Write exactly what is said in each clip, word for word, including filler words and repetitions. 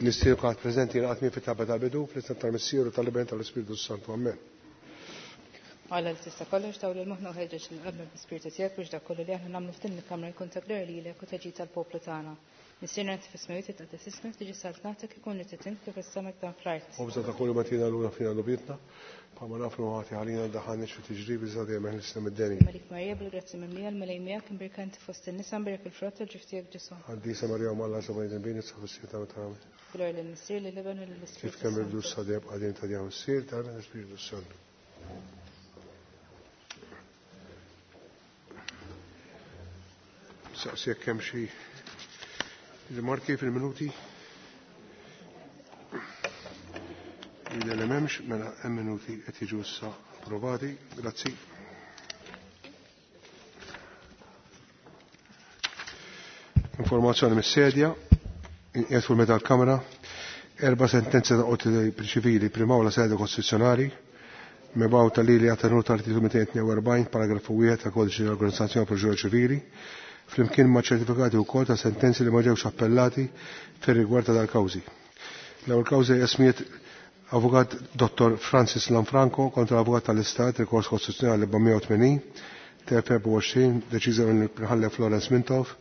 Nistiednu kulħadd preżenti jingħaqad miegħi fit-talba tal-bidu fl-isem tal-Missier u tal-Iben tal-Ispirtu Santu. Amen. Alla li tista' kollox dawwal lil moħħna u ħeġġeġ lil qalbna bl-Ispirtu tiegħek biex dak kollu li aħna nagħmlu f'din il-kamra jkun ta' glorja lilek u ta' ġid tal-poplu tagħna. Missierna inti fis-smewwiet titqaddes ismek, tiġi saltnatek, ikun li trid int kif fis-sema hekk dan fl-art. Ħobżna ta' kuljum agħtina llum aħfrilna dnubietna, bħalma naħfru ħati għalina ddaħħalniex fi tiġrib iżda dejjem eħlisna mid-deni. Malik Marija bil-grazzi mimlija l-Mulej miegħek imbierka inti fost in-nisa mbierek il-frott tal-ġuf tiegħek Ġesù. Qaddisa Marija Omm Alla itlob għalina midinbin issa u fis-siegħa tal-mewt tagħna. Amen. Glorja lill-Missier, lill-Iben u lill-Ispirtu Kif kemm irdu Santu. s-sadeb għadin ta' djaw s-sir, tal-Iben l-Ispirtu Santu. Saqsi jekk hemm xi rimarki fil-minuti. Jidher li m'hemmx, mela hemm minuti qed jiġu issa approvati. Grazzi. Informazzjoni mis-sedja, qiegħed fuq meta l-Kamra, erba' sentenzi ta' qorti ċivili primawla sede kostituzzjonali, mibgħuta lili għat-tenur tal-artikolu mitejn tnejn u erbgħin, paragrafu wieħed ta' Kodiċi tal-Organizzazzjoni Proċedura Ċivili, flimkien ma' ċertifikati wkoll ta' sentenzi li ma ġewx appellati fir-rigward ta' dal-kawżi. L-ewwel kawża hija smiet Avukat Dottor Francis Lanfranco kontra l-Avukat tal-Istat, rikors kostituzzjonali erba' u tmenin, T F erba' u għoxrin, deċiża mill-Imħallef Florence Mintoff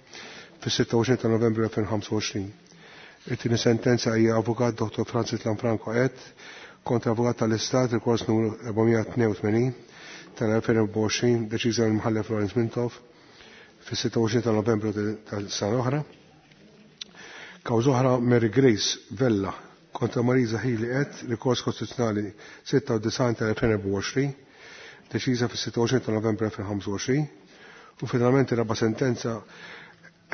fis-sitta u għoxrin ta' Novembru elfejn u ħamsa u għoxrin. It-tieni sentenza hija Avukat Dottor Francis Lanfranco et kontra Avukat tal-Istat, rikors numru erba' tnejn u tmenin tal-elfejn u erba' u għoxrin, deċiża mill-Imħallef Florence Mintoff fis-sitta u għoxrin ta' Novembru tal-sena oħra. Kawża oħra Mary Grace Vella kontra Marisa Hili et, rikors kostituzzjonali sitta u disgħin tal-elfejn u erba' u għoxrin, deċiża fis-sitta u għoxrin ta' Novembru elfejn u ħamsa u għoxrin. U finalment ir-raba' sentenza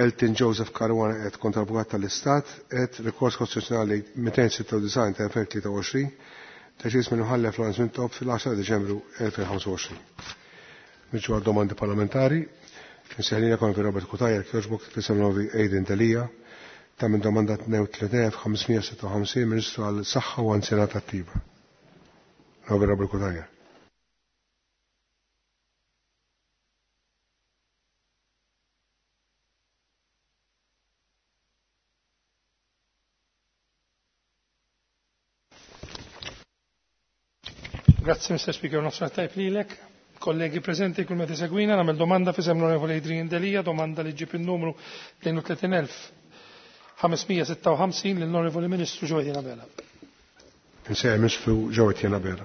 Elton Joseph Caruana et kontra Avukat tal-Istat et, rikors kostituzzjonali mitejn sitta u disgħin tal-elfejn tlieta u għoxrin, deċiż mill-Imħallef Florence Mintoff fil-għaxra ta' Diċembru elfejn u ħamsa u għoxrin. Niġu għal domandi parlamentari. Nsejħlina kon fi Robert Cutajar, kjoġbok fisem novi Aiden Delia, ta' minn domanda tnejn u tletin elf ħamsmija sitta u ħamsin, Ministru għal Saħħa u Anzjanità Attiva. Novi Robert Cutajar. Grazie, Mister Speaker, nofsinhar tajb lilek. Kollegi presenti, kull meta segwina, nagħmel domanda fisem l-Onorevoli Adrian Delia, domanda li ġib il-numru tnejn u tletin elf ħamsmija sitta u ħamsin lill-Onorevoli Ministru Jo Etienne Abela. Insejjaħ Ministru Jo Etienne Abela.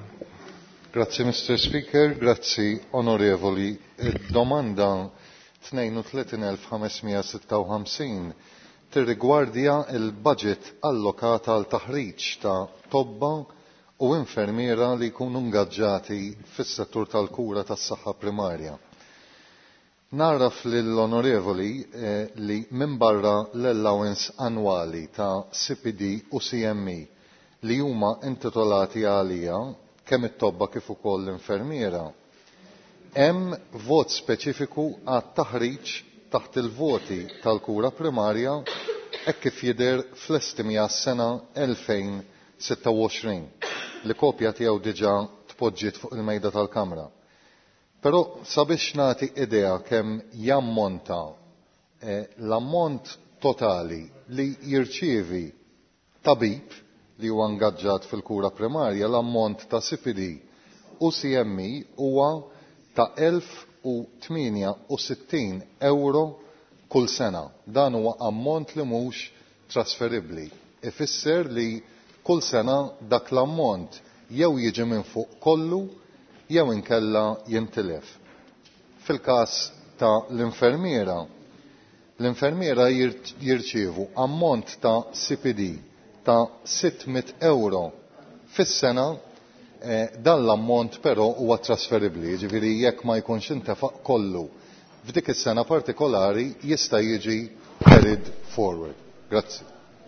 Grazzi, Mister Speaker, grazzi, Onorevoli. Domanda tnejn u tletin elf ħamsmija sitta u ħamsin tirrigwardja il-budget allokata għal taħriġ ta' tobba u infermiera li jkunu ngaġġati fis-settur tal-kura tas-saħħa primarja. Naraf lill-onorevoli, eh, li minn barra l-allowance annwali ta' C P D u C M E li huma intitolati għalija kemm it-tobba kif ukoll l-infermiera, hemm vot speċifiku għat-taħriġ taħt il-voti tal-kura primarja hekk kif jidher fl-estimi għas-sena elfejn sitta u għoxrin li kopja tiegħu diġà tpoġġiet fuq il-mejda tal-Kamra. Però sabiex nagħti idea kemm jammonta, eh, l-ammont totali li jirċievi tabib li huwa ngaġġat fil-kura primarja, l-ammont ta' C P D u C M E huwa ta' elf u tmienja u sittin euro kull sena. Dan huwa ammont li mhux trasferibbli. Ifisser li kull sena dak l-ammont jew jiġi minn fuq kollu jew inkella jintilef. Fil-każ ta' l-infermiera, l-infermiera jir-, jirċievu ammont ta' C P D ta' sitt mitt euro fis-sena, eh, dan l-ammont però huwa trasferibbli, jiġifieri jekk ma jkunx intefaq kollu f'dik is-sena partikolari jista' jiġi carried forward. Grazzi.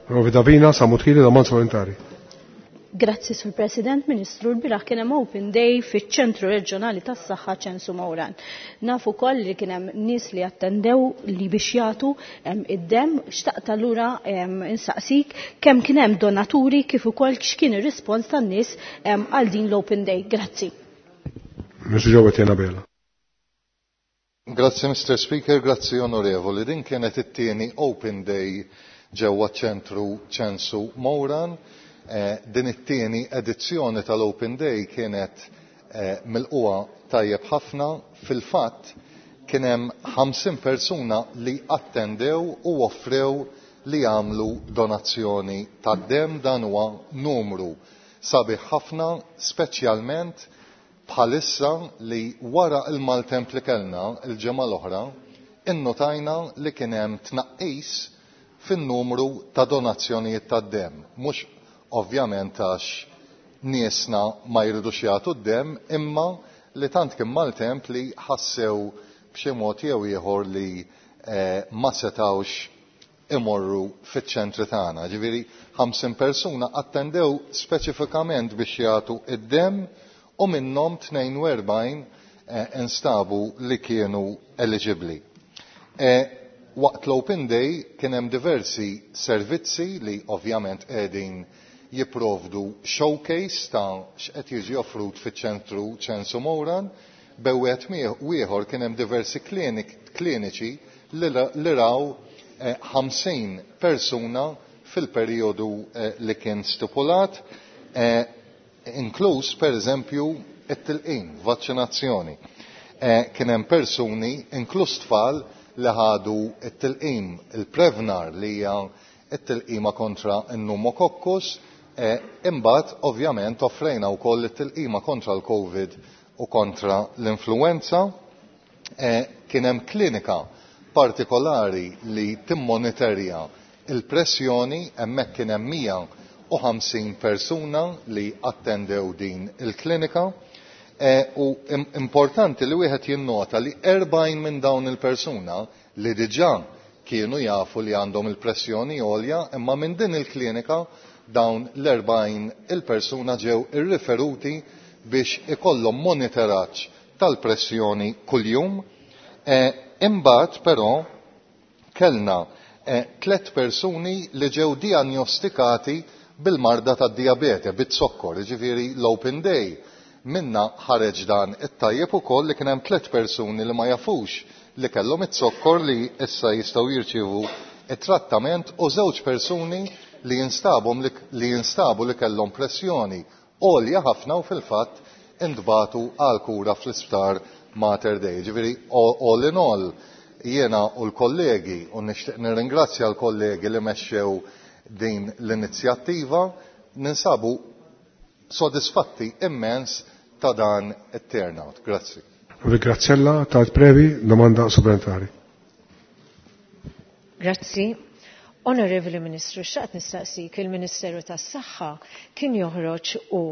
Rovi Davina, Samutħili, domanda supplementari. Grazzi, Sur President. Ministru, l-bieraħ kien hemm Open Day fiċ-Ċentru Reġjonali tas-Saħħa Ċensu Mawran. Nafu wkoll li kien hemm nies li attendew li biex jagħtu, em, id-demm. Xtaqt allura, em, insaqsik kemm kien hemm donaturi kif ukoll x'kien ir-rispons tan-nies, em, għal din l-Open Day. Grazzi. Ministru Jo Etienne Abela. Grazzi, Mister Speaker, grazzi, Onorevoli. Din kienet it-tieni Open Day ġewwa ċentru Ċensu Mowran. Eh, din it-tieni edizzjoni tal-Open Day kienet eh, milquha tajjeb ħafna. Fil-fatt kien hemm ħamsin persuna li attendew u offrew li jagħmlu donazzjoni tad-demm. Dan huwa numru sabiħ ħafna, speċjalment bħalissa li wara il-maltemp li kellna il-ġimgħa l-oħra innotajna li kien hemm tnaqqis fin-numru ta' donazzjonijiet tad-demm. Mhux ovvjament għax niesna ma jridux jagħtu d-demm, imma li tant kien maltemp li ħassew b'xi mod jew ieħor li eh, ma setgħux imorru fiċ-ċentri tagħna. Ġifieri ħamsin persuna attendew speċifikament biex jagħtu id-demm u minnhom tnejn u erbgħin eh, instabu li kienu eligibbli. Eh, waqt l-Open Day kien hemm diversi servizzi li ovvjament qegħdin jipprovdu showcase ta' x'qed jiġi offrut fiċ-ċentru Ċensu Mowran. Bewet ieħor kien hemm diversi kliniċi li raw ħamsin persuna fil-perjodu li kien stipulat, inkluż pereżempju it-tilqim, vaċċinazzjoni. Kien hemm persuni, inkluż tfal, li ħadu it-tilqim, il-Prevnar li hija it-tilqima kontra n-pneumokokkus, imbagħad ovvjament offrejna wkoll it-tilqima kontra l-Covid u kontra l-influenza. Kien hemm klinika partikolari li timmonitorja il-pressjoni, hemmhekk kien hemm mija u ħamsin persuna li attendew din il-klinika. U importanti li wieħed jinnota li erbgħin minn dawn il-persuna li diġà kienu jafu li għandhom il-pressjoni għolja, imma minn din il-klinika dawn l-erbgħin il-persuna ġew irriferuti biex ikollhom monitoraġġ tal-pressjoni kuljum. Imbagħad però kellna tliet persuni li ġew diagnostikati bil-marda tad-diabete, bit-zokkor, jiġifieri l-Open Day. Minna ħareġ dan it-tajjeb ukoll li kien hemm tliet persuni li ma jafux li kellhom it-zokkor li issa jistgħu jirċievu it-trattament, u żewġ persuni li jinstabu li jinstabu li kellhom pressjoni għolja ħafna u fil-fatt intbagħtu għal kura fl-isptar Mater Dei. Ġifieri all in all jiena u l-kollegi, u nixtieq nirringrazzja l-kollegi li mexxew din l-inizjattiva, ninsabu sodisfatti immens ta' dan it-turnout. Grazzi. Graziella tal-Previ, domanda supplementari. Grazzi. Onorevoli Ministru, xaqt nistaqsik, il-Ministeru tas-Saħħa kien joħroġ u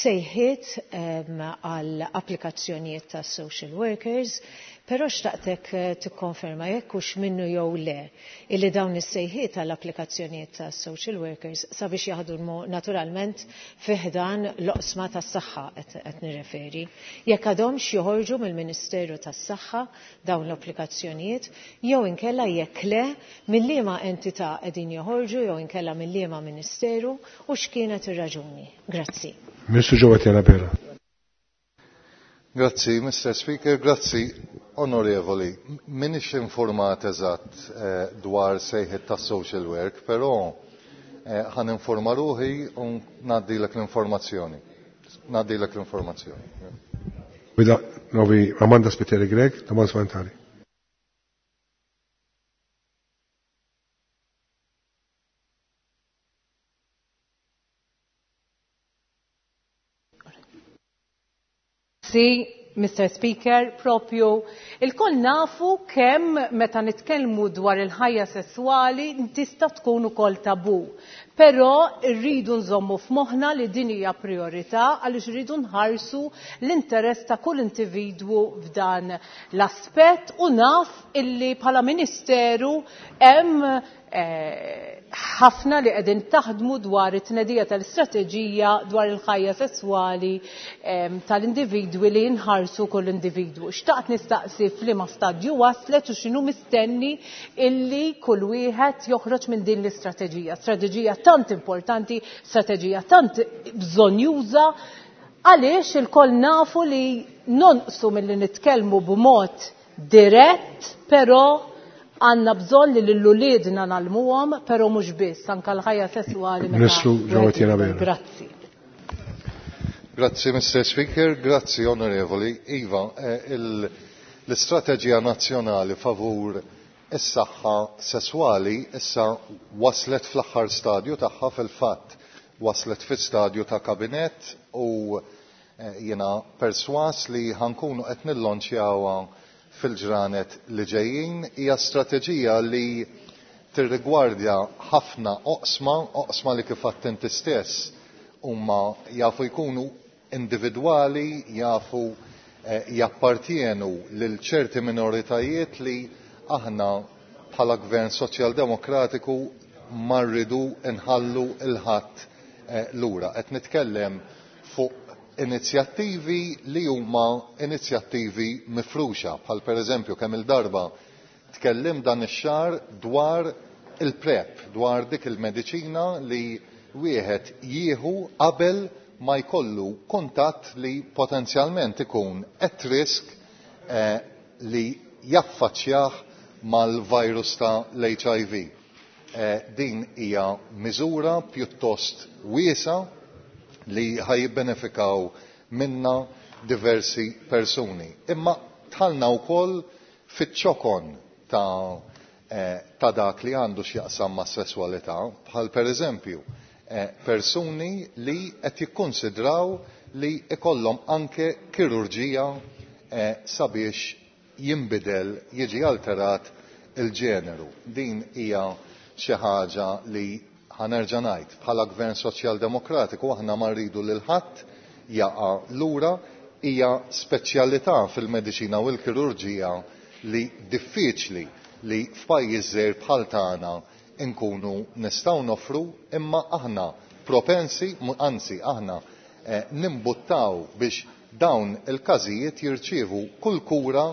sejħiet għal applikazzjonijiet ta' social workers, però xtaqtek tikkonferma jekk hux minnu jew le illi dawn is-sejħiet għal applikazzjonijiet ta' social workers sabiex jaħdmu naturalment fi ħdan l-oqsma tas-saħħa qed nirreferi. Jekk għadhomx joħorġu mill-Ministeru tas-Saħħa dawn l-applikazzjonijiet, jew inkella jekk le mill-liema entità qegħdin joħorġu jew inkella mill-liema ministeru u x'kienet ir-raġuni. Grazzi. Ministru Giovanni Abela. Grazzi, Mister Speaker, grazzi, onorevoli. Minix informat eżatt eh, dwar sejħet ta' social work, però eh, ħan informa ruħi u ngħaddilek l-informazzjoni. Ngħaddilek l-informazzjoni. Bida, novi Amanda Spiteri Grech, domanda supplementari. Grazzi, Mister Speaker, propju il-koll nafu kemm meta nitkellmu dwar il-ħajja sessuali tista' tkun ukoll tabu. Però rridu nżommu f'moħħna li din hija priorità għaliex rridu nħarsu l-interess ta' kull individwu f'dan l-aspett, u naf illi bħala ministeru hemm ħafna li qegħdin taħdmu dwar it-tnedija tal-istrateġija dwar il-ħajja sesswali tal-individwi li nħarsu kull individwu. Xtaqt nistaqsi f'liema stadju waslet u x'inhu mistenni illi kull wieħed joħroġ minn din l-istrateġija. Strateġija tant importanti, strateġija tant bżonjuża, għaliex il-koll nafu li nonqsu milli nitkellmu b'mod dirett, però Għandna bżonn li lil uliedna nagħlmuhom, però mhux biss, anke l-ħajja sesswali meta. Ministru Jowett Abela. Grazzi. Grazzi, Mister Speaker, grazzi, Onorevoli. Iva, l-Istrateġija Nazzjonali favur is-saħħa sesswali issa waslet fl-aħħar stadju tagħha, fil-fatt waslet fi stadju ta' kabinett, u jiena perswas li ħankunu qed nillonċjawha fil-ġranet li ġejjin. Hija strateġija li tirrigwardja ħafna oqsma, oqsma li kif għedt inti stess huma jafu jkunu individwali, jafu jappartienu lil ċerti minoritajiet li aħna bħala Gvern Soċjaldemokratiku ma rridu nħallu il-ħadd lura. Qed nitkellem fuq inizjattivi li huma inizjattivi mifruxa, bħal pereżempju kemm il-darba tkellim dan ix-xahar dwar il-PrEP, dwar dik il-mediċina li wieħed jieħu qabel ma jkollu kuntatt li potenzjalment ikun at risk eh, li jaffaċċjah mal-virus ta' l-H I V. Eh, din hija miżura pjuttost wiesa li ħajbenefikaw minna diversi persuni. Imma tħallna wkoll fiċ-ċokon ta', eh, ta' dak li għandu x'jaqsam mas-sesswalità, bħal pereżempju eh, persuni li qed jikkonsidraw li ikollhom anke kirurġija eh, sabiex jinbidel, jiġi alterat il-ġeneru. Din hija xi ħaġa li ħanerġa' ngħid, bħala Gvern Soċjaldemokratiku aħna ma rridu lil ħadd jaqa' lura. Hija speċjalità fil-mediċina u l-kirurġija li diffiċli li f'pajjiż żgħir bħal tagħna nkunu nistgħu nofru, imma aħna propensi, anzi aħna eh, nimbuttaw biex dawn il-każijiet jirċievu kull kura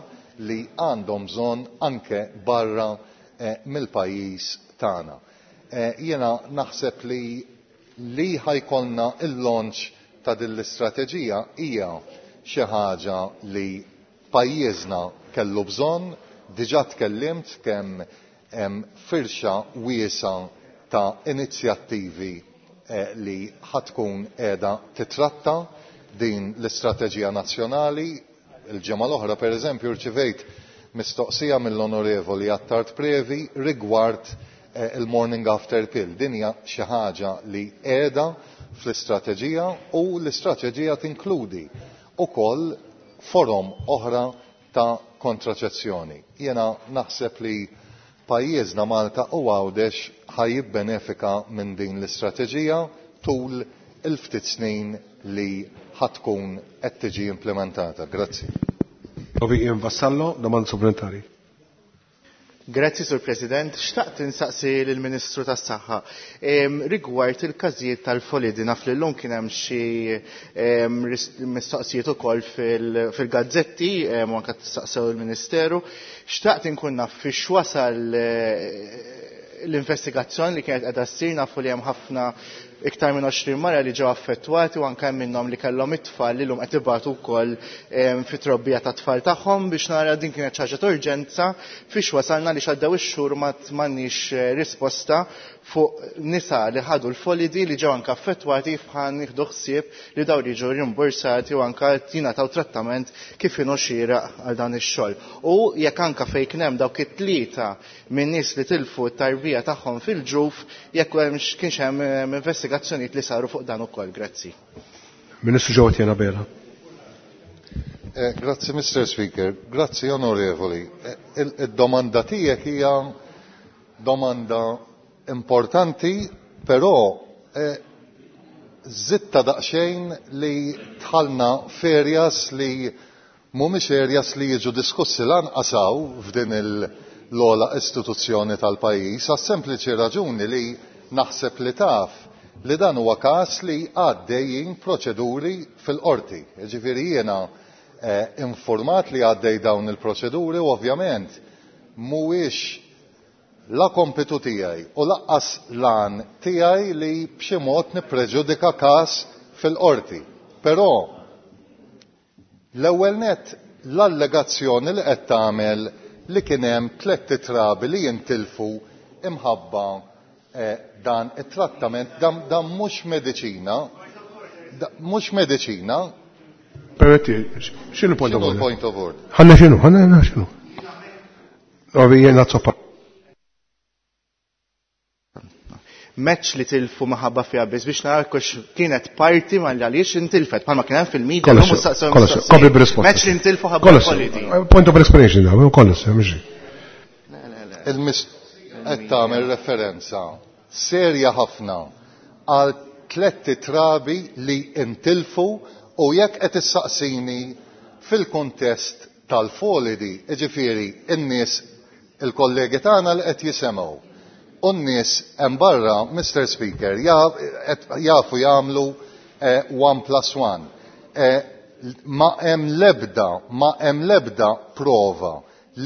li għandhom bżonn anke barra eh, mill-pajjiż tagħna. Eh, jiena naħseb li li ħajkolna il-launch ta' din l-istrateġija hija xi ħaġa li pajjiżna kellu bżonn. Diġà tkellimt kemm hemm firxa wiesa ta' inizjattivi eh, li ħatkun qiegħda titratta din l-istrateġija nazzjonali. Il-ġimgħa l-oħra pereżempju rċivejt mistoqsija mill-Onorevoli Attard Previ rigward eh, il-morning after pill. Din hija xi ħaġa li qiegħda fl-istrateġija, u l-istrateġija tinkludi wkoll forom oħra ta' kontraċezzjoni. Jiena naħseb li pajjiżna Malta u Għawdex ħajjibbenefika minn din l-istrateġija tul il-ftit snin li ħatkun qed tiġi implementata. Grazzi. Ian Vassallo, domanda supplementari. Grazzi, Sur President. Xtaqt insaqsi lill-Ministru tas-Saħħa rigward il-każijiet tal-folidi. Naf li llum kien hemm xi mistoqsijiet ukoll fil-gazzetti u anke tistaqsew il-Ministeru. Xtaqt inkun naf fiex wasal l-investigazzjoni li kienet qiegħda ssir. Nafu li hemm ħafna iktar minn għoxrin mara li ġew affettwati u anke hemm minnhom li kellhom it-tfal li llum qed ibatu wkoll fit-trobbija tat-tfal tagħhom, biex nara din kienet xi ħaġa ta' urġenza fiex wasalna li x'għaddew ix-xhur ma m'għandniex risposta fuq nisa li ħadu l-folidi li ġew anke affettwati f'ħan nieħdu ħsieb li dawn jiġu rimborsati u anke jingħataw trattament kif inhu xieraq għal dan ix-xogħol. U jekk anke fejn kien hemm dawk it-tlieta minn nies li tilfu t-tarbija tagħhom fil-ġuf, jekk kienx hemm investigazzjonijiet li saru fuq dan ukoll. Grazzi. Ministru Jowett Abela. Eh, grazzi, Mister Speaker. Grazzi, Onorevoli. Il-domanda tiegħek hija domanda importanti, però eh, zitta daqsxejn li tħallna f'areas li mhumiex areas li jiġu diskussi lanqas hawn f'din l-ogħla istituzzjoni tal-pajjiż, għas sempliċi raġuni li naħseb li taf li dan huwa każ li għaddejjin proċeduri fil-qorti. Jiġifieri jiena eh, informat li għaddej dawn il-proċeduri u ovvjament mhuwiex la kompitu tiegħi u laqqas lan tiegħi li b'xi mod nippreġudika każ fil-qorti. Però l-ewwel nett l-allegazzjoni li qed tagħmel li kien hemm tliet trabi li jintilfu imħabba dan it-trattament, dan mhux mediċina, mhux mediċina. Permetti, x'inhu point of order? Point of order? Ħanna x'inhu, ħanna x'inhu. Ovi jiena zoppa. Meċ li tilfu maħabba fiha biss biex narakux kienet parti ma għaliex intilfet, bħalma kien hemm fil-media. Kollox, kopri b'risposta. Meċ li intilfu ħabba politi. Point of explanation da, kollox, mhux. Il-mis qed tagħmel referenza serja ħafna għal tliet trabi li intilfu u jekk qed issaqsini fil-kuntest tal-folidi, jiġifieri n-nies il-kollegi tagħna li qed jisemgħu. U n-nies hemm barra, Mister Speaker, jafu jagħmlu one plus one. Ma hemm lebda, ma hemm lebda prova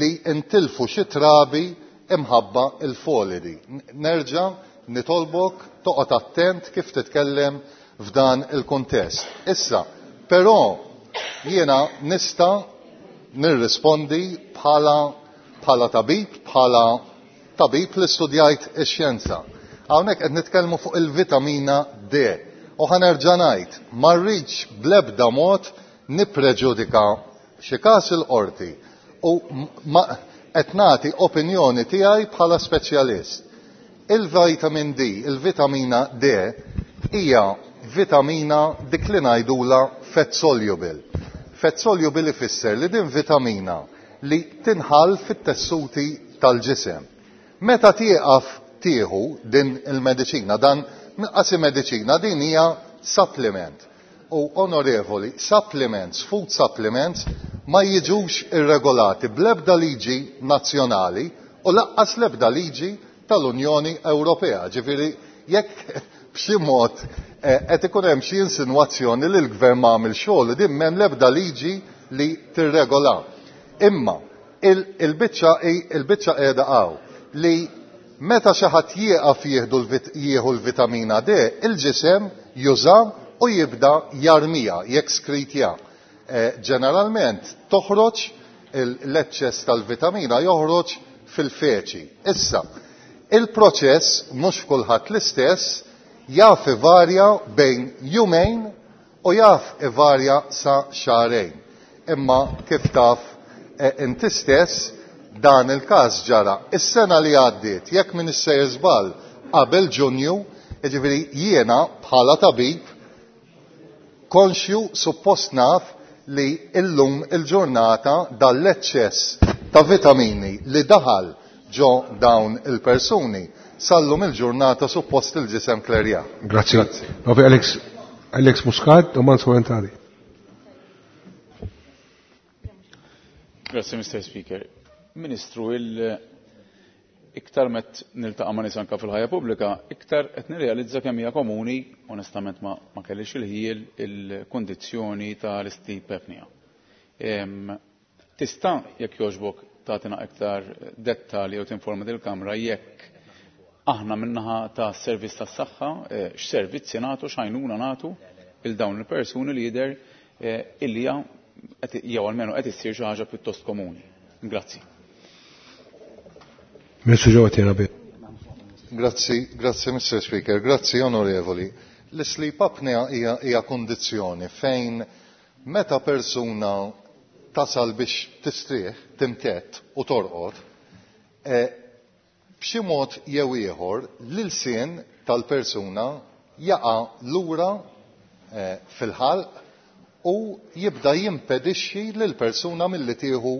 li intilfu xi trabi imħabba il-folidi. Nerġa' nitolbok toqgħod attent kif titkellem f'dan il-kuntest. Issa, però jiena nista' nirrispondi bħala bħala tabib, bħala tabib li studjajt ix-xjenza. Hawnhekk qed nitkellmu fuq il-vitamina D. U ħanerġa' ngħid, ma rridx bl-ebda mod nippreġudika xi każ il-qorti u qed nagħti opinjoni tiegħi bħala speċjalist. Il-vitamin D, il-vitamina D hija vitamina dik li ngħidula fat soluble. Fat soluble ifisser li din vitamina li tinħall fit-tessuti tal-ġisem. Meta tieqaf tieħu din il-mediċina, dan qasi mediċina, din hija supplement. U onorevoli, supplements, food supplements, ma jiġux irregolati bl-ebda liġi nazzjonali u laqqas l-ebda liġi tal-Unjoni Ewropea. Ġifieri jekk b'xi mod qed ikun hemm xi insinwazzjoni li l-gvern ma għamel xogħol, din m'hemm l-ebda liġi li tirregola. Imma il-biċċa il-biċċa qiegħda hawn li meta xi ħadd jieqaf jieħu l-vitamina D, il-ġisem juża u jibda jarmija, jekskritja. Ġeneralment toħroġ l-eċċess tal-vitamina joħroġ fil-feċi. Issa, il-proċess mhux kulħadd l-istess jaf ivarja bejn jumejn u jaf ivarja sa xahrejn. Imma kif taf inti stess dan il-każ ġara. Is-sena li għaddiet, jekk min issejjer żball qabel Ġunju, jiġifieri jiena bħala tabib konxju suppost naf li illum il-ġurnata dal-eċċess ta' vitamini li daħal ġo dawn il-persuni sallum il-ġurnata suppost il-ġisem klerja. Grazie. Grazie. Alex, Alex Muscat, domanda supplementari. Grazie, Mister Speaker. Ministru, il-iktar met niltaqa' ma' nies anke fil-ħajja pubblika, iktar qed nirrealizza kemm hija komuni, onestament ma, ma kellix il-ħiel il-kundizzjoni tal-sleep apnea. Tista' jekk jogħġbok tagħtina iktar dettalji u tinforma dil-Kamra jekk aħna minnaħa ta' servizz tas-saħħa, x'servizzi nagħtu, x'għajnuna nagħtu il dawn il-persuni li jidher illi jew almenu qed issir xi ħaġa pjuttost komuni. Grazzi. Grazzi, grazzi Mister Speaker, grazzi onorevoli. L-sleep apnea hija, hija kondizzjoni fejn meta persuna tasal biex tistrieħ, timtett u torqod, e, b'xi mod jew ieħor l-ilsien tal-persuna jaqa' lura e, fil-ħalq u jibda jimpedixxi lill-persuna milli tieħu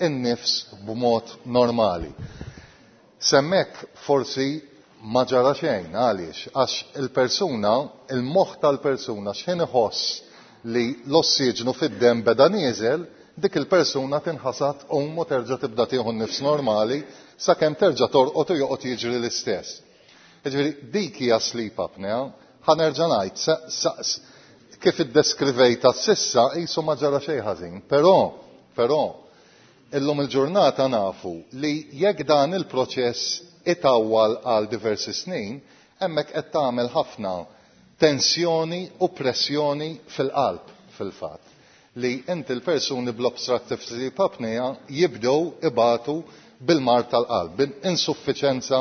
in-nifs b'mod normali. Semmek forsi ma ġara xejn, għaliex, għax il-persuna, il-moħħ tal-persuna x'ħin iħoss li l-ossiġnu fid-demm beda nieżel, dik il-persuna tinħasad tqum u terġa' tibda tieħu n-nifs normali sakemm terġa' torqod u joqgħod jiġri l-istess. Jiġifieri dik hija sleep apnea, ħa nerġa' ngħid kif iddeskrivejta s'issa qisu ma ġara xejn ħażin, però però illum il-ġurnata nafu li jekk dan il-proċess itawwal għal diversi snin, hemmhekk qed tagħmel ħafna tensjoni u pressjoni fil-qalb fil-fatt. li inti l-persuni bl-obstructive sleep apnea jibdew ibatu bil-mar tal-qalb, bil-insuffiċenza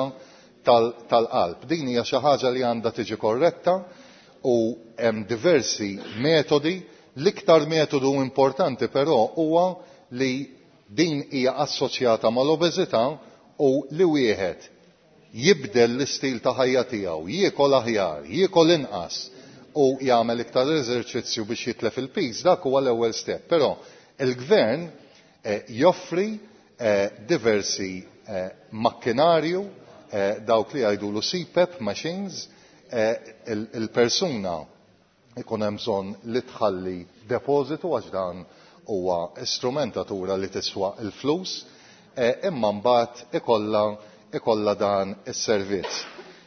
tal-qalb. Din hija xi ħaġa li għandha tiġi korretta u hemm diversi metodi. L-iktar metodu importanti però huwa li din hija assoċjata mal-obeżità u li wieħed jibdel l-istil ta' ħajja tiegħu, jiekol aħjar, jiekol inqas u jagħmel iktar eżerċizzju biex jitlef il-piż, dak huwa l-ewwel step. Però il-gvern eh, joffri eh, diversi eh, makkinarju, eh, dawk li jgħidulu C PAP machines, eh, il-persuna ikun hemm bżonn li tħalli depożitu għax dan huwa strumentatura li tiswa l-flus, eh, imma mbagħad ikollha ikollha dan is-servizz.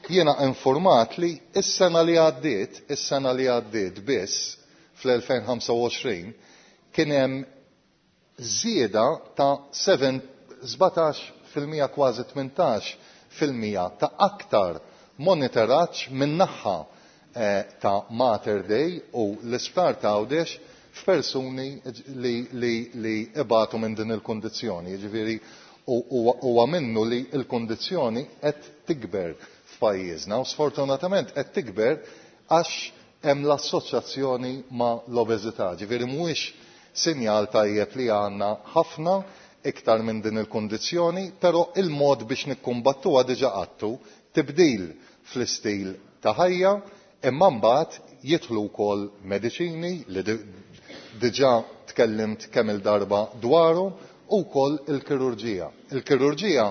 Jiena informat li s-sena li għaddiet, is-sena li għaddiet biss fl-elfejn ħamsa u għoxrin kien hemm żieda ta' sbatax fil-mija kważi tmintax fil-mija ta' aktar monitoraġġ min-naħa, eh, ta' Mater Dei u l-isptar ta' Għawdex f'persuni li, li, li ibatu minn din il-kundizzjoni. Jiġifieri huwa minnu li l-kundizzjoni qed tikber f'pajjiżna u sfortunatament qed tikber għax hemm l-assoċjazzjoni ma' l-obeżità. Ġifieri mhuwiex sinjal tajjeb li għandna ħafna iktar minn din il-kundizzjoni, però il-mod biex nikkumbattuha diġà qattu tibdil fl-istil ta' ħajja, imma mbagħad jidħlu wkoll mediċini li diġà tkellimt kemm il-darba dwaru u wkoll il-kirurġija. Il-kirurġija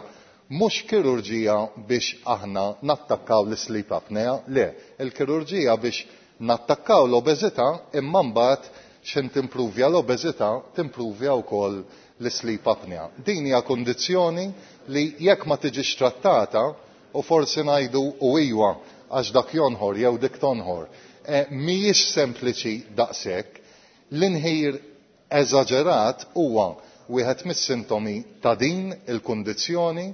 mhux kirurġija biex aħna nattakkaw l-sleep apnea, le, il-kirurġija biex nattakkaw l-obeżità imma mbagħad x'in timpruvja l-obeżità timpruvja wkoll l-sleep apnea. Din hija kundizzjoni li jekk ma tiġix trattata u forsi ngħidu u iwa għax dak jonħor jew dik tonħor, eh, mhijiex sempliċi daqshekk. L-inħir eżaġerat huwa wieħed mis-sintomi ta' din il-kundizzjoni.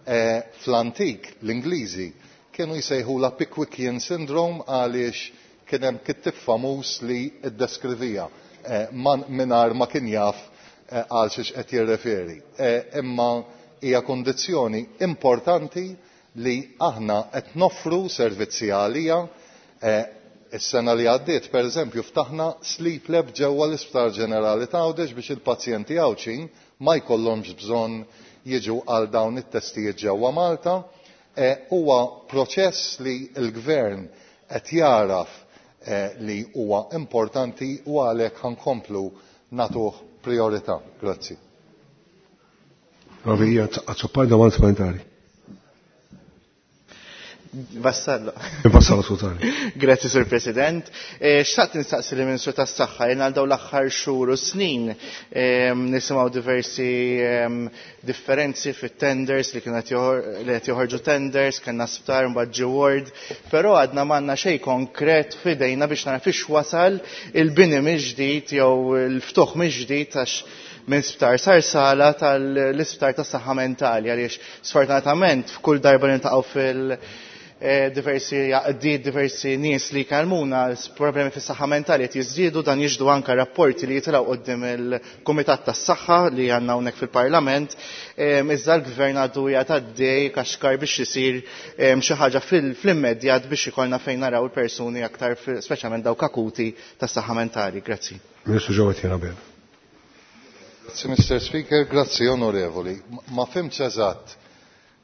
Eh, fl-antik l-Ingliżi kienu jsejħula Pickwickian syndrome għaliex kien hemm kittib famuż li ddeskrivija, eh, mingħajr ma kien jaf, eh, għal xiex qed jirreferi. Eh, imma hija kundizzjoni importanti li aħna qed noffru servizzi għalija. Eh, is-sena li għaddiet, pereżempju, ftaħna sleep lab ġewwa l-Isptar Ġenerali ta' Għawdex biex il-pazjenti Għawdxin ma jkollhomx bżonn jiġu għal dawn it-testijiet ġewwa Malta. Eh, huwa proċess li l-gvern qed jaraf, eh, li huwa importanti u għalhekk ħankomplu nagħtuh priorità. Grazzi. Rovija, Azzopardi, domanda supplementari. Vassallo. Vassallo, skużani. Grazzi, Sur President. Eh, xtaqt nistaqsi li Ministru tas-Saħħa, jien għal dawn l-aħħar xhur u snin, ehm, nisimgħu diversi, ehm, differenzi fit-tenders li kienu qed joħor-, li qed joħorġu tenders, kellna sptar mbagħad ġie ward, però għadna m'għandna xejn konkret f'idejna biex nara fiex wasal il-bini mill-ġdid jew il-ftuħ mill-ġdid għax minn sptar sar sala tal-isptar tas-saħħa mentali, għaliex sfortunatament f'kull darba li niltaqgħu fil- eh, diversi għaqdiet, diversi nies li jkellmuna, problemi fis-saħħa mentali qed jiżdiedu, dan jiġdu anke rapporti li jitilgħu quddiem il-Kumitat tas-Saħħa li għandna hawnhekk fil-Parlament, em, iżda l-Gvern għadu qiegħed għaddej kaxkar biex isir, em, xi ħaġa fil-, fl-immedjat biex ikollna fejn naraw il-persuni aktar fil-, speċjalment dawk akuti tas-saħħa mentali. Grazzi. Ministru Jowett Abela. Grazzi, Mister Speaker, grazzi onorevoli. Ma fimx eżatt.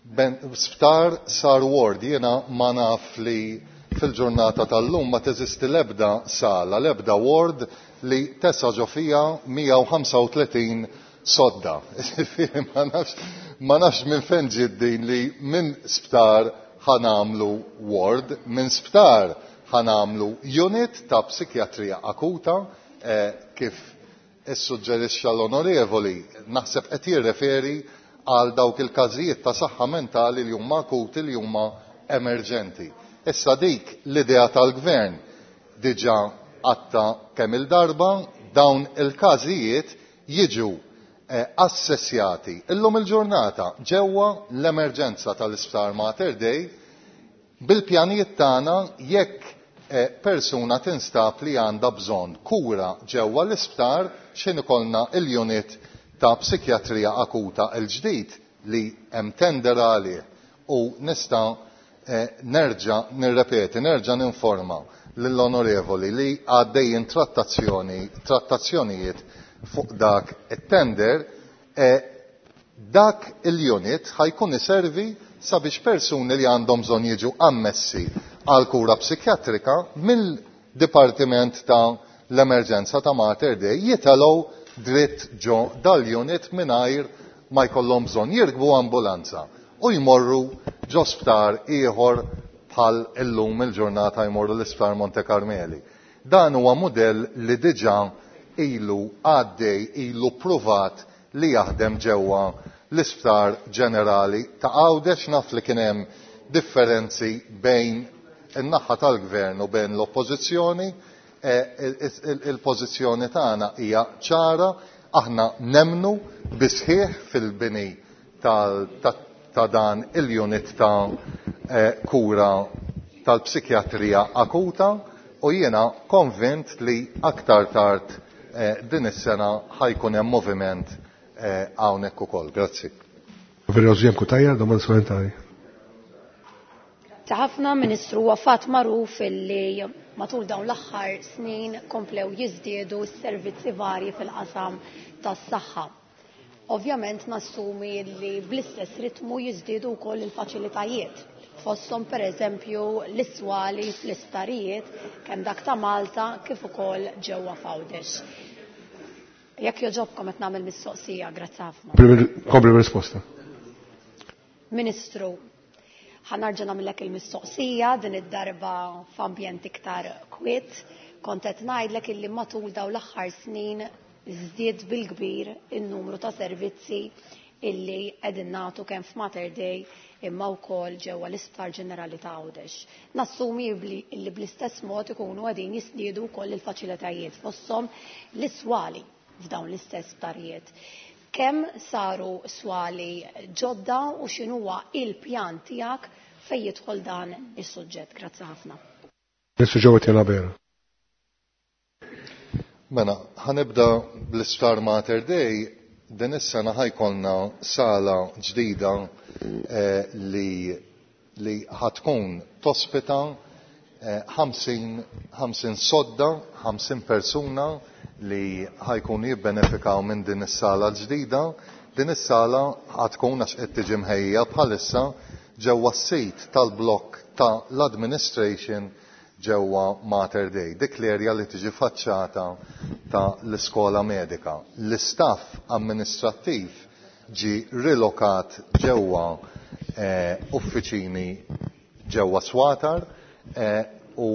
Ben, sptar sar ward, jiena ma naf li fil-ġurnata tal-lum ma teżisti l-ebda sala, l-ebda ward li tesa ġo fija mija u ħamsa u tletin sodda. Ġifieri ma nafx, ma nafx minn fejn ġiet din li minn sptar ħanamlu ward, minn sptar ħanamlu unit ta' psikjatrija akuta, eh, kif issuġġerixxa l-onorevoli, naħseb qed jirreferi għal dawk il-każijiet ta' saħħa mentali li huma akuti, li huma emerġenti. Issa dik l-idea tal-gvern diġà għatta kemm il-darba dawn il-każijiet jiġu, eh, assessjati illum il-ġurnata ġewwa l-emerġenza tal-Isptar Mater Dei bil-pjanijiet tagħna jekk persuna tinstab li għandha bżonn kura ġewwa l-isptar x'in ikollna il-unit ta' psikjatrija akuta l-ġdid li hemm tender għalih u nista' nerġa' nirrepeti, nerġa' ninforma lill-onorevoli li għaddejjin trattazzjoni, trattazzjonijiet fuq dak it-tender, dak il-unit ħajkun iservi sabiex persuni li għandhom bżonn jiġu ammessi għal kura psikjatrika mill-Dipartiment ta' l-Emerġenza ta' Mater Dei jitelgħu dritt ġo dal-unit mingħajr ma jkollhom bżonn jirkbu ambulanza u jmorru ġo sptar ieħor bħal illum il-ġurnata jmorru l-isptar Monte Carmeli. Dan huwa mudell li diġà ilu għaddej, ilu pruvat li jaħdem ġewwa l-Isptar Ġenerali ta' Għawdex. Naf li kien hemm differenzi bejn in-naħa tal-gvern u bejn l-oppożizzjoni. Il-pożizzjoni tagħna hija ċara, aħna nemnu bisħieħ fil-bini ta' dan il-unit ta' kura tal-psikjatrija akuta u jiena konvint li aktar tard din is-sena ħajkun hemm moviment hawnhekk ukoll. Grazzi. Domanda supplementari. Ta' ħafna, Ministru, huwa fatt magħruf illi matul dawn l-aħħar snin komplew jiżdiedu s-servizzi varji fil-qasam tas-saħħa. Ovvjament nassumi li bl-istess ritmu jiżdiedu wkoll il-faċilitajiet. Fosthom pereżempju l-iswali fl-isptarijiet kemm dak ta' Malta kif ukoll ġewwa f'Għawdex. Jekk joġobkom qed nagħmel mistoqsija, grazzi ħafna. Kompli risposta. Ministru, ħanarġa' nagħmellek il-mistoqsija din id-darba f'ambjent iktar kwiet. Kont qed ngħidlek illi matul dawn l-aħħar snin żdied bil-kbir in-numru ta' servizzi illi qegħdin nagħtu kemm f'Mater Dei imma wkoll ġewwa l-Isptar Ġenerali ta' Għawdex. Nassumi illi bl-istess mod ikunu qegħdin jiżdiedu wkoll il-faċilitajiet fosthom l-iswali f'dawn l-istess sptarijiet. Kemm saru swali ġodda u x'inhuwa il-pjan tiegħek fejn jidħol dan is-suġġett? Grazzi ħafna. Ministru Joe Abela. Mela, ħanibda bl-Isptar Mater Dei. Din is-sena ħajkollna sala ġdida li li ħatkun tospita ħamsin sodda, ħamsin persuna li ħajkun jibbenefikaw minn din is-sala ġdida. Din is-sala ħatkun għax qed tiġi mħejja bħalissa ġewwa s-sit tal-blokk ta' l-administration ġewwa Mater Dei, dik l-erja li tiġi faċċata ta' l-iskola medika. L-istaff amministrattiv ġi rilokat ġewwa uffiċini ġewwa Swatar u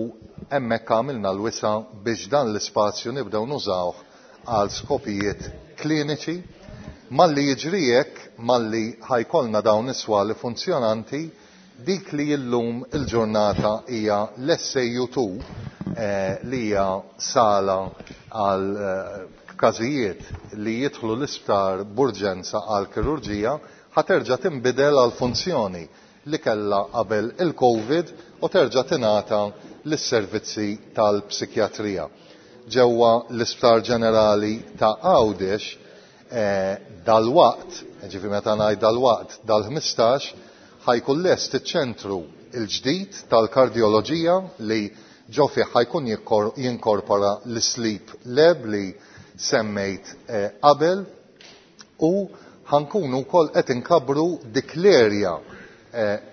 hemmhekk għamilna l-wisa biex dan l-ispazju nibdew nużawh għal skopijiet kliniċi. Malli jiġri hekk, malli ħajkollna dawn is-swali funzjonanti, dik li illum il-ġurnata hija l-S A U two li hija sala għal każijiet li jidħlu l-isptar b'urġenza għal kirurġija, ħaterġa' tinbidel għal funzjoni li kellha qabel il-Covid u terġa' tingħata lis-servizzi tal-psikjatrija. Ġewwa l-Isptar Ġenerali ta' Għawdex dal-waqt, ġifieri meta ngħid dal-waqt dal-ħmistax, ħajkun lest iċ-ċentru il-ġdid tal-kardjoloġija li ġo fih ħajkun jinkorpora l-sleep lab li semmejt qabel u ħankunu wkoll qed inkabbru dik l-erja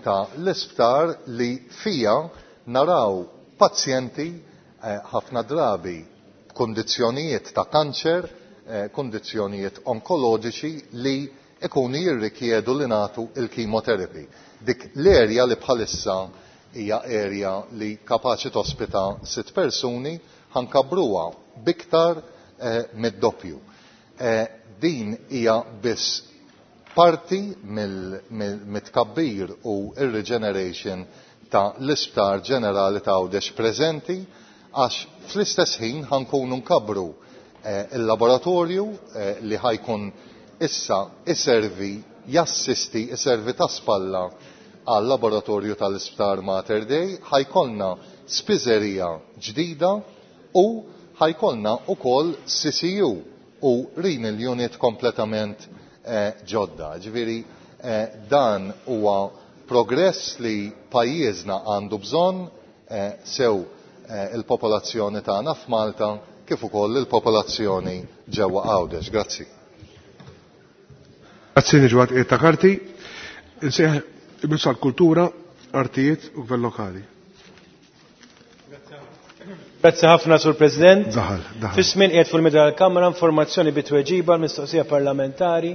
ta' l-isptar li fija naraw pazjenti ħafna drabi b'kundizzjonijiet ta' kanċer, kundizzjonijiet onkoloġiċi li ikunu jirrikjedu li nagħtu il-chemotherapy. Dik l-erja li bħalissa hija erja li kapaċi tospita sitt persuni ħankabruha biktar mid-doppju. Din hija biss parti mill-tkabbir u ir-regeneration ta' l-Isptar Ġenerali ta' Għawdex preżenti, għax fl-istess ħin ħankunu nkabbru il-laboratorju li ħajkun issa iservi, jassisti, iservi ta' spalla għal laboratorju tal-Isptar Mater Dei, ħajkollna spiżerija ġdida u ħajkollna ukoll C C U u renal unit kompletament ġodda. Ġifieri dan huwa progress li pajjiżna għandu bżonn, sew il-popolazzjoni tagħna f'Malta kif ukoll il-popolazzjoni ġewwa Għawdex. Grazzi. Grazzi niġu għad ta' karti. Insejħ il-Ministru għall-Kultura, Artijiet u Gvern Lokali. Grazzi ħafna, Sur President. Daħal, daħal. Fis-żmien qiegħed fuq il-mejda tal-Kamra informazzjoni bi tweġiba l-mistoqsija parlamentari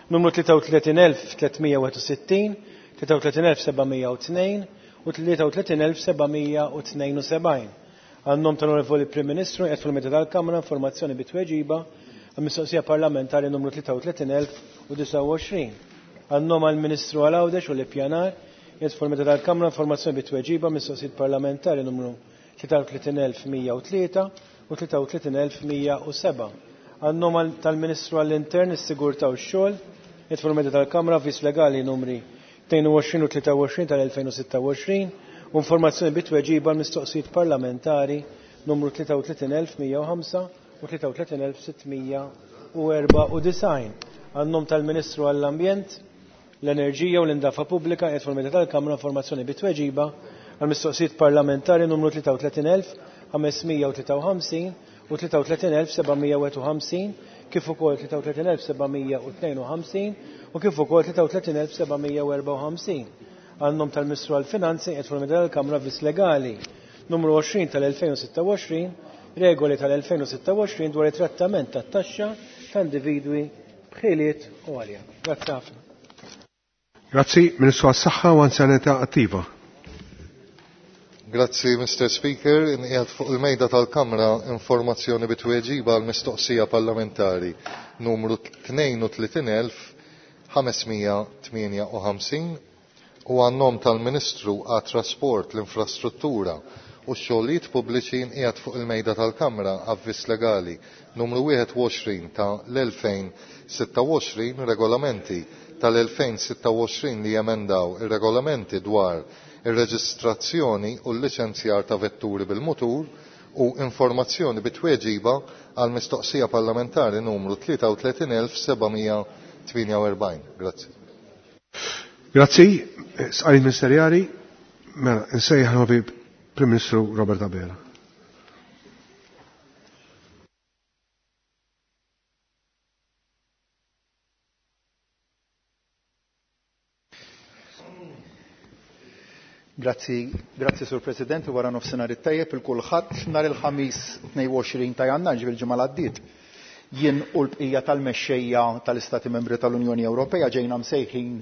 numru tlieta u tletin elf tlietmija wieħed u sittin, tlieta u tletin elf sebgħamija u tnejn u tlieta u tletin elf sebgħamija u tnejn u sebgħin. Għan-nom tal-Onorevoli Prim Ministru qiegħed fuq il-mejda tal-Kamra informazzjoni bi tweġiba għall-mistoqsija parlamentari numru tlieta u tletin elf u disgħa u għoxrin. Għan-nom għall-Ministru għal Għawdex u l-Ippjanar qiegħed fuq il-mejda tal-Kamra informazzjoni bi tweġiba mistoqsijiet parlamentari numru tlieta u tletin elf mija u tlieta u tlieta u tletin elf mija u sebgħa. Għan-nom tal-Ministru għall-Intern, is-Sigurtà u x-Xogħol qiegħed fuq il-mejda tal-Kamra avviż legali numri tnejn u għoxrin u tlieta u għoxrin tal-elfejn u sitta u għoxrin u informazzjoni bi tweġiba l-mistoqsijiet parlamentari numru tlieta u tletin elf mija u ħamsa u tlieta u tletin elf sittmija u erba' u disgħin. Għan-nom tal-Ministru għall-Ambjent, l-Enerġija u l-Indafa Pubblika qiegħed fuq il-mejda tal-Kamra informazzjoni bi tweġiba għall-mistoqsijiet parlamentari numru tlieta u tletin elf ħamesmija u tlieta u ħamsin u tlieta u tletin elf sebgħamija u wieħed u ħamsin kif ukoll tlieta u tletin elf sebgħamija u tnejn u ħamsin u kif ukoll tlieta u tletin elf sebgħamija u erba' u ħamsin. Għan-nom tal-Ministru għall-Finanzi qiegħed fuq il-mejda tal-Kamra avviż legali numru għoxrin tal-elfejn u sitta u għoxrin, regoli tal-elfejn u sitta u għoxrin dwar it-trattament tat-taxxa ta' individwi b'ħiliet għolja. Grazzi ħafna. Grazzi, Ministru għas-Saħħa u Anzjanità Attiva. Grazzi, Mister Speaker. Inqiegħed fuq il-mejda tal-Kamra informazzjoni bi tweġiba għal mistoqsija parlamentari numru tnejn u tletin elf ħamesmija tmienja u ħamsin u għan-nom tal-Ministru għat-Trasport, l-Infrastruttura u x-Xogħlijiet Pubbliċi nqiegħed fuq il-mejda tal-Kamra avviż legali numru wieħed u għoxrin ta' l-elfejn sitta u għoxrin, regolamenti tal-elfejn sitta u għoxrin li jemendaw ir-regolamenti dwar ir-reġistrazzjoni u l-liċenzjar ta' vetturi bil-mutur u informazzjoni bi tweġiba għal mistoqsija parlamentari numru tlieta u tletin elf sebgħamija tmienja u erbgħin. Grazzi. Grazzi, sqarin ministerjali, mela, nsejjaħ l-Onorevoli Prim Ministru Robert Abela. Grazzi, grazzi Sur President, u wara nofsinhar it-tajjeb il kulħadd. Nhar il-Ħamis tnejn u għoxrin ta' Jannar, ġifieri l-ġimgħa li għaddiet, jien u l-bqija tal-mexxejja tal-Istati Membri tal-Unjoni Ewropea ġejna msejħin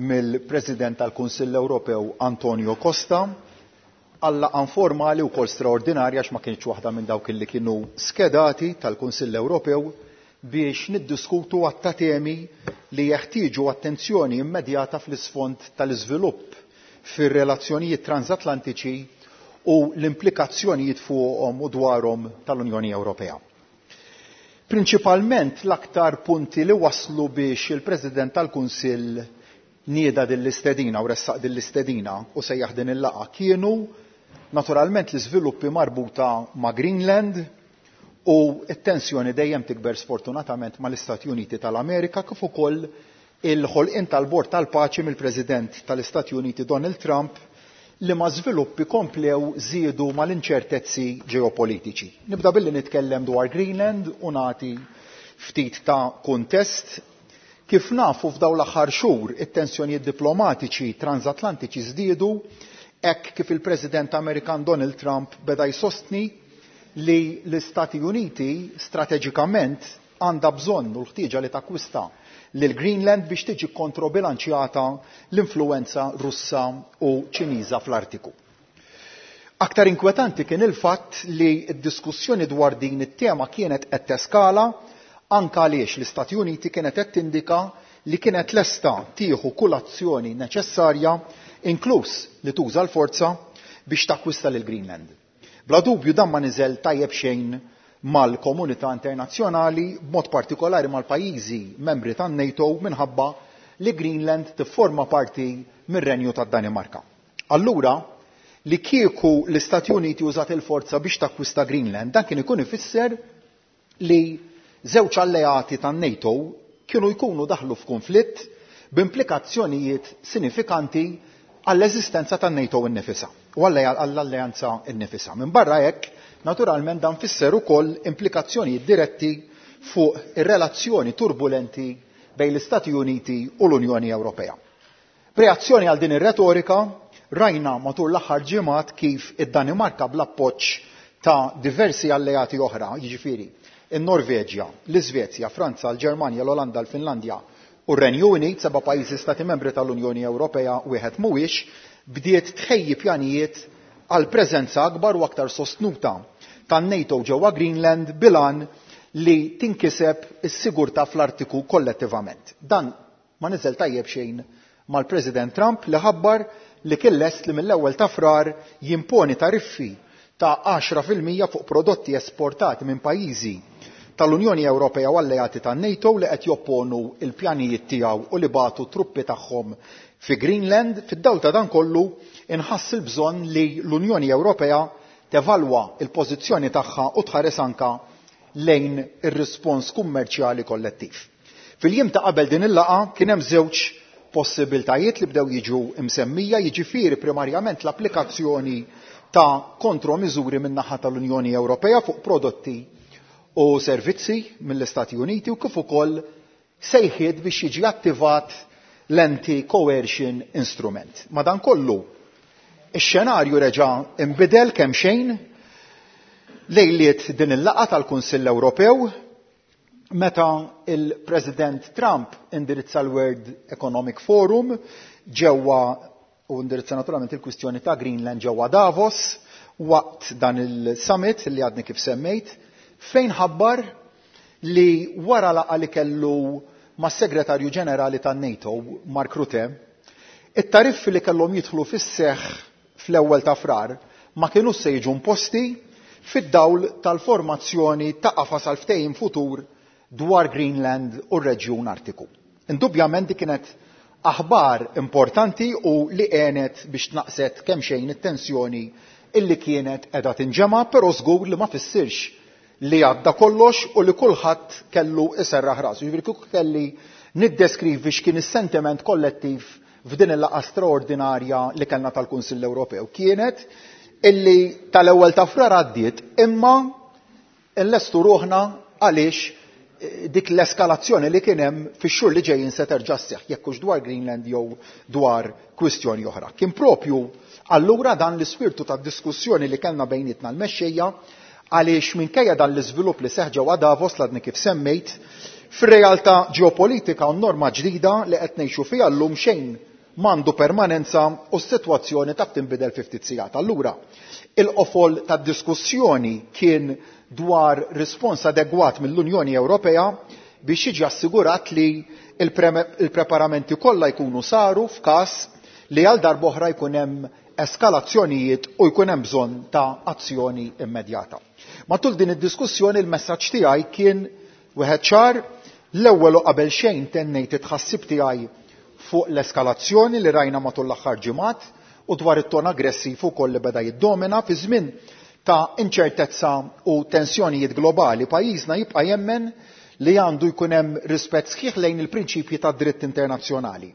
mill-President tal-Kunsill Ewropew Antonio Costa għal laqgħa informali wkoll straordinarja għax ma kienx waħda minn dawk li kienu skedati tal-Kunsill Ewropew biex niddiskutu għatta temi li jeħtieġu attenzjoni immedjata fl-isfond tal-iżvilupp fir-relazzjonijiet transatlantiċi u l-implikazzjonijiet fuqhom u dwarhom tal-Unjoni Ewropea. Prinċipalment l-aktar punti li waslu biex il-President tal-Kunsill nieda din l-istedina u ressaq din l-istedina u sejjaħ din il-laqgħa kienu naturalment l-iżviluppi marbuta ma' Greenland u t-tensjoni dejjem tikber sfortunatament mal-Istati Uniti tal-Amerika kif ukoll il-ħolqien tal-Bord tal-Paċi mill-President tal-Istati Uniti Donald Trump li ma' żviluppi komplew żiedu mal-inċertezzi ġeopolitiċi. Nibda billi nitkellem dwar Greenland u nagħti ftit ta' kuntest. Kif nafu f'dawn l-aħħar xhur it-tensjonijiet diplomatiċi transatlantiċi żdiedu hekk kif il-President Amerikan Donald Trump beda jsostni li l-Istati Uniti strateġikament għandha bżonn u l-ħtieġa li takkwista lil Greenland biex tiġi kontrobilanċjata l-influenza Russa u Ċiniża fl-Artiku. Aktar inkwetanti kien il-fatt li d-diskussjoni dwar din it-tema kienet qed teskala anke għaliex l-Istati Uniti kienet qed tindika li kienet lesta tieħu kull azzjoni neċessarja, inkluż li tuża l-forza biex takkwista lil Greenland. Bla dubju dan ma niżel tajjeb xejn mal-komunità internazzjonali, b'mod partikolari mal-pajjiżi membri tan-NATO minħabba li Greenland tifforma parti mir-Renju tad-Danimarka. Allura, li kieku l-Istati Uniti użat il-forza biex takkwista Greenland, dan kien ikun ifisser li żewġ alleati tan-NATO kienu jkunu daħlu f'konflitt b'implikazzjonijiet sinifikanti għall-eżistenza tan-NATO innifisha u għall-alleanza innifisha. Minn barra hekk, naturalment dan fisser ukoll implikazzjonijiet diretti fuq ir-relazzjoni turbulenti bejn l-Istati Uniti u l-Unjoni Ewropea. B'reazzjoni għal din ir-retorika, rajna matul l-aħħar ġimgħat kif id-Danimarka bl-appoġġ ta' diversi alleati oħra, jiġifieri in-Norveġja, l-Iżvezja, Franza, l-Ġermanja, l-Olanda, l-Finlandja u r-Renju Unit, seba' pajjiżi stati membri tal-Unjoni Ewropea wieħed mhuwiex, bdiet tħejji pjanijiet għal preżenza akbar u aktar sostnuta tan-NATO ġewwa Greenland bilan li tinkiseb is-sigurtà fl-Artiku kollettivament. Dan ma niżel tajjeb xejn mal-President Trump li ħabbar li kien lest li mill-ewwel ta' Frar jimponi tariffi ta' għaxra fil-mija fuq prodotti esportati minn pajjiżi tal-Unjoni Ewropea u alleati tan-NATO li qed jopponu il-pjanijiet tiegħu u li bagħtu truppi tagħhom fi Greenland. Fid-dawl ta' dan kollu inħass il-bżonn li l-Unjoni Ewropea tevalwa il-pożizzjoni tagħha u tħares anka lejn ir-rispons kummerċjali kollettiv. Fil-jiem ta' qabel din il-laqgħa kien hemm żewġ possibiltajiet li bdew jiġu msemmija, jiġifieri primarjament l-applikazzjoni ta' kontromiżuri min-naħa tal-Unjoni Ewropea fuq prodotti u servizzi mill-Istati Uniti u kif ukoll sejħiet biex jiġi attivat l-anti-coercion instrument. Madankollu, ix-xenarju reġa' inbidel kemm xejn lejliet din il-laqgħa tal-Kunsill Ewropew meta il-President Trump indirizza l-World Economic Forum ġewwa u indirizza naturalment il-kwistjoni ta' Greenland ġewwa Davos waqt dan il-summit li għadni kif semmejt, fejn ħabbar li wara laqgħa li kellu mas-Segretarju Ġenerali tan-NATO Mark Rutte, it-tariffi li kellhom jidħlu fis-seħħ fl-ewwel ta' Frar ma kinux se jiġu imposti fid-dawl tal-formazzjoni ta' qafas għal ftehim futur dwar Greenland u r-reġjun Artiku. Indubjament dik kienet aħbar importanti u li għenet biex tnaqset kemm xejn it-tensjoni illi kienet qiegħda tinġema', però żgur li ma fissirx li għadda kollox u li kulħadd kellu iserraħ rasu. Jiġifieri kieku kelli niddeskrivi x'kien is-sentiment kollettiv f'din il-laqgħa straordinarja li kellna tal-Kunsill Ewropew kienet illi tal-ewwel ta' Frar għaddiet, imma nlestu ruħna għaliex dik l-eskalazzjoni li kien hemm fix-xhur li ġejjin se terġa' sseħħ, jekk hux dwar Greenland jew dwar kwistjoni oħra. Kien propju allura dan l-ispirtu tad-diskussjoni li kellna bejnietna l-mexxejja għaliex minkejja dan l-iżvilupp li seħħ ġewwa Davos l-għadni kif semmejt, fir-realtà ġeopolitika u norma ġdida li qed ngħixu fiha llum xejn m'għandu permanenza u s-sitwazzjoni taf tinbidel fi ftit sigħat. Allura, il-qofol tad-diskussjoni kien dwar rispons adegwat mill-Unjoni Ewropea biex jiġi assigurat li il-preparamenti kollha jkunu saru f'każ li għal darb'oħra jkun hemm eskalazzjonijiet u jkun hemm bżonn ta' azzjoni immedjata. Matul din id-diskussjoni il-messaġġ tiegħi kien wieħed ċar. L-ewwel u qabel xejn tennejt it-tħassib tiegħi fuq l-eskalazzjoni li rajna matul l-aħħar ġimgħat u dwar it-ton aggressiv ukoll li beda jiddomina fi żmien ta' inċertezza u tensjonijiet globali. Pajjiżna jibqa' jemmen li għandu jkun hemm rispett sħiħ lejn il-prinċipji tad-dritt internazzjonali,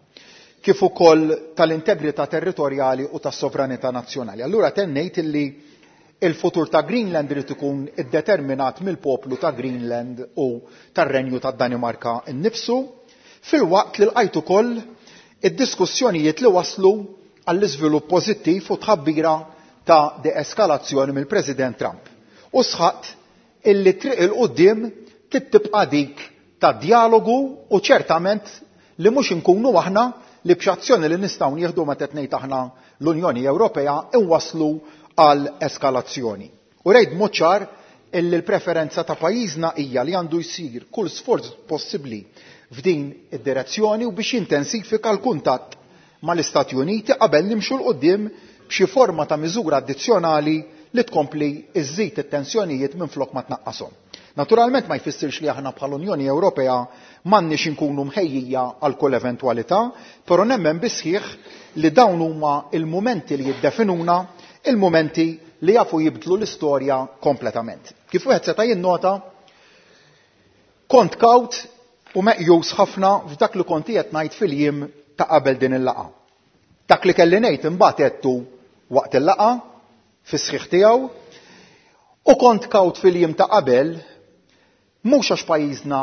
kif ukoll tal-integrità territorjali u tas-sovranità nazzjonali. Allura tennejt illi il-futur ta' Greenland irid ikun iddeterminat mill-poplu ta' Greenland u tar-Renju tad-Danimarka nnifsu, filwaqt li lqajt ukoll id-diskussjonijiet li waslu għall-iżvilupp pożittiv u tħabbira ta' deeskalazzjoni mill-President Trump. U sħaqt illi triq il-qudiem tibqa' dik ta' dialogu u ċertament li mhux inkunu aħna li b'xazzjoni li nistgħu nieħdu meta qed ngħid aħna l-Unjoni Ewropea inwasslu għal eskalazzjoni. U rejt b'mod ċar illi l-preferenza ta' pajjiżna hija li għandu jsir kull sforz possibbli f'din id-direzzjoni u biex jintensifika l-kuntatt mal-Istati Uniti qabel nimxu 'l quddiem b'xi forma ta' miżura addizzjonali li tkompli iżżid it-tensjonijiet minflok ma tnaqqashom. Naturalment ma jfissirx li aħna bħal Unjoni Ewropea m'għandniex inkunu mħejjija għal kull eventwalità, però nemmen bisħiħ li dawn huma il-mumenti li jiddefinuna, il-mumenti li jafu jibdlu l-istorja kompletament. Kif wieħed seta' jinnota, kont kawt u meqjus ħafna f'dak li kont qed ngħid fil-jiem ta' qabel din il-laqgħa. Dak li kelli ngħid imbagħad għedtu waqt il-laqgħa fis-sħiħ tiegħu, u kont kawt fil-jiem ta' qabel mhux għax pajjiżna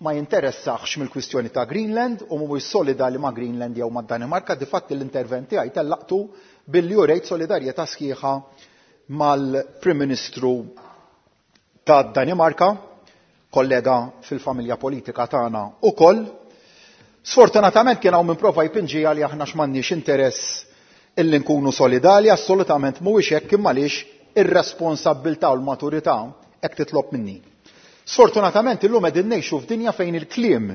ma jinteressax mill-kwistjoni ta' Greenland u mhuwiex solidali ma' Greenland jew mad-Danimarka, difatti l-intervent tiegħi tellaqtu billi urejt solidarjetà sħiħa mal-Prim Ministru tad-Danimarka, kollega fil-familja politika tagħna ukoll. Sfortunatament kien hawn min prova jpinġiha li aħna x'm'għandniex interess illi nkunu solidali, assolutament mhuwiex hekk, imma għaliex ir-responsabbiltà u l-maturità hekk titlob minni. Sfortunatament illum qegħdin ngħixu f'dinja fejn il-kliem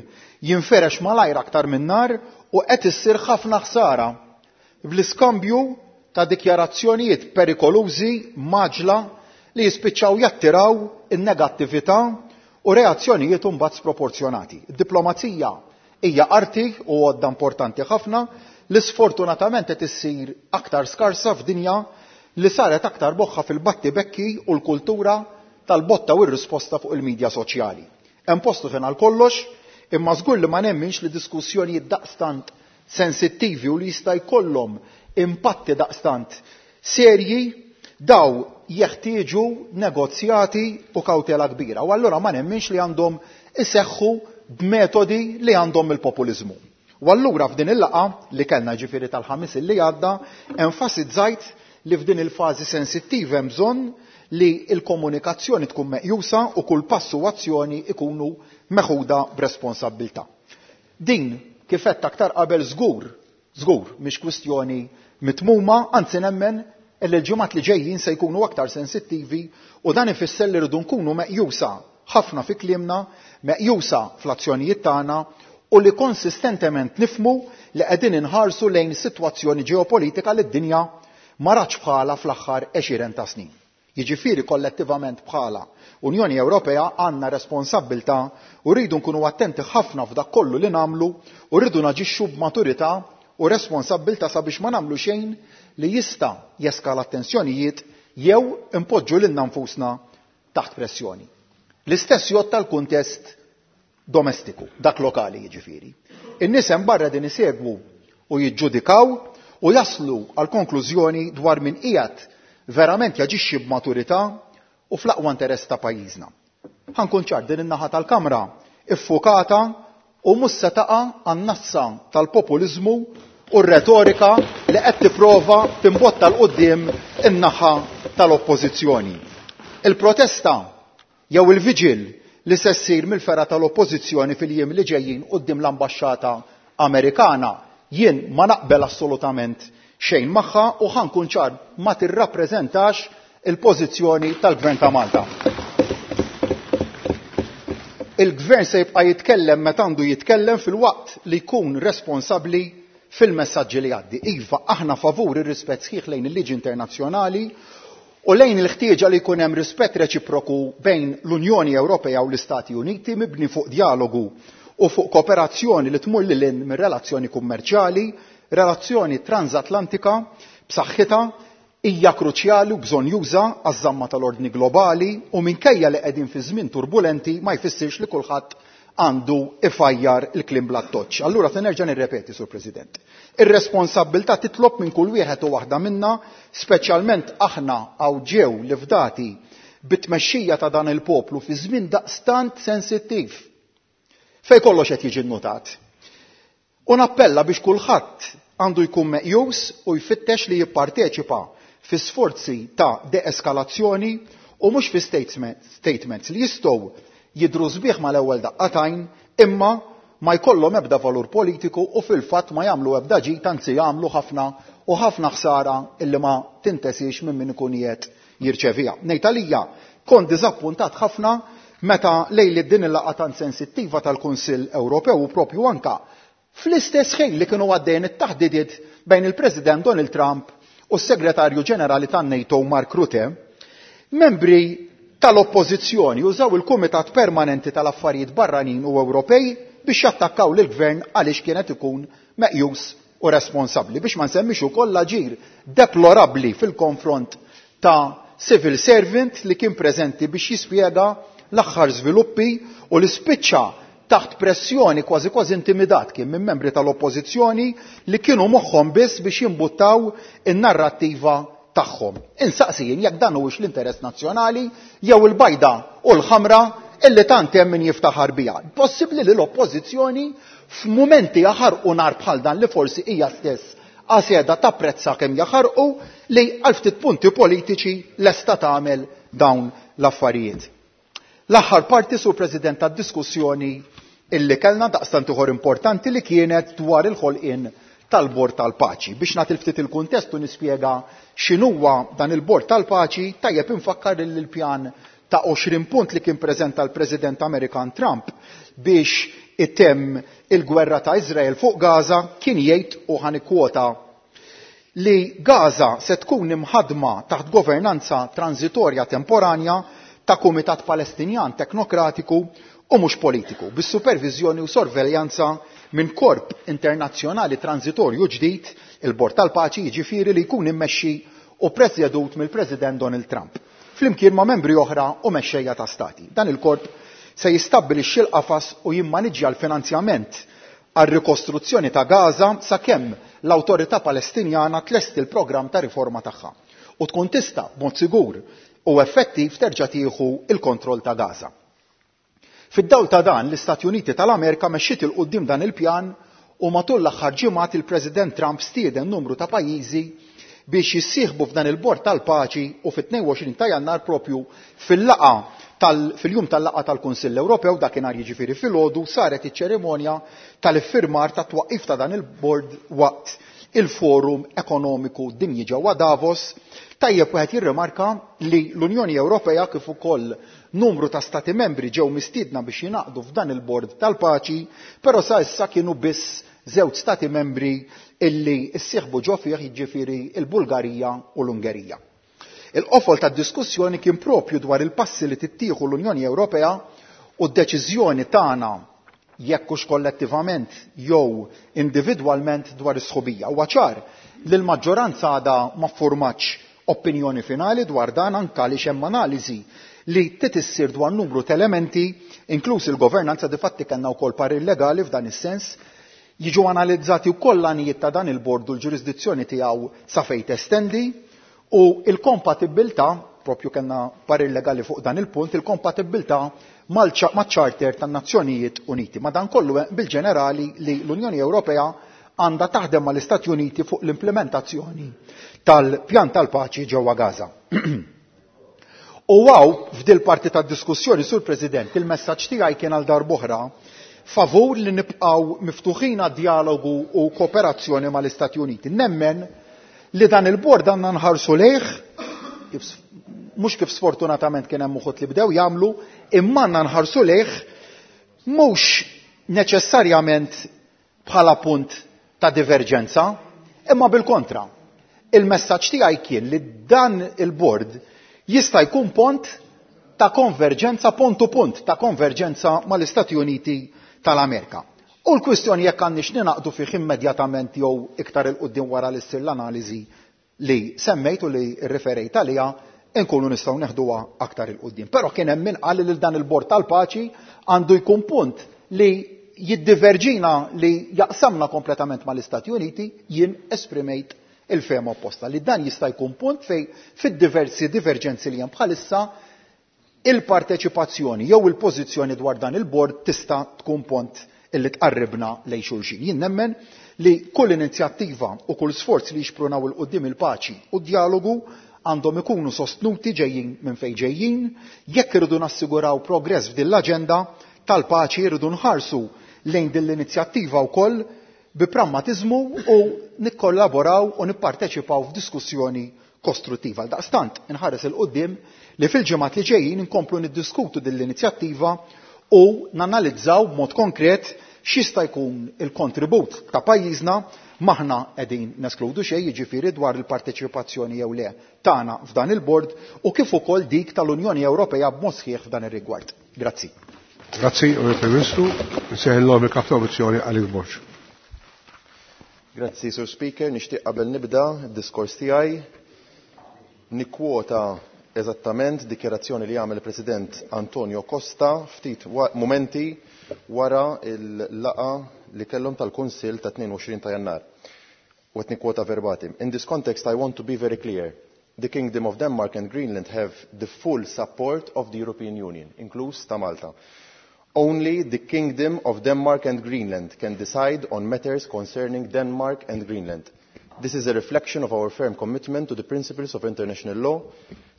jinferex malajr aktar minn nar u qed issir ħafna ħsara bl-iskambju ta' dikjarazzjonijiet perikolużi maġla li jispiċċaw jattiraw in-negattività u reazzjonijiet imbagħad sproporzjonati. Id-diplomazija hija arti u għodda importanti ħafna li sfortunatament qed issir aktar skarsa f'dinja li saret aktar boħħa fil-batti bekki u l-kultura tal-botta u r-risposta fuq il-medja soċjali. Hemm postu fejn għal kollox, imma żgur li ma nemminx li diskussjonijiet daqstant sensittivi u li jista' jkollhom impatti daqstant serji daw jeħtieġu negozjati u kawtela kbira. U allura ma nemminx li għandhom iseħħu b'metodi li għandhom il-populiżmu. U allura f'din il-laqgħa li kellna ġifieri tal-ħamis li għadda, enfasizzajt li f'din il-fażi sensittiva hemm bżonn li l-komunikazzjoni tkun meqjusa u kull passu u azzjoni ikunu meħuda b'responsabbiltà. Din kif għedt aktar qabel żgur, żgur mhix kwistjoni mitmuma, anzi nemmen li l-ġimgħat li ġejjin se jkunu aktar sensittivi u dan ifisser li rridu nkunu meqjusa ħafna fi kliemna, meqjusa fl-azzjonijiet tagħna u li konsistentement nifmu li qegħdin inħarsu lejn sitwazzjoni ġeopolitika li d-dinja ma ratx bħala fl-aħħar għexieren ta' snin. Jiġifieri kollettivament bħala Unjoni Ewropea għandna responsabbiltà u rridu nkunu attenti ħafna f'dak kollu li nagħmlu u rridu naġixxu b'maturità u responsabbiltà sabiex ma nagħmlu xejn li jista' jeskala tensjonijiet jew impoġġu lilna nfusna taħt pressjoni. L-istess jgħod tal-kuntest domestiku, dak lokali jiġifieri. In-nies hemm barra din isegwu u jiġġudikaw u jaslu għal konklużjoni dwar min qiegħed verament jaġixxi b'maturità u fl-aqwa interess ta' pajjiżna. Ħa nkun ċar, din in-naħa tal-Kamra iffukata u mhux se taqa' għan-nassa tal-populiżmu u r-retorika li qed tipprova timbotta l quddiem in-naħa tal-oppożizzjoni. Il-protesta jew il-viġil li se ssir mill-fergħa tal-oppożizzjoni fil-jiem li ġejjin quddiem l-ambaxxata Amerikana jien ma naqbel assolutament xejn magħha u ħa nkun ċar ma tirrappreżentax il-pożizzjoni tal-Gvern ta' Malta. Il-Gvern se jibqa' jitkellem meta għandu jitkellem fil-waqt li jkun responsabbli fil-messaġġi li jgħaddi. Iva, aħna favur ir-rispett sħiħ lejn il-liġi internazzjonali u lejn il-ħtieġa li jkun hemm rispett reċiproku bejn l-Unjoni Ewropea u l-Istati Uniti mibni fuq dialogu u fuq kooperazzjoni li tmur lil hinn mir-relazzjoni kummerċjali, relazzjoni transatlantika b'saħħitha hija kruċjali u bżonjuża għaż-żamma tal-ordni globali u minkejja li qegħdin fi żmien turbulenti ma jfissirx li kulħadd għandu ifajjar il-kliem bla toċċ. Allura se nerġa' nirrepeti, Sur President. Ir-responsabbiltà titlob minn kull wieħed u waħda minna, speċjalment aħna hawn ġew li fdati bit-tmexxija ta' dan il-poplu fi żmien daqstant sensittiv fej kollox qed jiġi nnotat. U nappella biex kulħadd għandu jkun meqjus u jfittex li jipparteċipa fi sforzi ta' deeskalazzjoni u mhux fi statements li jistgħu jidhru sbieħ mal-ewwel daqqatajn imma ma jkollhom ebda valur politiku u fil-fatt ma jagħmlu ebda ġid, anzi jagħmlu ħafna u ħafna ħsara illi ma tintesix minn min ikun qiegħed jirċeviha. Ngħid għalija kont diżappuntat ħafna meta lejli din il-laqgħa tant sensittiva tal-Kunsill Ewropew u propju anka fl-istess ħin li kienu għaddejn it-taħdidiet bejn il-President Donald Trump u s-Segretarju Ġenerali tan-NATO Mark Rutte, membri tal-Oppożizzjoni użaw il-Kumitat Permanenti tal-Affarijiet Barranin u Ewropej biex jattakkaw lill-Gvern għaliex kienet ikun meqjus u responsabbli, biex ma nsemmix ukoll l-aġir deplorabbli fil-konfront ta' civil servant li kien preżenti biex jispjega l-aħħar żviluppi u li spiċċa taħt pressjoni kważi kważi intimidat kien minn membri tal-Oppożizzjoni li kienu moħħhom biss biex jimbuttaw in-narrattiva tagħhom. Insaqsi jien jekk dan huwiex l-interess nazzjonali jew il-bajda u l-ħamra illi tant hemm min jiftaħar biha. Possibbli li l-Oppożizzjoni f'mumenti jaħarqu nar bħal dan li forsi hija stess għaseda tapprezza kemm jaħarqu li għal ftit punti politiċi lesta tagħmel dawn l-affarijiet. L-aħħar parti, Sur President, tad-diskussjoni illi kellna daqstant ieħor importanti li kienet dwar il-ħolqien tal-Bord tal-Paċi. Biex nagħti ftit il-kuntest u nispjega x'inhuwa dan il-Bord tal-Paċi, tajjeb infakkar li l-pjan ta' għoxrin punt li kien preżenta l-President Amerikan Trump biex itemm il-gwerra ta' Izrael fuq Gaza kien jgħid, u ħanikwota, li Gaza se tkun imħadma taħt governanza transitorja temporanja ta' Kumitat Palestinjan Teknokratiku u mhux politiku, bis-supervizjoni u sorveljanza minn korp internazzjonali transitorju ġdid, il-Bord tal-Paċi, jiġifieri li jkun immexxi u presjedut mill-President Donald Trump, flimkien ma' membri oħra u mexxejja ta' stati. Dan il-korp se jistabbilixxi l-qafas u jimmaniġġja l-finanzjament għar-rikostruzzjoni ta' Gaza sakemm l-Awtorità Palestinjana tlesti l-programm ta' riforma tagħha u tkun tista' b'mod sigur u effettiv terġa' tieħu il-kontroll ta' Gaza. Fid-dawl ta' dan, l-Istati Uniti tal-Amerika mexxiet il quddiem dan il-pjan u matul l-aħħar ġimgħat il-President Trump stieden numru ta' pajjiżi biex jissieħbu f'dan il-Bord tal-Paċi u fit-tnejn u għoxrin ta' Jannar propju fil-laqa tal, fil-jum tal-laqa tal-Kunsill Ewropew, dakinhar jiġifieri filgħodu, saret iċ-ċerimonja tal-iffirmar tat-twaqqif ta' dan il-bord waqt il-Forum Ekonomiku Dinji ġewwa Davos. Tajjeb wieħed jirrimarka li l-Unjoni Ewropea kif ukoll numru ta' stati membri ġew mistiedna biex jingħaqdu f'dan il-Bord tal-Paċi, però sa issa kienu biss żewġ stati membri illi ssieħbu ġo fih, jiġifieri l-Bulgarija u l-Ungerija. Il-qofol tad-diskussjoni kien propju dwar il-passi li tittieħu l-Unjoni Ewropea u d-deċiżjoni tagħna jekk hux kollettivament jew individwalment dwar is-sħubija. Huwa ċar li l-maġġoranza għadha ma ffurmatx opinjoni finali dwar dan, anke għaliex hemm analiżi li trid issir dwar numru ta' elementi, inkluż il-governanza, difatti kellna wkoll parir legali f'dan is-sens, jiġu analizzati wkoll l-għanijiet ta' dan il-bord u l-ġurisdizzjoni tiegħu sa fejn testendi, u l-kompatibilità, propju kellna parir legali fuq dan il-punt, il-kompatibilità maċ-Charter tan-Nazzjonijiet Uniti. Madankollu bil-ġenerali li l-Unjoni Ewropea għandha taħdem mal-Istati Uniti fuq l-implementazzjoni tal-pjan tal-paċi ġewwa Gaza. U għaw, f'dil parti tad-diskussjoni, Sur President, il-messaġġ tiegħi kien għal darb'oħra favur li nibqgħu miftuħin għad-dialogu u kooperazzjoni mal-Istati Uniti. Nemmen li dan il-bord għandna nħarsu lejh, mhux kif sfortunatament kien hemm uħud li bdew jagħmlu, imma għandna nħarsu lejh mhux neċessarjament bħala punt ta' diverġenza, imma bil-kontra. Il-messaġġ tiegħi kien li dan il-bord jista' jkun pont ta' konverġenza, punt u punt ta' konverġenza mal-Istati Uniti tal-Amerika. U l-kwistjoni jekk għandniex ninaqdu fih immedjatament jew iktar il-quddiem wara li ssir l-analiżi li semmejt u li rriferejt għaliha, nkunu nistgħu neħduha aktar il-quddiem. Però kien hemm min qal li dan il-Bord tal-Paċi għandu jkun punt li jiddiverġina, li jaqsamna kompletament mal-Istati Uniti. Jien esprimejt il-fehma opposta li dan jista' jkun punt fej fid-diversi diverġenzi li hemm bħalissa il-parteċipazzjoni jew il-pożizzjoni dwar dan il-bord tista' tkun pont illi tqarribna lejn xulxin. Jien nemmen li kull inizjattiva u kull sforz li jixprunaw il quddiem il-paċi u d-dialogu għandhom ikunu sostnuti ġejjin minn fejn ġejjin. Jekk irridu nassiguraw progress f'din l-aġenda tal-paċi, irridu nħarsu lejn din l-inizjattiva wkoll bi prammatiżmu u nikkollaboraw u nipparteċipaw f'diskussjoni kostruttiva. Għaldaqstant inħares il quddiem li fil-ġimgħat li ġejjin inkomplu niddiskutu din l-inizjattiva u nanalizzaw b'mod konkret x'jista' jkun il-kontribut ta' pajjiżna M'aħna qegħdin neskludu xejn, jiġifieri dwar il-parteċipazzjoni jew le tagħna f'dan il-bord u kif ukoll dik tal-Unjoni Ewropea b'mod sħiħ f'dan ir-rigward. Grazzi. Grazzi, Onorevoli Ministru. Nsejħilhom il-Kap ta' Oppożizzjoni Alex Borg. Grazzi, Sur Speaker. Nixtieq qabel nibda d-diskors tiegħi nikkwota eżattament dikjarazzjoni li għamel il-President Antonio Costa ftit momenti wara il-laqa li kellhom tal-Kunsill ta' tnejn u għoxrin ta' Jannar. U qed nikkwota verbatim. "In this context, I want to be very clear. The Kingdom of Denmark and Greenland have the full support of the European Union, inkluż ta' Malta. Only the Kingdom of Denmark and Greenland can decide on matters concerning Denmark and Greenland. This is a reflection of our firm commitment to the principles of international law,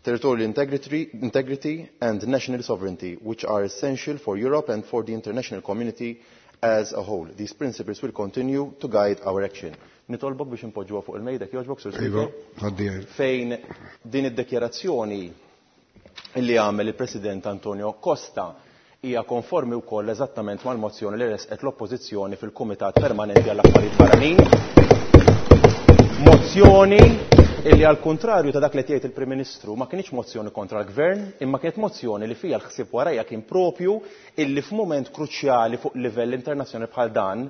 territorial integrity, integrity and national sovereignty, which are essential for Europe and for the international community as a whole. These principles will continue to guide our action." Nitolbok biex impoġġuha fuq il-mejda, jogħġbok, Sur Iva, Speaker. Għaddi. Fejn din id-dikjarazzjoni li għamel il-President Antonio Costa hija konformi wkoll eżattament mal-mozzjoni li resqet l-Oppożizzjoni fil-Kumitat Permanenti għall-Affarijiet Barranin. Mozzjoni illi, għal kontrarju ta' dak li tgħid il-Prim Ministru, ma kienx mozzjoni kontra l-Gvern, imma kienet mozzjoni li fija l-ħsieb warajja kien propju illi f'mument kruċjali fuq livell internazzjonali bħal dan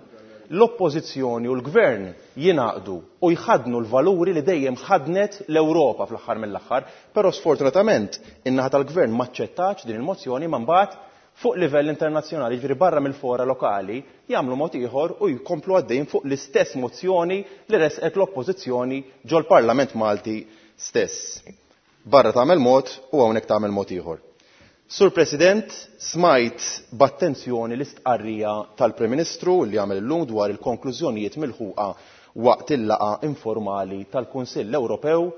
l-oppożizzjoni u l-gvern jingħaqdu u jħadnu l-valuri li dejjem ħadnet l-Ewropa fl-aħħar mill-aħħar, però sfortunatament in-naħa tal-gvern maċċettax din il-mozzjoni, ma mbagħad fuq livell internazzjonali, ġifieri barra mill-fora lokali, jagħmlu mod ieħor u jkomplu għaddejjin fuq l-istess mozzjoni li resqet l-oppożizzjoni ġol-Parlament Malti stess. Barra tagħmel mod u hawnhekk tagħmel mod ieħor. Sur President, smajt b'attenzjoni l-istqarrija tal-Prim Ministru li għamel illum dwar il-konklużjonijiet milħuqa waqt il-laqa informali tal-Kunsill Ewropew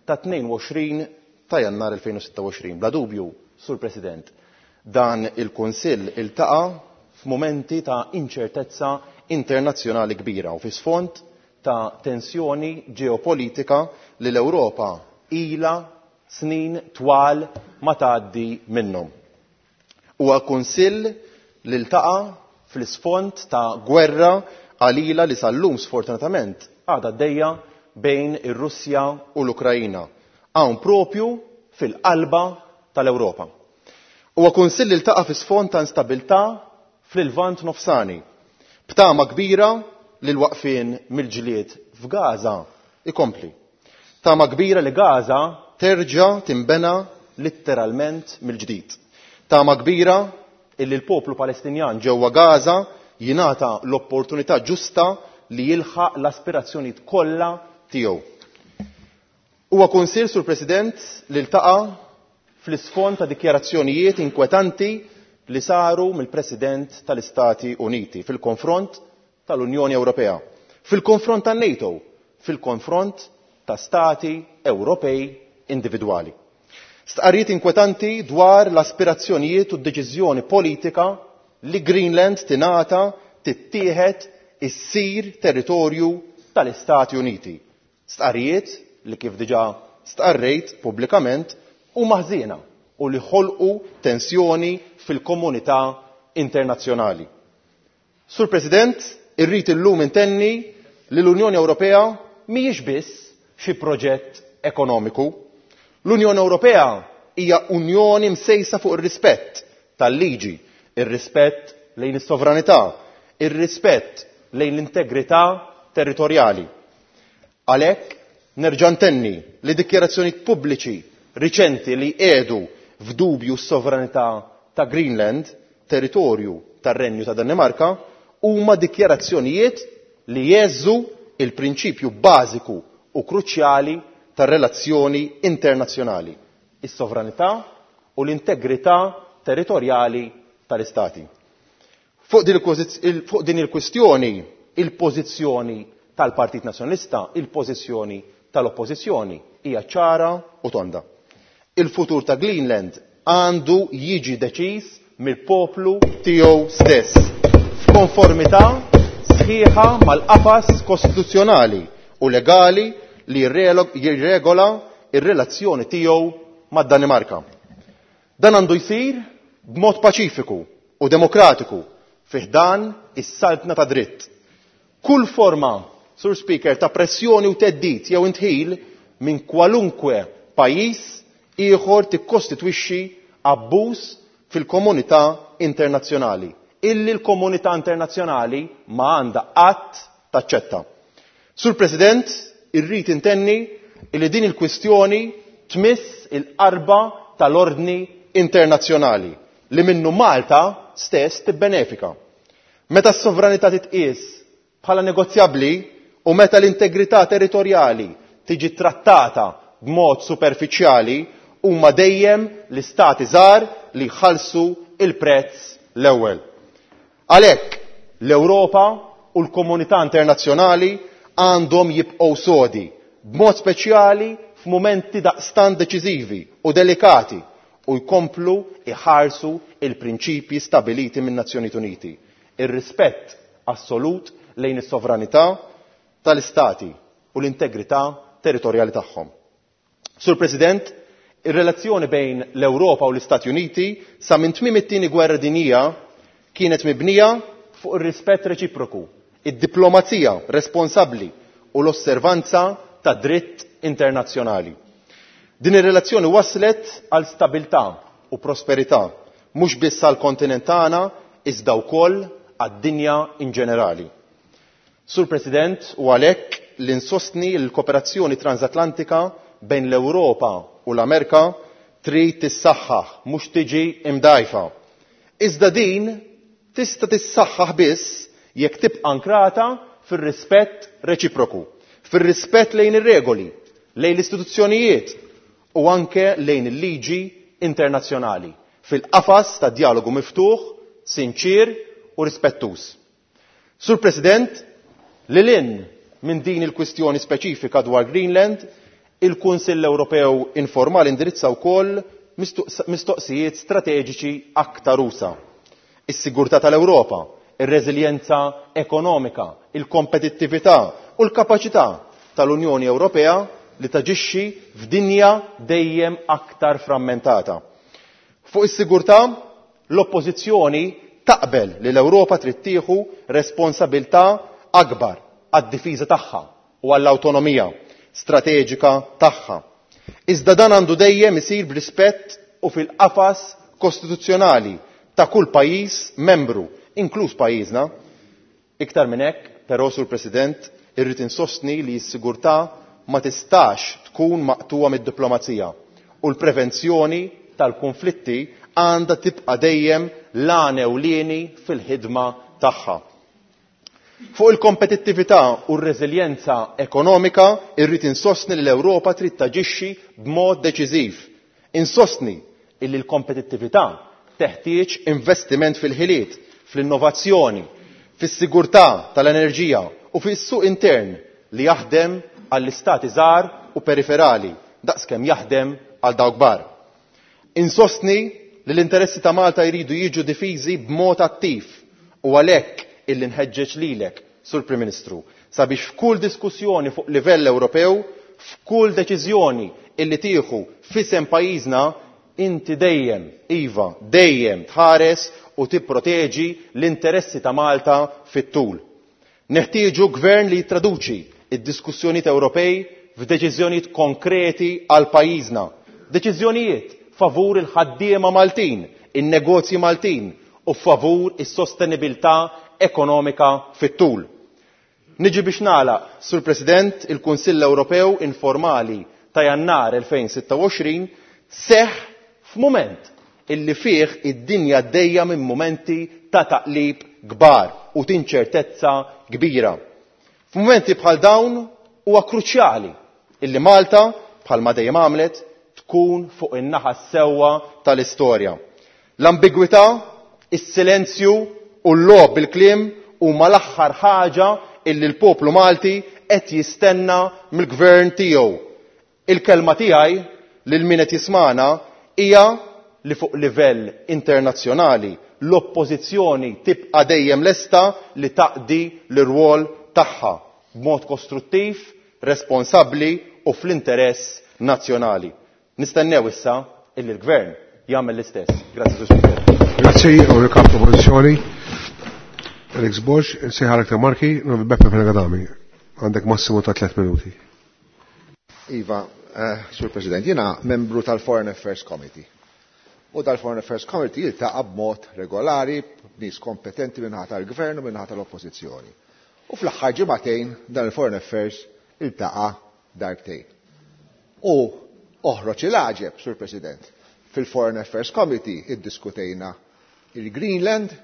ta' tnejn u għoxrin ta' Jannar elfejn u sitta u għoxrin. Bla dubju, Sur President, dan il-Kunsill iltaqa' f'mumenti ta' inċertezza internazzjonali kbira u fi sfond ta' tensjoni ġeopolitika li l-Ewropa ila snin twal ma tgħaddi minnhom. Huwa kunsill li ltaqa' fl-isfond ta' gwerra qalila li sal-lum sfortunatament għadha għaddejja bejn ir-Russja u l-Ukrajina. Hawn propju fil-qalba tal-Ewropa. Huwa kunsill li ltaqa' fi sfond ta' instabilità fil-Lvant Nofsani. B'tama kbira li l-waqfien mill-ġlied f'Gaza ikompli. Tama kbira li Gaza terġa' timbena litteralment mill-ġdid. Tama kbira illi l-poplu Palestinjan ġewwa Gaza jingħata l-opportunità ġusta li jilħaq l-aspirazzjonijiet kollha tiegħu. Huwa kunsill, Sur President, li ltaqa' fl-isfond ta' dikjarazzjonijiet inkwetanti li saru mill-President tal-Istati Uniti fil-konfront tal-Unjoni Ewropea, fil-konfront tan-NATO, fil-konfront ta' stati Ewropej individwali. Stqarrijiet inkwetanti dwar l-aspirazzjonijiet u d-deċiżjoni politika li Greenland tingħata, tittieħed, issir territorju tal-Istati Uniti. Stqarrijiet li, kif diġà stqarrejt pubblikament, huma ħżiena u li ħolqu tensjoni fil-komunità internazzjonali. Sur President, irrid illum intenni li l-Unjoni Ewropea mhijiex biss xi proġett ekonomiku. L-Unjoni Ewropea hija unjoni msejsa fuq ir-rispett tal-liġi, ir-rispett lejn is-sovranità, ir-rispett lejn l-integrità territorjali. Għalhekk nerġa' ntenni li dikjarazzjonijiet pubbliċi riċenti li qiegħdu f'dubju s-sovranità ta' Greenland, territorju tar-Renju ta' Danimarka, huma dikjarazzjonijiet li jeżżu il-prinċipju bażiku u kruċjali tar-relazzjoni internazzjonali, is-sovranità u l-integrità territorjali tal-Istati. Fuq din il-kwistjoni, il-pożizzjoni tal-Partit Nazzjonalista, il-pożizzjoni tal-Oppożizzjoni hija ċara u tonda. Il-futur ta' Greenland għandu jiġi deċiż mill-poplu tiegħu stess, f'konformità sħiħa mal-qafas kostituzzjonali u legali li jirregola ir-relazzjoni tiegħu mad-Danimarka. Dan għandu jsir b'mod paċifiku u demokratiku fi ħdan is-saltna ta' dritt. Kull forma, Sur Speaker, ta' pressjoni u theddid jew indħil minn kwalunkwe pajjiż ieħor tikkostitwixxi abbuż fil-komunità internazzjonali, illi l-komunità internazzjonali ma għandha qatt taċċetta. Sur President, irrid intenni illi din il-kwistjoni tmiss il-qarba tal-ordni internazzjonali li minnu Malta stess tibbenefika. Meta s-sovranità titqies bħala negozjabbli u meta l-integrità territorjali tiġi trattata b'mod superfiċjali, huma dejjem l-istati żgħar li jħallsu il-prezz l-ewwel. Għalhekk l-Ewropa u l-komunità internazzjonali għandhom jibqgħu sodi, b'mod speċjali f'mumenti daqstant deċiżivi u delikati, u jkomplu iħarsu il-prinċipji stabiliti min-Nazzjonijiet Uniti. Ir-rispett assolut lejn is-sovranità tal-istati u l-integrità territorjali tagħhom. Sur President, ir-relazzjoni bejn l-Ewropa u l-Istati Uniti sa minn tmiem it-tieni gwerra dinjija kienet mibnija fuq ir-rispett reċiproku, id-diplomazija responsabbli u l-osservanza ta' dritt internazzjonali. Din ir-relazzjoni waslet għal stabilità u prosperità, mhux biss għall kontinent tagħna iżda wkoll għad-dinja in ġenerali. Sur President, u għalhekk li nsostni l-kooperazzjoni transatlantika bejn l-Ewropa u l-Amerika trid tissaħħaħ, mhux tiġi imdajfa. Iżda din tista' tissaħħaħ biss jekk tibqa' ankrata fir-rispett reċiproku, fir-rispett lejn ir-regoli, lejn l-istituzzjonijiet u anke lejn il-liġi internazzjonali, fil-qafas ta' dialogu miftuħ, sinċir u rispettuż. Sur President, lil hinn minn din il-kwistjoni speċifika dwar Greenland, il-Kunsill Ewropew informali indirizza wkoll mistoqsijiet strateġiċi aktar usa. Is-sigurtà tal-Ewropa, ir-reżiljenza ekonomika, il-kompetittività u l-kapaċità tal-Unjoni Ewropea li taġixxi f'dinja dejjem aktar frammentata. Fuq is-sigurtà, l-oppożizzjoni taqbel li l-Ewropa trid tieħu responsabilità akbar għad-difiża tagħha u għall-awtonomija strateġika tagħha. Iżda dan għandu dejjem isir b'rispett u fil-qafas kostituzzjonali ta' kull pajjiż membru, inkluż pajjiżna. Iktar minn hekk, però, Sur President, irrid insostni li s-sigurtà ma tistax tkun maqtuwa mid-diplomazija u l-prevenzjoni tal-konflitti għandha tibqa' dejjem l-għan ewlieni fil-ħidma tagħha. Fuq il-kompetittività u r-reżiljenza ekonomika irrid insostni li l-Ewropa trid taġixxi b'mod deċiżiv. Insostni illi l-kompetittività teħtieġ investiment fil-ħiliet, fl-innovazzjoni, fis-sigurtà tal-enerġija u fis-suq intern li jaħdem għall-istati żgħar u periferali daqskemm jaħdem għal dawk kbar. Insostni li l-interessi ta' Malta jridu jiġu difiżi b'mod attiv u għalhekk illi nħeġġeġ lilek, Sur Prim Ministru, sabiex f'kull diskussjoni fuq livell Ewropew, f'kull deċiżjoni illi tieħu f'isem pajjiżna, inti dejjem, iva, dejjem tħares u tipproteġi l-interessi ta' Malta fit-tul. Neħtieġu gvern li jittraduċi id-diskussjonijiet Ewropej f'deċiżjonijiet konkreti għal pajjiżna. Deċiżjonijiet favur il-ħaddiema Maltin, in-negozji Maltin u favur is-sostenibilità ekonomika fit-tul. Niġi biex nagħlaq, Sur President, il-Kunsill Ewropew informali ta' Jannar elfejn sitta u għoxrin seħħ f'mument illi fih id-dinja għaddejja minn mumenti ta' taqlib kbar u tinċertezza kbira. F'mumenti bħal dawn huwa kruċjali illi Malta, bħalma dejjem għamlet, tkun fuq in-naħa sewwa tal-istorja. L-ambigwità, is-silenzju u l-logħob bil-kliem huma l-aħħar ħaġa illi l-poplu Malti qed jistenna mill-gvern tiegħu. Il-kelma tiegħi lil min qed jismana hija li fuq livell internazzjonali l-oppożizzjoni tibqa' dejjem lesta li taqdi l-irwol tagħha b'mod kostruttiv, responsabbli u fl-interess nazzjonali. Nistennew issa illi l-gvern jagħmel l-istess. Grazzi, Sur Speaker. Grazzi, u kap oppożizzjoni. Alex Borg, insejħalek ta' Marki, non Beppe Fenech Adami. Għandek massimu ta' tliet minuti. Iva, eh, Sur President, jiena membru tal-Foreign Affairs Committee. U dal-Foreign Affairs Committee jiltaqa' b'mod regolari b'nies kompetenti min-naħa tal-Gvern u min-naħa tal-Oppożizzjoni. U fl-aħħar ġimagħtejn dan il-Foreign Affairs iltaqa' darbtejn. U oħroġ il-għaġeb, Sur President, fil-Foreign Affairs Committee iddiskutejna il-Greenland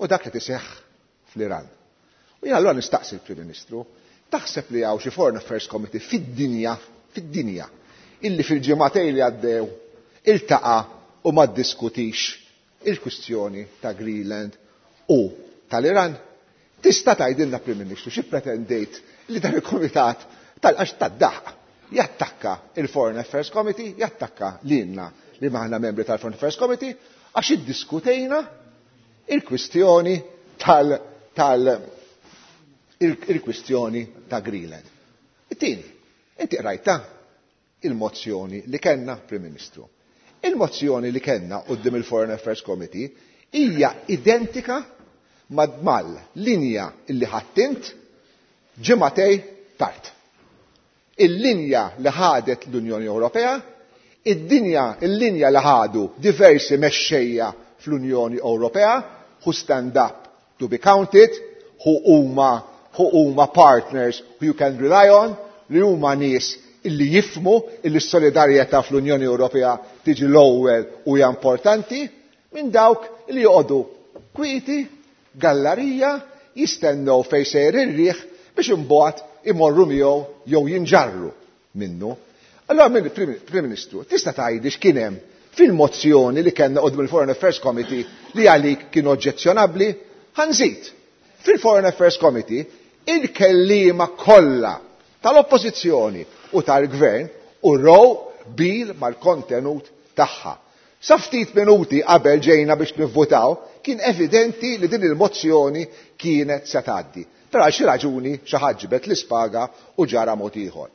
u dak li tiseħħ fl-Iran. U jien allura nistaqsi l-Prim Ministru, taħseb li hawn xi Foreign Affairs Committee fid-dinja, fid-dinja, illi fil-ġimagħtejn li għaddew iltaqa' u ma ddiskutix il-kwistjoni ta' Greenland u tal-Iran? Tista' tgħidilna, Prim Ministru, xi pretendejt li dan il-Kumitat tal-għax tad-daħq jattakka il-Foreign Affairs Committee, jattakka lilna li maħna membri tal-Foreign Affairs Committee, għax iddiskutejna il-kwistjoni tal, tal il-kwistjoni ta' Greenland. It-tieni, inti qrajta il-mozzjoni li kellna, Prim Ministru. Il-mozzjoni li kellna quddiem il-Foreign Affairs Committee hija identika mal linja illi ħattint ġimagħtejn tard. Il-linja li ħadet l-Unjoni Ewropea, id-dinja, il-linja li ħadu diversi mexxejja fl-Unjoni Ewropea, who stand up to be counted, who huma who huma partners who you can rely on, li huma nies illi jifhmu illi s-solidarjetà fl-Unjoni Ewropea tiġi l-ewwel u hija importanti, minn dawk li joqogħdu kwieti, gallarija, jistennew fejn sejjer ir-riħ biex imbagħad imorru miegħu jew jinġarru minnu. Allora, Prim Ministru, tista' tgħidli x'kien hemm fil-mozzjoni li kellna quddiem il-Foreign Affairs Committee li għalik kien oġġezzjonabbli? Ħa nżid. Fil-Foreign Affairs Committee il-kelliema kollha tal-Oppożizzjoni u tal-Gvern urew qbil mal-kontenut tagħha. Sa ftit minuti qabel ġejna biex nivvutaw, kien evidenti li din il-mozzjoni kienet se tgħaddi. Però għal xi raġuni xi ħadd ġibed l-ispaga u ġara mod ieħor.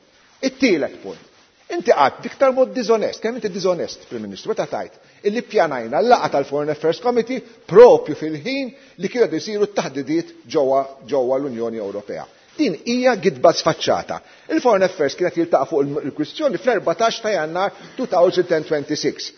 It-tielet punt. Inti qatt b'iktar mod diżonest, kemm inti diżonest, Prim Ministru, meta tajt illi ppjanajna l-laqgħa tal-Foreign Affairs Committee propju fil-ħin li kienu isiru t-taħdidiet ġewwa l-Unjoni Ewropea. Din hija gidba sfaċċata. Il-Foreign Affairs kienet jiltaqa' fuq il-kwistjoni fl-erbatax ta' Jannar elfejn u sitta u għoxrin.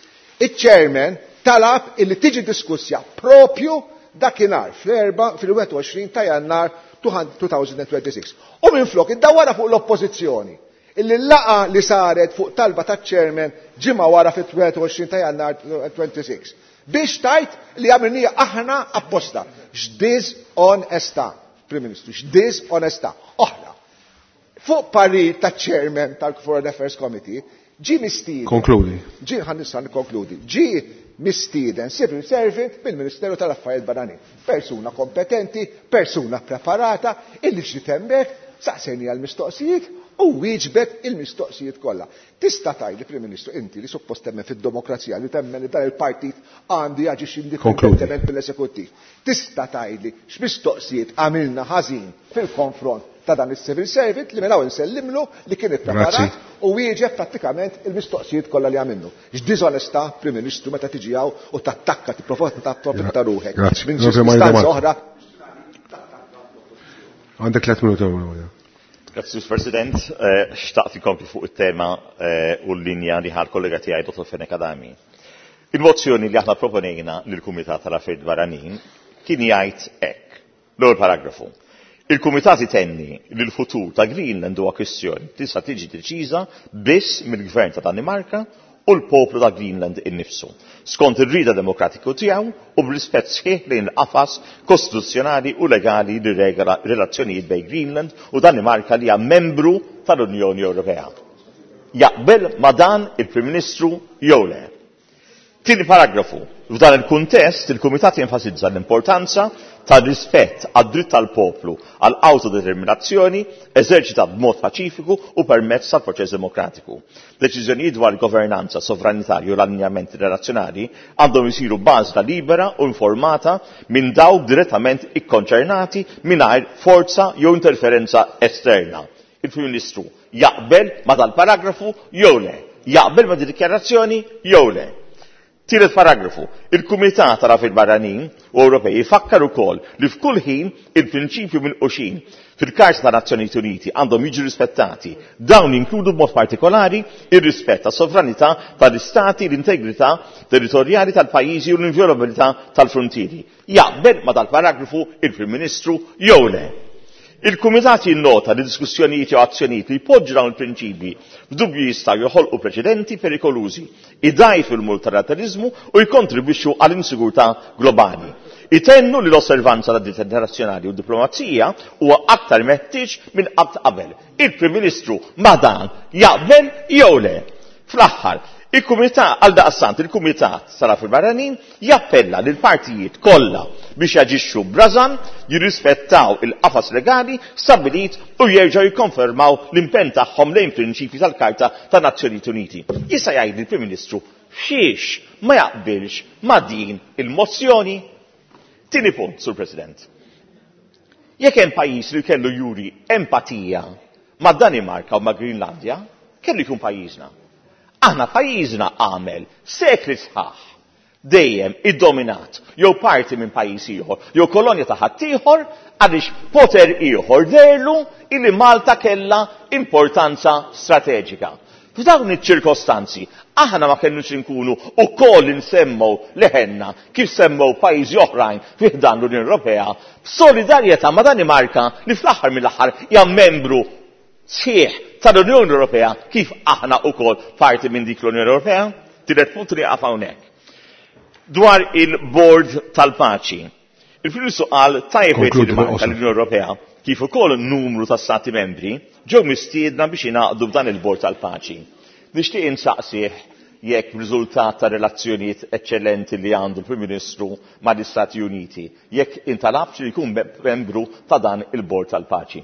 Il-chairman talab illi tiġi diskussja propju dakinhar fl-erba fil-wieħed u għoxrin ta' Jannar elfejn u sitta u għoxrin. U minflok iddawwara fuq l-oppożizzjoni illi l-laqgħa li saret fuq talba ta' chairman ġimgħa wara fit-wieħed u għoxrin ta' Jannar sitta u għoxrin. Biex tajt li għamilnija aħna apposta. X'diżonestà, Prim Ministru, x'diżonestà. Oħra. Fuq parir ta' chairman tal-Foreign Affairs Committee, ġi mistieden. Konkludi. Ġi, ħa nista' nikkonkludi. Ġi mistieden civil servant mill-Ministeru tal-Affarijiet Barranin. Persuna kompetenti, persuna preparata, illi ġiet hemmhekk, saqsejni għal-mistoqsijiet u wieġbet il-mistoqsijiet kollha. Tista' tgħidli, Prim Ministru, inti li suppost temmen fid-demokrazija, li temmen li dan il-partit għandu jaġixxi indipendentement mill-eżekuttiv. Tista' tgħidli x'mistoqsijiet għamilna ħażin fil-konfront ta' dan is-civil servant li minn hawn insellimlu li kien ippreparat u wieġeb prattikament il-mistoqsijiet kollha li għamilnu? X'diżonestà, Prim Ministru, meta tiġi hawn u tattakka, tipprova tapprofitta ruħek. Grazzi. Minn ċirkustanza oħra. Għandek tliet minuti. Grazzi, President. Eh, xtaqt inkompli fuq it-tema eh, u l-linja li ħa l-kollega tiegħi Dottor Fenech Adami. Il-mozzjoni li aħna proponejna lill-Kumitat tal-Affarijiet Barranin kien jgħid hekk. L-ewwel paragrafu. Il-Kumitat itenni li l-futur ta' Greenland huwa kwistjoni tista' tiġi deċiża biss mill-Gvern ta' Danimarka u l-poplu ta' Greenland innifsu, skont ir-rida demokratiku tiegħu u b'rispett sħiħ lejn il-qafas kostituzzjonali u legali li regola relazzjonijiet bejn Greenland u Danimarka li hija membru tal-Unjoni Ewropea. Jaqbel ma' dan il-Prim Ministru jew le? Tieni paragrafu. F'dan il-kuntest, il-Kumitat jenfasizza l-importanza tal-rispett għad-dritt tal-poplu għal autodeterminazzjoni eżerċitat b'mod paċifiku u permezz tal-proċess demokratiku. Deċiżjonijiet dwar governanza sovranitarju u l-allinjamenti relazzjonali għandhom isiru b'għażla libera u informata minn dawk direttament ikkonċernati mingħajr forza jew interferenza esterna. Il-Prim Ministru jaqbel ma dal-paragrafu jew le? Jaqbel ma' dikjarazzjoni jew le? Tielet paragrafu. Il-Kumitat tal-Affarijiet Barranin u Ewropej ifakkar ukoll li f'kull ħin il-prinċipju minquxin fil-Karta ta' Nazzjonijiet Uniti għandhom jiġu rispettati. Dawn jinkludu b'mod partikolari ir-rispett tas-sovranità tal-istati, l-integrità territorjali tal-pajjiżi u l-inviolabilità tal-frontieri. Jaqbel ma dal-paragrafu il-Prim Ministru jew le? Il-Kumitat jinnota li diskussjonijiet jew azzjonijiet li jpoġġu dawn il-prinċipji f'dubju jistgħu joħolqu preċedenti perikolużi, idajfu l-multilateralizmu u jkontribwixxu għall-insigurtà globali. Itennu li l-osservanza tad-dritt internazzjonali u d-diplomazija huwa aktar meħtieġ minn qatt qabel. Il-Prim Ministru ma dan jaqbel jew le? Fl-aħħar, il-Kumitat għal daqstant il-Kumitat tal-Affarijiet Barranin jappella lil partijiet kollha biex jaġixxu b'rażan, jirrispettaw il-qafas legali stabbilit u jerġgħu jikkonfermaw l-impenn tagħhom lejn prinċipji tal-Karta tan-Nazzjonijiet Uniti. Jista' jgħid il-Prim Ministru xiex ma jaqbilx ma' din il-mozzjoni? Tieni punt, Sur President. Jekk hemm pajjiż li kellu juri empatija ma' Danimarka u ma' Greenlandja, kellu jkun pajjiżna. Aħna pajjiżna għamel sekli sħaħ dejjem iddominat jew parti minn pajjiż ieħor jew kolonja ta' ħaddieħor għaliex poter ieħor derlu illi Malta kellha importanza strateġika. F'dawn iċ-ċirkostanzi aħna ma kellux inkunu ukoll insemmew leħenna kif semmew pajjiżi oħrajn fi ħdan l-Unjoni Ewropea b'solidarjetà ma' Danimarka li fl-aħħar mill-aħħar hija membru sħiħ tal-Unjoni Ewropea kif aħna ukoll parti minn dik l-Unjoni Ewropea. Tielet punt li jaqaf hawnhekk. Dwar il-Bord tal-Paċi. Il-Prim Ministru qal tajjeb Konkludi li bil-qosor. tal-Unjoni Ewropea kif ukoll numru ta' stati membri ġew mistiedna biex jingħaqdu b'dan il-Bord tal-Paċi. Nixtieq insaqsih jekk riżultat ta' relazzjonijiet eċċellenti li għandu l-Prim Ministru mal-Istati Uniti, jekk intalabx li jkun membru ta' dan il-Bord tal-Paċi.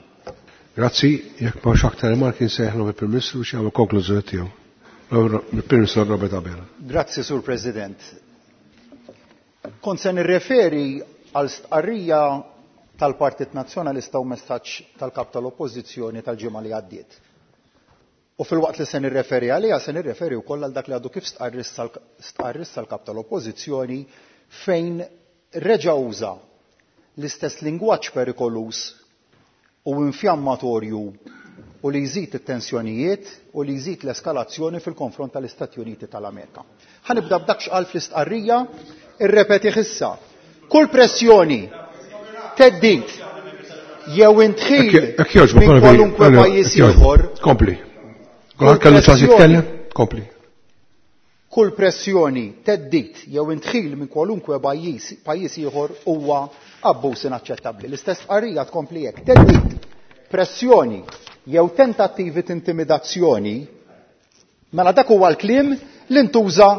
Grazzi, jekk ma aktar rimarki nsejħlu il-Prim Ministru biex jagħmel konklużjoni tiegħu. Il-Prim Ministru Robert Abela. Grazzi, Sur President. Kont se nirreferi għal stqarrija tal-Partit Nazzjonalista u messaġġ tal-Kap tal-Oppożizzjoni tal-ġimgħa li għaddiet. U fil-waqt li se nirreferi għaliha se nirreferi wkoll għal dak li għadu kif stqarr issa l-Kap tal-Oppożizzjoni fejn reġa' uża l-istess lingwaġġ perikoluż u infjammatorju u li jżid it-tensjonijiet u li jżid l-eskalazzjoni fil-konfront tal-Istati Uniti tal-Amerika. Ħa nibda b'dak x'qal fl-istqarrija, irrepetih issa. Kull pressjoni, theddid, jew indħil Jekk jogħġbok, minn kwalunkwe pajjiż ieħor, Kompli. Kulħadd kellu ċans jitkellem? Kompli. Kull pressjoni, theddid jew indħil minn kwalunkwe pajjiż pajjiż ieħor huwa abbuż inaċċettabbli. L-istess stqarrija tkompli hekk. Theddid, pressjoni jew tentattivi t'intimidazzjoni, mela dak huwa l-kliem li ntuża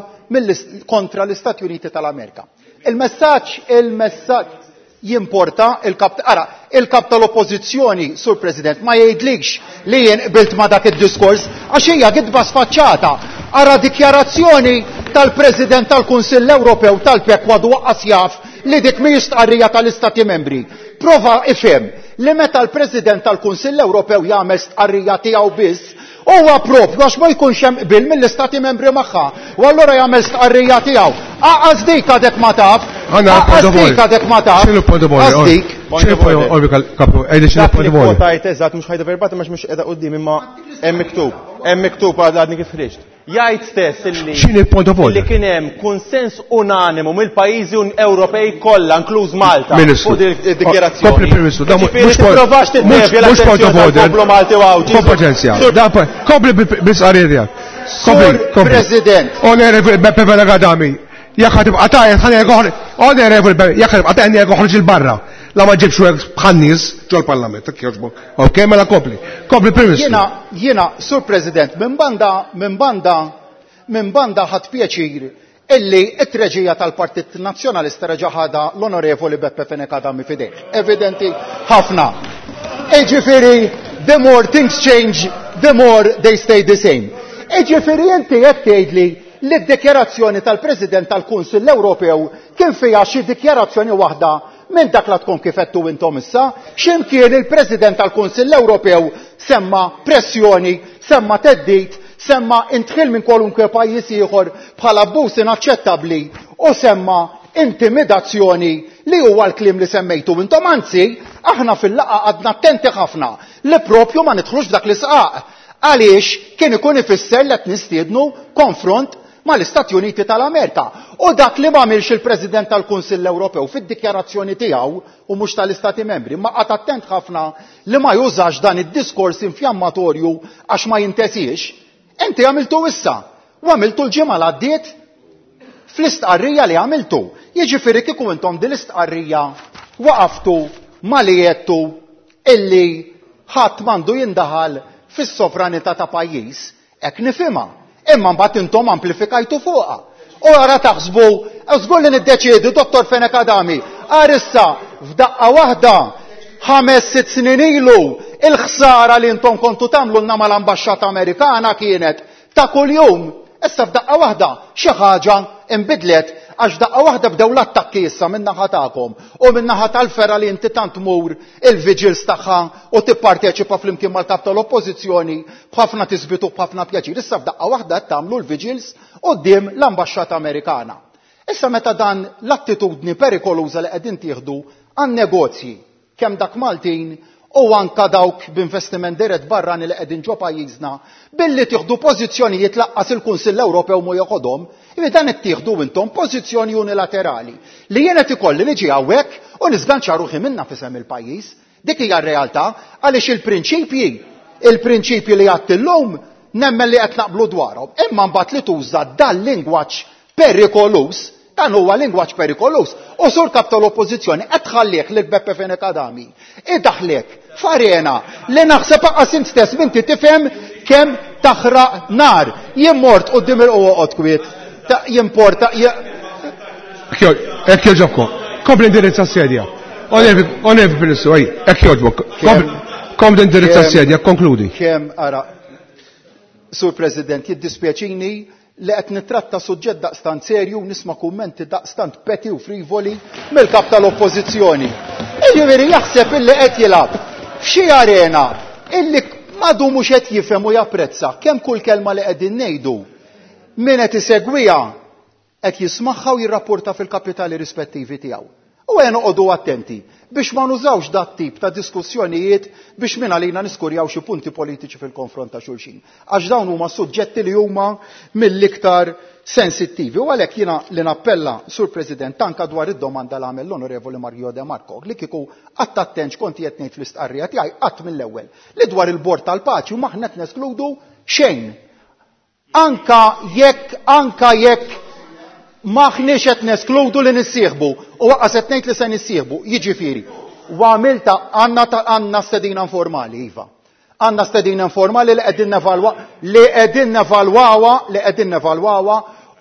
kontra l-Istati Uniti tal-Amerika. Il-messaġġ, il-messaġġ jimporta il-kap, ara, il-kap tal-oppożizzjoni, Sur President, ma jgħidlikx li jien qbilt ma dak id-diskors għax hija gidba sfaċċata. Ara dikjarazzjoni tal-President tal-Kunsill Ewropew tal-P E K għadu waqqas jaf li dik mhijiex stqarrija tal-Istati Membri. Prova ifhem li meta l-President tal-Kunsill Ewropew jagħmel stqarrija tiegħu biss, huwa propju għax ma jkunx hemm qbil mill-Istati Membri magħha. U allura jagħmel stqarrija tiegħu. Aqqas dik għadek ma taf. Aqqas dik għadek ma taf. X'inhu point of order? Aqqas dik. X'inhu point of order, Kapru? Għidli x'inhu Dak point li of order. kwotajt eżatt mhux ħajda verbatim għax mhux qiegħda quddiem imma hemm miktub. Hemm miktub għadni kif ħriġt. Jgħid stess illi X'inhi point of order? Illi kien hemm konsens unanimu mill-pajjiżi Ewropej kollha inkluż Malta Ministru. fuq din id-dikjarazzjoni. Kompli, Prim Ministru, da Jiġifieri mhux point- tipprovax mhux tiddevja mhux point of l-attenzjoni order. tal-poplu Malti u Għawdxi. Kompetenza. Da kompli bil-istqarrija tiegħek. Kompli, Sur kompli. President. Onorevoli Beppe Fenech Adami, jekk ħa tibqa' tgħajjat ħa ngħidlek oħroġ. Onorevoli Beppe, jekk ħa tibqa' tgħajjat ngħidlek oħroġ 'il barra. La ma ġibx hekk bħan-nies ġol-Parlament, jekk jogħġbok. Ok, mela kompli. Kompli, Prim Ministru. Jiena, jiena, Sur President, minn banda, minn banda, minn banda ħadt pjaċir illi it-treġija tal-Partit Nazzjonalista reġa' ħadha l-Onorevoli Beppe Fenech Adami f'idejh. Evidenti ħafna. Iġifieri, the more things change, the more they stay the same. Iġifieri inti qed tgħidli li d-dikjarazzjoni tal-President tal-Kunsill Ewropew kien fiha xi dikjarazzjoni waħda minn dak la tkun kif għedtu intom issa, x'imkien il-President tal-Kunsill Ewropew semma pressjoni, semma theddid, Semma indħil minn kwalunkwe pajjiż ieħor bħala abbuż inaċċettabbli u semma intimidazzjoni li huwa l-kliem li semmejtu intom. Anzi, aħna fil-laqgħa għadna attenti ħafna li propju ma nidħlux f'dak l-isqaq. Għaliex kien ikun ifisser li qed nistiednu konfront mal-Istati Uniti tal-Amerika. U dak li m'għamilx il-President tal-Kunsill Ewropew fid-dikjarazzjoni tiegħu u mhux tal-Istati Membri, ma qagħad attent ħafna li ma jużax dan id-diskors infjammatorju għax ma jintesiex. Inti għamiltu issa u għamiltu l-ġimgħa li għaddiet fl-istqarrija li għamiltu. Jiġifieri kieku intom din l-istqarrija waqaftu ma li għedtu illi ħadd m'għandu jindaħal fis-sovranità ta' pajjiż, hekk nifhimha. Imma mbagħad intom amplifikajtu fuqha. U ara taħsbu, żgur li niddeċiedi Dottor Fenech Adami, għar issa f'daqqa waħda ħames sitt snin ilu il-ħsara li intom kontu tagħmlu lna mal-ambaxxata Amerikana kienet ta' kuljum. Issa f'daqqa waħda xi ħaġa inbidlet għax daqqa waħda bdew l-attakki issa min-naħa tagħkom u min-naħa tal-ferra li inti tant tmur il-vigils tagħha u tipparteċipa flimkien mal-kap tal-Oppożizzjoni b'ħafna tisbitu b'ħafna pjaċir. Issa f'daqqa waħda qed tagħmlu l-vigils quddiem l-ambaxxata Amerikana. Issa meta dan l-attitudni perikoluża li qegħdin tieħdu għan-negozji kemm dak Maltin u anka dawk b'investiment dirett barrani li qegħdin ġo pajjiżna billi tieħdu pożizzjonijiet laqqas il-Kunsill Ewropew mu joħodhom, ivi dan qed tieħdu intom pożizzjoni unilaterali li jien qed ikolli niġi hawnhekk u nisganċa ruħi minna f'isem il-pajjiż. Dik hija r-realtà għaliex il-prinċipji, il-prinċipji li għadt illum nemmen li qed naqblu dwarhom. Imma mbagħad li tuża dan lingwaġġ perikoluż, dan huwa lingwaġġ perikoluż. U sur kap tal-Oppożizzjoni qed tħallih lil Beppe Fenech Adami idaħlek f'arena li naħseb aqas int stess minti tifhem kemm taħraq nar. Jien mort quddiem il-qoqgħod kwiet, ta' jimporta, je- Hekk jogħġobkom. Kompli indirizza s-sedja. Onorevoli Ministru, ej, hekk jogħġbok. Kompli indirizza s-sedja, konkludi. Kemm ara, Sur President, jiddispjaċini li qed nittratta suġġett daqstant serju u nisma' kummenti daqstant peti u frivoli mill-kap tal-Oppożizzjoni. Jiġifieri jaħseb illi qed jilgħab f'xi arena illi madu mhux qed jifhem u japprezza kemm kull kelma li qegħdin ngħidu min qed isegwiha qed jismagħha u jirrapporta fil-kapitali rispettivi tiegħu. U għen noqogħdu attenti biex ma nużawx dat tip ta' diskussjonijiet biex minn għalina niskurjaw xi punti politiċi fil-konfront ta' xulxin. Għax dawn huma suġġetti li huma mill-iktar sensittivi. U għalhekk jiena li nappella, Sur President, anka dwar id-domanda li għamel l-Onorevoli Mario De Marco, li kieku qatt attent x'kont qed ngħid fl-istqarrija tiegħi qatt mill-ewwel li dwar il-bord tal-paċi u maħna qed neskludu xejn. Anka jekk, anka jekk maħniex qed neskludu li nissieħbu u waqqas qed ngħid li se nissieħbu, jiġifieri. U għamilta għandna ta' għandna stedina informali, iva. Għandna stedina informali li qegħdin nevalwa, li qegħdin nevalwawha, li qegħdin nevalwawha,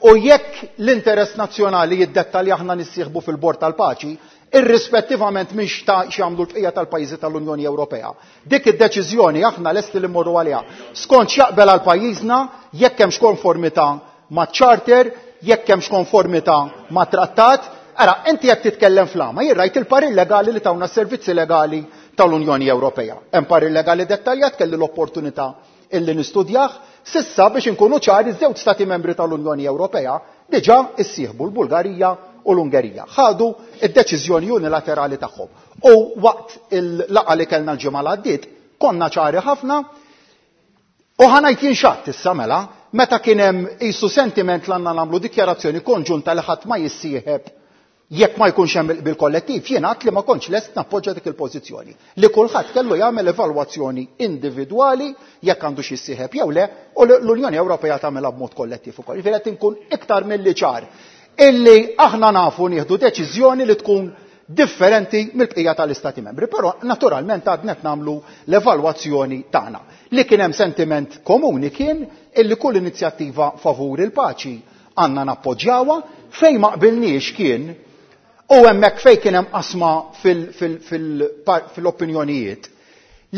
u jekk l-interess nazzjonali jiddettalja aħna nissieħbu fil-bord tal-paċi, irrispettivament minn x'ta x'jagħmlu l-bqija tal-pajjiżi tal-Unjoni Ewropea. Dik id-deċiżjoni aħna lesti li mmorru għaliha. Skont x'jaqbel għal pajjiżna, jekk hemmx konformità maċ-charter, jekk hemmx konformità ma' trattat, ara, inti qed titkellem flama, jien rajt il-parir legali li tawna s-servizzi legali tal-Unjoni Ewropea. Hemm parir legali dettaljat kelli l-opportunità illi nistudjah, sissa biex inkunu ċari żewġ stati membri tal-Unjoni Ewropea diġà issieħbu l-Bulgarija u l-Ungerija. Ħadu id-deċiżjoni unilaterali tagħhom. U waqt il-laqgħa li kellna l-ġimgħa li għaddiet, konna ċari ħafna u ħanajt jinxatt issa mela, meta kien hemm qisu sentiment li għandna nagħmlu dikjarazzjoni konġunta li ħadd ma jissieħeb jekk ma jkunx hemm il-qbil kollettiv, jien għadt li ma kontx lest nappoġġa dik il-pożizzjoni. Li kulħadd kellu jagħmel evalwazzjoni individwali jekk għandu xi jissieħeb jew le, u l-Unjoni Ewropea tagħmilha b'mod kollettiv ukoll. Jiġifieri qed inkun iktar milli ċar illi aħna nafu nieħdu deċiżjoni li tkun differenti mill-bqija tal-Istati Membri, però naturalment għadna qed nagħmlu l-evalwazzjoni tagħna. Li kien hemm sentiment komuni kien illi kull inizjattiva favur il-paċi għandna nappoġġjawha, fejn ma qbilniex kien u hemmhekk fejn kien hemm qasma fil-, fil-, fil-, fil-opinjonijiet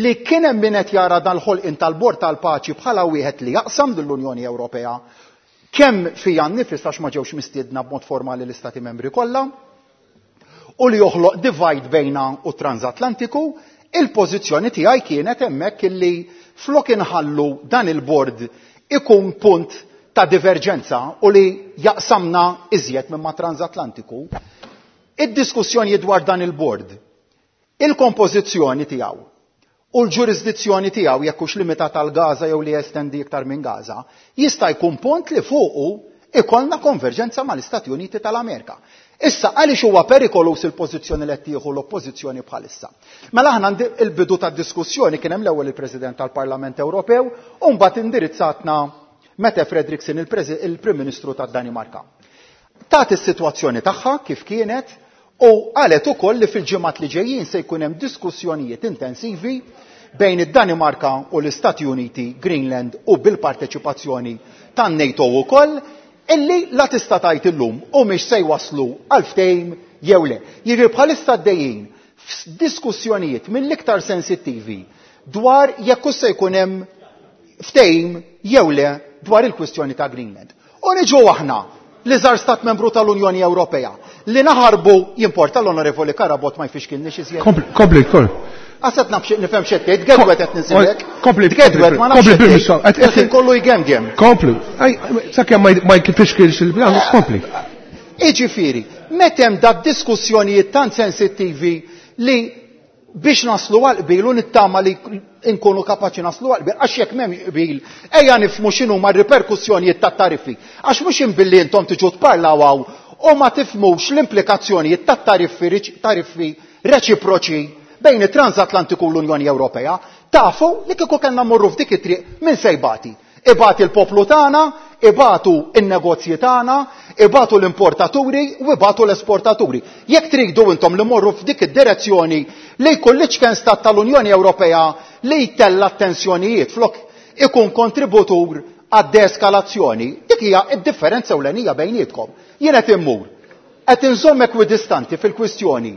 li kien hemm min qed jara dal-ħolqien tal-Bord tal-Paċi bħala wieħed li jaqsam lill-Unjoni Ewropea kemm fija nnifis għax ma ġewx mistiedna b'mod formali l-Istati Membri kollha, u li joħloq divide bejna u transatlantiku, il-pożizzjoni tiegħi kienet hemmhekk illi flok inħallu dan il-bord ikun punt ta' diverġenza u li jaqsamna iżjed minn ma' transatlantiku, id-diskussjoni dwar dan il-bord, il-kompożizzjoni tiegħu u l-ġurisdizzjoni tiegħu jekk hux limitat għal Gaza jew li jestendi iktar minn Gaza, jista' jkun punt li fuqu ikollna konverġenza mal-Istati Uniti tal-Amerika. Issa għaliex huwa perikolus il-pożizzjoni li qed tieħu l-oppożizzjoni bħalissa? Mela aħna il-bidu tad-diskussjoni kien hemm l-ewwel il-President tal-Parlament Ewropew u mbagħad indirizzatna Mette Frederiksen, il-Prim Ministru tad-Danimarka. Tat is-sitwazzjoni tagħha kif kienet u qalet ukoll li fil-ġimgħat li ġejjin se jkun hemm diskussjonijiet intensivi bejn id-Danimarka u l-Istati Uniti, Greenland u bil-parteċipazzjoni tan-NATO ukoll, illi la tista' tgħid illum u mhix se jwaslu għal ftehim jew le. Jiġri bħalissa għaddejjin f'diskussjonijiet mill-iktar sensittivi dwar jekk se jkun hemm ftehim jew le dwar il-kwistjoni ta' Greenland. U niġu aħna l-iżgħar stat membru tal-Unjoni Ewropea li naħarbu jimporta l-Onorevoli Carabott ma jfixkilniex iżjed. Kompli, kompli. Għasat nafx nifhem x'qed tgħid, tgedwet qed nisilek. Kompli, tgedwet ma nafx. Kompli, Il-ħin kollu jgemgem. Kompli. Sakemm ma jfixkilx il-plan, kompli. Iġifieri, meta hemm da diskussjonijiet tant sensittivi li biex naslu għal qbil u nittama li nkunu kapaċi naslu għal qbil, għax jekk m'hemmx qbil, ejja nifhmu x'inhu ma riperkussjonijiet tat-tariffi. Għax mhux imbilli intom tiġu tparlaw hawn u ma tifhmux l-implikazzjonijiet tat-tariffi tariffi reċiproċi bejn it-Transatlantiku u l-Unjoni Ewropea, tafu li kieku kellna mmorru f'dik it-triq min se jbati. Ibati l-poplu tagħna, ibatu n-negozji tagħna, ibatu l-importaturi u ibatu l-esportaturi. Jekk tridu intom li morru f'dik id-direzzjoni li jkun l-iċken stat tal-Unjoni Ewropea li jtella t-tensjonijiet flok ikun kontributur għad-deeskalazzjoni, dik hija d-differenza ewlenija bejnietkom. Jien qed immur, qed inżomm ekwidistanti fil-kwistjoni,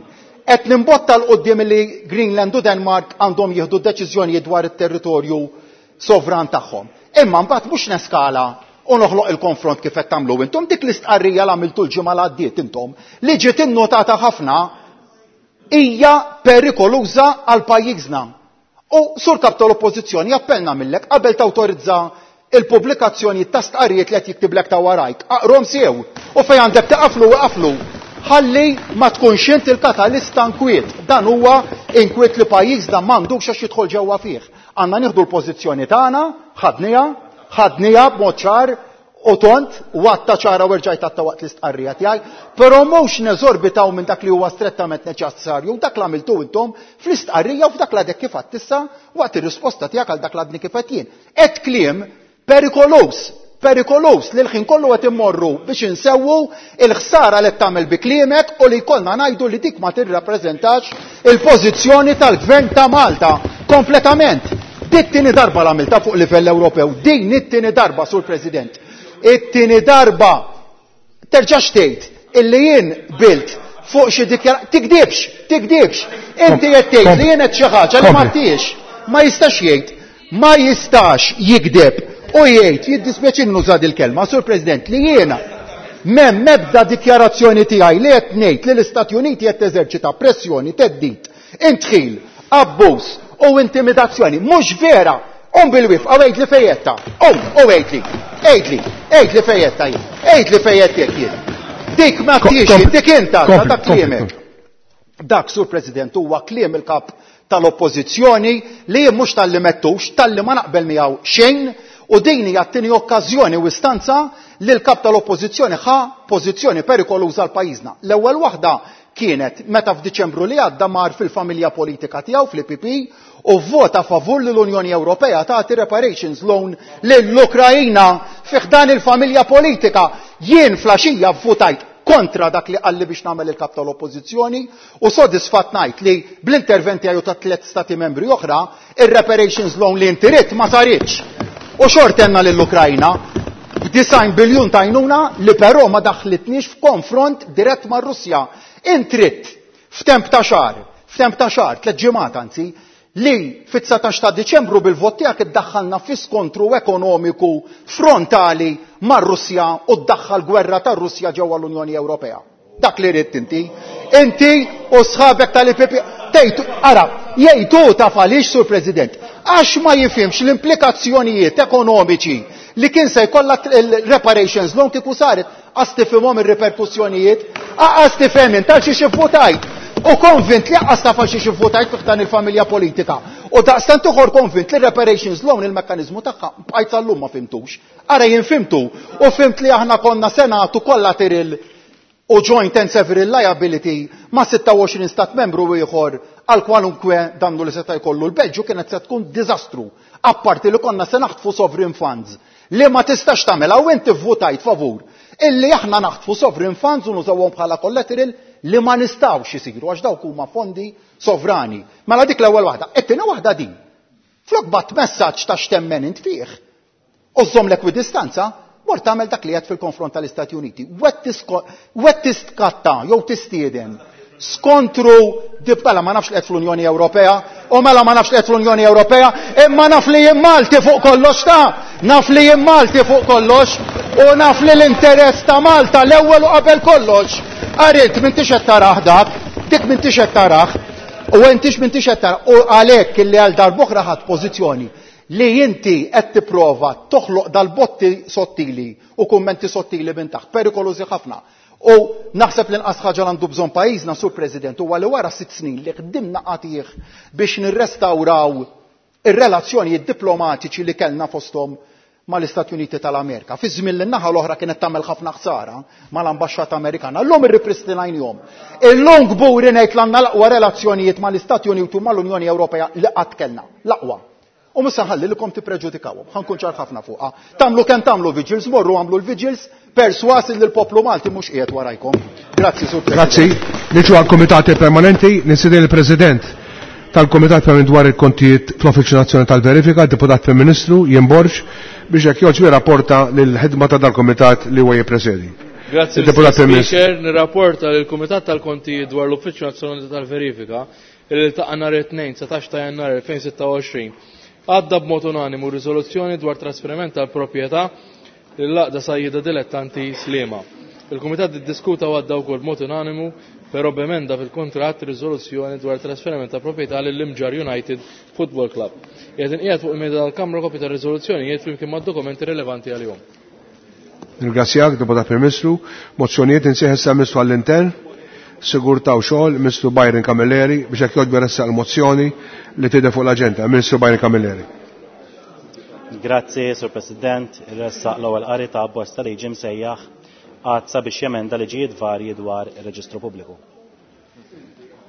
qed nimbotta l quddiem li Greenland u Denmark għandhom jieħdu deċiżjonijiet dwar it-territorju sovran tagħhom. Imma mbagħad mhux neskala u noħloq il-konfront kif qed tagħmlu intom. Dik l-istqarrija li għamiltu l-ġimgħa li għaddiet intom li ġiet innotata ħafna hija perikoluża għal pajjiżna. U sur kap tal-oppożizzjoni appellna millek qabel tawtorizza il-pubblikazzjoni ta' stqarrijiet li qed jiktiblek ta' warajk. Aqrom sew u fejn għandek taqaflu waqaflu. Ħalli ma tkunx int il-katalista nkwiet. Dan huwa inkwiet li pajjiżna m'għandux għax jidħol ġewwa fih. Għandna nieħdu l-pożizzjoni tagħna, ħadniha, ħadniha b'mod ċar u tont, u għatta ċara u rġajt għatta waqt l-istqarrija tiegħi, però mhux neżorbitaw minn dak li huwa strettament neċessarju, dak li għamiltu intom fl-istqarrija u f'dak li għadek kif għadt issa waqt ir-risposta tiegħek għal dak li għadni kif għedt jien. Qed kliem perikolus, perikolus li l-ħin kollu qed immorru biex insewwu il-ħsara li tagħmel bi kliemek u li jkollna ngħidu li dik ma tirrappreżentax il-pożizzjoni tal-Gvern ta' Malta kompletament. Dit tieni darba l-għamilta fuq livell Ewropew, din it-tieni darba, Sur President. It-tieni darba terġax tgħid illi jien bilt fuq xi dikjara, tikdibx, tikdibx. Inti qed tgħid li jien qed xi ħaġa li ma tiex. Ma jistax jgħid, ma jistax jikdeb u jgħid, jiddispjaċini nuża il-kelma, Sur President, li jiena m'hemm mebda dikjarazzjoni tiegħi li qed ngħid li l-Istati Uniti qed teżerċita pressjoni, theddid, intħil, abbuż u intimidazzjoni. Mhux vera. Um bil-wifqa, għejd li fejjetta. Um, u għejd li, għejd li, għejd li fejjetta jien. Għejd li fejjettek jien. Dik ma tiex, dik inta, dak kliemek. Dak, Sur President, huwa kliem il-kap tal-oppożizzjoni li jien mhux talli mettux, talli ma naqbel miegħu xejn, u din hija t-tieni okkażjoni u istanza li l-kap tal-oppożizzjoni ħa pożizzjoni perikoluża għal pajjiżna. L-ewwel waħda kienet meta f'Diċembru li għadda mar fil-familja politika tiegħu fl-I P P u vvota favur li l-Unjoni Ewropea tagħti reparations loan lill-Ukrajna fi ħdan il-familja politika. Jien flaxija vvutajt kontra dak li qalli biex nagħmel il-kap tal-oppożizzjoni u sodisfatt ngħid li bl-interventi tiegħu ta' tliet stati membri oħra ir-reparations loan li inti ridt ma saritx. U xort għandna lill-Ukrajna b'design biljun tajnuna li però ma daħlitniex f'konfront dirett mar-Russja. Intritt f'temp ta' xahar, f'temp ta' xahar, tliet ġimgħat anzi, li fit-dsatax ta' Diċembru bil-vot tiegħek iddaħħalna fi skontru ekonomiku frontali mar-Russja u ddaħħal gwerra tar-Russja ġewwa l-Unjoni Ewropea. Dak li ridt inti. Inti u sħabek tal-I P P tgħid, ara, jgħidu taf għaliex, Sur President, Għax ma jifhimx l-implikazzjonijiet ekonomiċi li kien se jkollha il-reparations loan kieku saret, għas tifhimhom ir-riperkussjonijiet, għas tifhem int għal xiex ivvutajt. U konvint li għas taf għal xiex ivvutajt fih dan il-familja politika. U daqstant uħor konvint li reparations loan il-mekkaniżmu tagħha bqajt sal-lum ma fimtux. Ara jien fimtu u fimt li aħna konna senatu collateral u joint and several liability ma' sitta u għoxrin stat membru ieħor għal kwalunkwe dannu li seta' jkollu l-Belġju kienet se tkun diżastru. Apparti li konna se naħtfu sovereign funds li ma tistax tagħmilha u inti vvutajt favur illi aħna naħtfu sovereign funds u nużawhom bħala collateral li ma nistgħux isiru għax dawk huma fondi sovrani. Mela dik l-ewwel waħda. It-tieni waħda din. Flok bat messaġġ ta' x'temmen int fih. U żomm l-ekwidistanza, mort tagħmel dak li qed fil-konfront tal-Istati Uniti. Wet tiskatta jew tistieden skontru dibtala ma nafx li qed fl-Unjoni Ewropea, u mela ma nafx li qed fl-Unjoni Ewropea, imma naf li jien Malti fuq kollox ta' naf li jien Malti fuq kollox, u naf li l-interess ta' Malta l-ewwel u qabel kollox. Arit, m'intix qed tarah dak, dik m'intix qed tarah, u intix m'intix qed tarah, u għalhekk illi għal darb'oħra ħadd pożizzjoni li inti qed tipprova toħloq dal-botti sottili u kummenti sottili minn taħt, perikolużi ħafna. U naħseb li nqas ħaġa għandu bżonn pajjiżna, Sur President, huwa li wara sitt snin li ħdimna qatih biex nirrestawraw ir-relazzjonijiet diplomatiċi li kellna fosthom mal-Istati Uniti tal-Amerika. Fi żmien li n-naħa l-oħra kienet tagħmel ħafna ħsara mal-ambaxxata Amerikana. Llum irripristinajnihom. Illum kburi ngħid l-għandna l-aqwa relazzjonijiet mal-Istati Uniti u mal-Unjoni Ewropea li qatt kellna. L-aqwa. U mhux se nħalli lilkom tippreġudikawhom. Ħa nkun ċar ħafna fuqha. Tagħmlu kemm tagħmlu vigils, morru għamlu l-vigils, perswas li l-poplu Malti mhux qiegħed warajkom. Grazzi, Sur President. Grazzi. Niġu għall-Kumitati Permanenti, nistieden il-President tal-Kumitat Permanenti dwar il-kontijiet fl-Uffiċċju Nazzjonali tal-Verifika, Deputat Prim Ministru Ian Borg, biex jekk jogħġbu jirrapporta lill-ħidma ta' dal-Kumitat li huwa jippresedi. Grazzi, Il-Deputat Mister Prim Ministru. Speaker, nirrapporta lill-Kumitat tal-Kontijiet dwar l-Uffiċċju Nazzjonali tal-Verifika li ltaqa' nhar it-tnejn satax ta' Jannar elfejn sitta u għoxrin. Għadda b'mod unanimu riżoluzzjoni dwar trasferiment tal-proprjetà lill-Għaqda Sajjieda Dilettanti Sliema. Il-Kumitat iddiskuta u għadda wkoll b'mod unanimu però b'emenda fil-kuntratt riżoluzzjoni dwar trasferiment ta' proprjetà lill-Imġarr United Football Club. Qiegħed inqiegħed fuq il-mejda tal-Kamra kopja ta' riżoluzzjonijiet flimkien mad-dokumenti rilevanti għalihom. Ringrazzjak, Deputat Prim Ministru. Mozzjonijiet insieħ issa Ministru għall-Intern, Sigurtà u Xogħol, Ministru Byron Camilleri, biex hekk jogħġbu jressaq il-mozzjoni li tidher fuq l-aġenda. Ministru Byron Camilleri. Grazzi, Sur President. Irressaq l-ewwel qari ta' abbozz ta' liġi msejjaħ għad sabiex jemenda liġijiet varji dwar ir-reġistru pubbliku.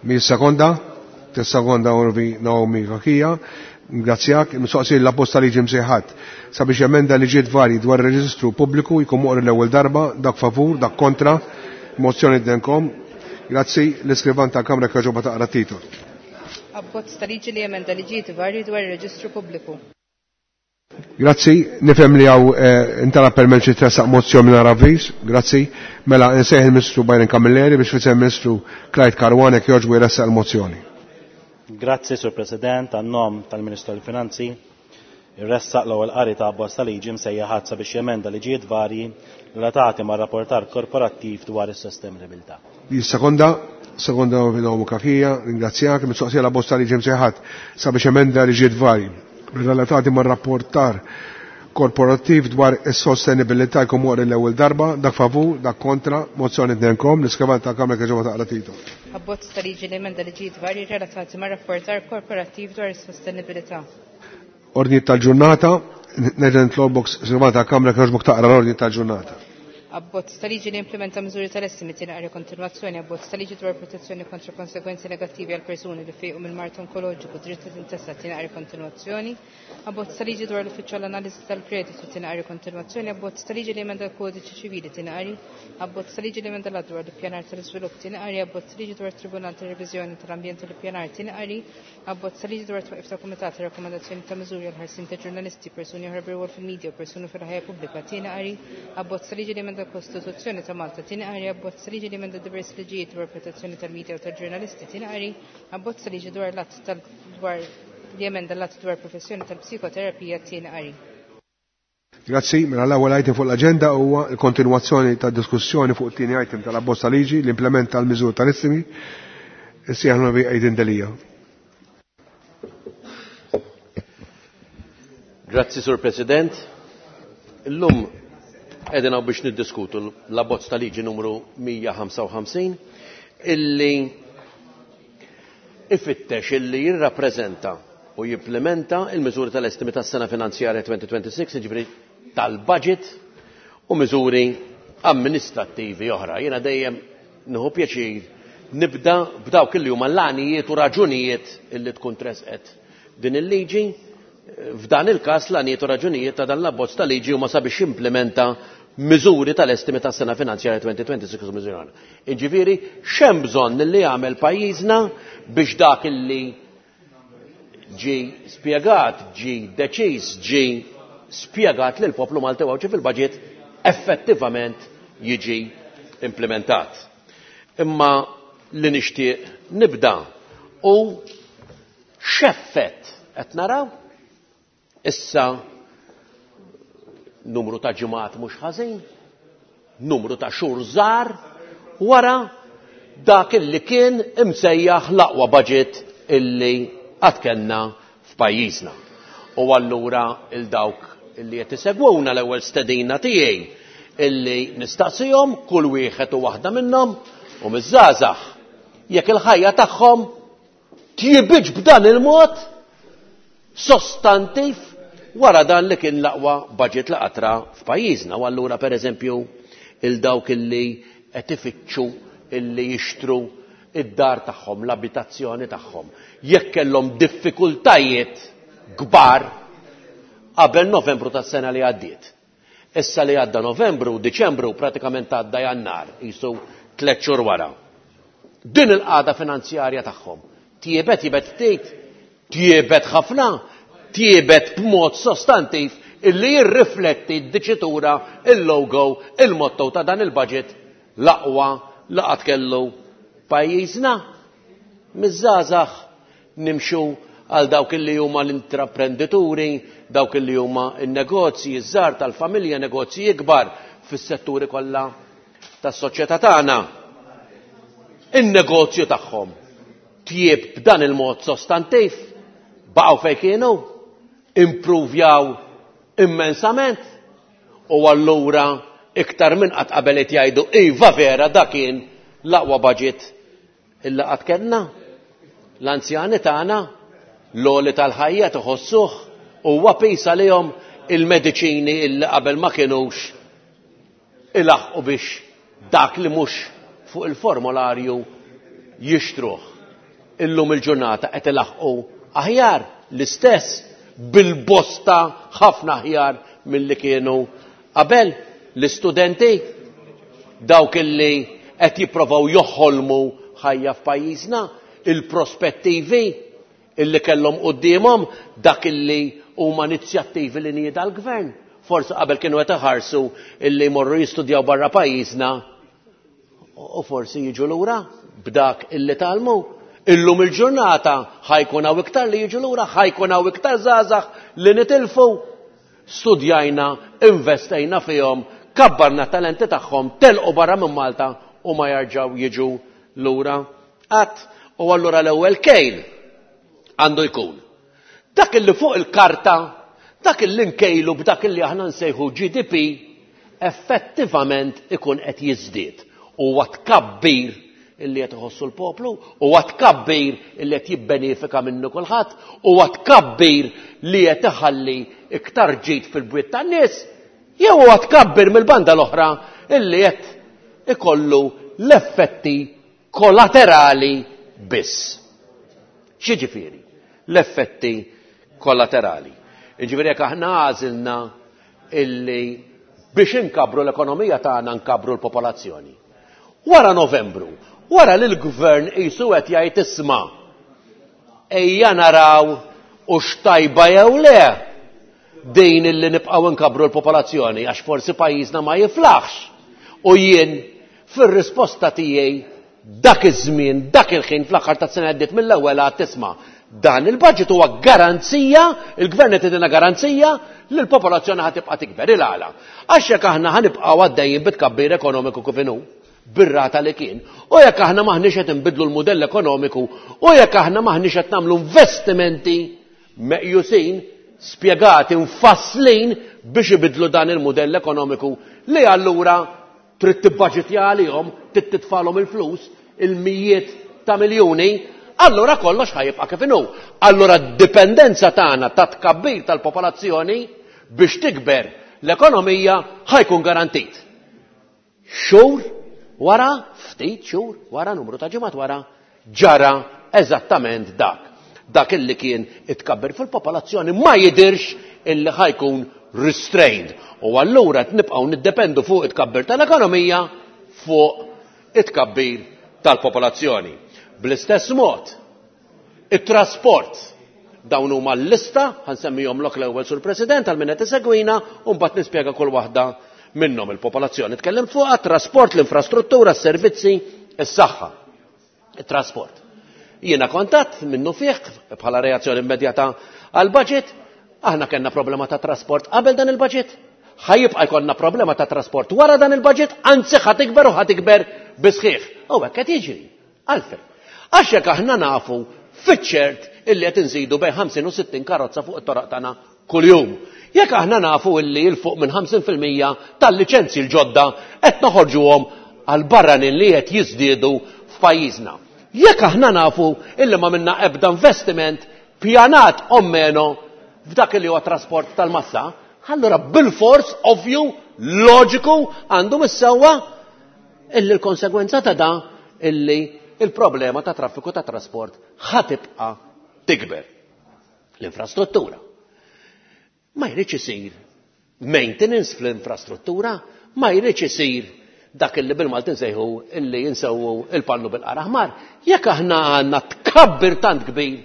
Mi sekonda, tis-sekonda Orvi Naomi Cachia. Ngrazzjak, mistoqsi l-abbozz ta' liġi msejħat sabiex jemenda liġijiet varji dwar ir-reġistru pubbliku jkun moqri l-ewwel darba, dak favur, dak kontra. Mozzjoni denkom. Grazzi, l-iskrivan tal-Kamra kħaġoba taqra titol. Abbozz ta' liġi li jemenda liġijiet varji dwar ir-reġistru pubbliku. Grazzi, nifhem li hawn, eh, intalab permezz li tressaq mozzjoni mingħajr avviż. Grazzi. Mela nsejħ il-Ministru Byron Camilleri biex fisem il-Ministru Clyde Caruana jekk jogħġbu jressaq il-mozzjoni. Grazzi, Sur President, għan-nom tal-Ministru tal-Finanzi, irressaq l-ewwel qari ta' abbozz ta' liġi msejjaħ ħadd sabiex jemenda liġijiet varji relatati mar-rapportar korporattiv dwar is-sostenibilità. Sekonda, sekonda Naomi Cachia, ringrazzjak, mistoqsija l-abbozz ta' liġi msejħat sabiex emenda liġijiet varji relatati mar-rapportar korporattiv dwar is-sostenibilità jkun moqri l-ewwel darba, dak favur, dak kontra, mozzjoni tnejnkom, l-iskrivan tal-Kamra kieġoba taqra titol. Abbozz ta' liġi li emenda liġijiet varji relatati mar-rapportar korporattiv dwar is-sostenibilità. Ordni tal-ġurnata, nerġa' nitlobok iskrivan tal-Kamra kieġobok taqra l-ordni tal-ġurnata. Abbozz ta' liġi li implementa miżuri tal-essi tieni qari kontinwazzjoni, abbozz ta' liġi dwar protezzjoni kontra konsegwenzi negattivi għal persuni li fejqu minn mard onkoloġiku, dritt ta' tintesa tieni qari kontinwazzjoni, abbozz ta' liġi dwar l-uffiċċju għall-analiżi tal-kreditu tieni qari kontinwazzjoni, abbozz ta' liġi li emenda l-kodiċi ċivili tieni qari, abbozz ta' liġi li emenda l-att dwar l-ippjanar tal-iżvilupp tieni qari, abbozz ta' liġi dwar tribunal tal-reviżjoni tal-ambjent u l-ippjanar tieni qari, abbozz ta' liġi dwar twaqif ta' kumitat ta' rakkomandazzjoni ta' miżuri għal ħarsien ta' ġurnalisti, persuni oħra bir-rwol fil-medja u persuni fil-ħajja pubblika tieni qari, abbozz ta' liġi li emenda l-Kostituzzjoni ta' Malta tieni qari, abbozz ta' liġi li emenda diversi liġijiet dwar protezzjoni tal-medja u tal-ġurnalisti tieni qari, abbozz ta' liġi dwar l-att tal dwar li emenda l-att dwar professjoni tal-psikoterapija tieni qari. Grazzi, mela l-ewwel item fuq l-aġenda huwa l-kontinwazzjoni tad-diskussjoni fuq it-tieni item tal-abbozz ta' liġi li implementa l-miżur tal-istimi. Issieħ Onorevoli Adrian Delia. Grazzi, Sur President. Illum qegħdin hawn biex niddiskutu l-abbozz ta' liġi numru mija ħamsa u ħamsin illi ifittex illi jirrappreżenta u jimplementa il-miżuri tal-estimi tas-sena finanzjarja twenty twenty-six, jiġifieri tal-budget u miżuri amministrattivi oħra. Jiena dejjem nieħu pjaċir nibda b'dawk illi huma l-għanijiet u raġunijiet illi tkun tresqet din il-liġi. F'dan il-każ l-għanijiet u raġunijiet ta' dan l-abbozz ta' liġi huma sabiex jimplementa miżuri tal-estimi tas-sena finanzjarja twenty twenty-six u miżuri oħra. Jiġifieri x'hemm bżonn li jagħmel pajjiżna biex dak illi ġi spjegat, ġi deċiż, ġi spjegat lil poplu Malti u Għawdxi fil-budget effettivament jiġi implementat. Imma li nixtieq nibda u x'effett qed naraw issa numru ta' ġimgħat mhux ħażin, numru ta' xhur żgħar wara dak illi kien imsejjaħ l-aqwa budget illi qatt kellna f'pajjiżna. U allura il dawk illi qed isegwuna l-ewwel stedina tiegħi illi nistaqsihom kull wieħed u waħda minnhom u miż-żgħażagħ jekk il-ħajja tagħhom tjibitx b'dan il-mod sostantiv wara dan li kien l-aqwa budget li qatra f'pajjiżna. U allura pereżempju il dawk illi qed ifittxu illi jixtru id-dar tagħhom, l-abitazzjoni tagħhom, jekk kellhom diffikultajiet kbar qabel Novembru tas-sena li għaddiet. Issa li għadda Novembru, Diċembru, pratikament għadda Jannar, qisu tliet xhur wara. Din il-qagħda finanzjarja tagħhom tjiebet, tjiebet ftit, tjiebet ħafna, tjiebet b'mod sostantiv illi jirrifletti d-diċitura, il-logo, il-motto ta' dan il-budget l-aqwa li qatt kellu pajjiżna. Miż-żgħażagħ nimxu għal dawk illi huma l-intraprendituri, dawk illi huma n-negozji ż-żgħar tal-familja, negozji ikbar fis-setturi kollha tas-soċjetà tagħna. In-negozju tagħhom tjieb b'dan il-mod sostantiv, baqgħu fejn kienu, impruvjaw immensament, u allura iktar minn qatt qabel qed jgħidu iva vera dak kien l-aqwa budget illa qatt kellna. L-anzjani tagħna l-għoli tal-ħajja tħossuh huwa pis għalihom il-mediċini illi qabel ma kinux ilaħqu biex dak li mhux fuq il-formularju jixtruh. Illum il-ġurnata qed ilaħqu aħjar l-istess bil-bosta ħafna aħjar milli kienu qabel. L-istudenti dawk illi qed jipprovaw joħolmu ħajja f'pajjiżna, il-prospettivi illi kellhom quddiemhom, dak illi huma inizjattivi li nieda l-gvern. Forsi qabel kienu qed iħarsu illi jmorru jistudjaw barra pajjiżna u forsi jiġu lura b'dak illi talmu. Illum il-ġurnata ħajkun hawn iktar li jiġu lura, ħajkun hawn iktar żgħażagħ li nitilfu. Studjajna, investejna fihom, kabbarna talenti tagħhom, telqu barra minn Malta u ma jarġgħu jiġu lura qatt. U allura l-ewwel kejl għandu jkun dak illi fuq il-karta, dak illi nkejlu b'dak illi aħna nsejħu G D P, effettivament ikun qed jiżdied. Huwa tkabbir illi qed iħossu l-poplu, huwa tkabbir illi qed jibbenefika minnu kulħadd, huwa tkabbir li qed iħalli iktar ġid fil-bwiet tan-nies, jew huwa tkabbir mill-banda l-oħra illi qed ikollu l-effetti kollaterali biss. X'jiġifieri l-effetti kollaterali? Jiġifieri jekk aħna għażilna illi biex inkabru l-ekonomija tagħna nkabru l-popolazzjoni. Wara Novembru, wara li l-gvern qisu qed jgħid isma' ejja naraw u x'tajba jew le din illi nibqgħu nkabru l-popolazzjoni għax forsi pajjiżna ma jiflaħx. U jien fir-risposta tiegħi dak iż-żmien, dak il-ħin fl-aħħar tas-sena għaddiet mill-ewwel għad tisma' dan il-budget huwa garanzija, il-gvern qed jagħtina garanzija li l-popolazzjoni ħa tibqa' tikber il-għala. Għax jekk aħna ħanibqgħu għaddejjin bit-tkabbir ekonomiku kif inhu, bir-rata li kien, u jekk aħna maħniex qed inbidlu l-mudell ekonomiku, u jekk aħna maħniex qed nagħmlu investimenti meqjusin, spjegati mfasslin biex ibidlu dan il-modell ekonomiku li allura trid tibbaġitja għalihom, trid titfalhom il-flus, il-mijiet ta' miljuni, allura kollox ħa jibqa' kif inhu. Allura d-dipendenza tagħna ta' tkabbir tal-popolazzjoni biex tikber l-ekonomija ħa jkun garantit. Xhur wara, ftit xhur wara, numru ta' ġimgħat wara, ġara eżattament dak. Dak illi kien itkabbir fil-popolazzjoni ma jidirx illi ħa jkun restrained. U allura qed nibqgħu niddependu fuq it-tkabbir tal-ekonomija fuq it-tkabbir tal-popolazzjoni. Bl-istess mod, it-trasport, dawn huma l-lista, ħa nsemmihomlok l-ewwel, Sur President, għal min qed isegwina, u mbagħad nispjega kull waħda minnhom. Il-popolazzjoni tkellimt fuqha, trasport, l-infrastruttura, s-servizzi, is-saħħa. It-trasport. Jiena kontat minnu fih bħala reazzjoni immedjata għal budget, aħna kellna problema ta' trasport qabel dan il-budget, ħa jibqa' jkollna problema ta' trasport wara dan il-budget, anzi ħa tikber u ħa tikber bisħiħ. U hekk qed jiġri. Għalfejn? Għax jekk aħna nafu fiċ-ċert illi qed inżidu bejn ħamsin u sittin karozza fuq it-toroq tagħna kuljum. Jekk aħna nafu illi 'l fuq minn ħamsin fil-mija tal-liċenzji l-ġodda qed noħorġuhom għal barranin li qed jiżdiedu f'pajjiżna. Jekk aħna nafu illi ma minna ebda investiment pjanat o meno f'dak li huwa trasport tal-massa, allura bil-fors, ovvju, loġiku, għandu mis-sewwa illi l-konsegwenza ta' da illi il-problema ta' traffiku ta' trasport ħa tibqa' tikber. L-infrastruttura. Ma jridx isir maintenance fl-infrastruttura, ma jridx isir dak illi bil-Malti nsejħu illi jinsewu il-pannu bil-qara ħmar. Jekk aħna għandna tkabbir tant kbir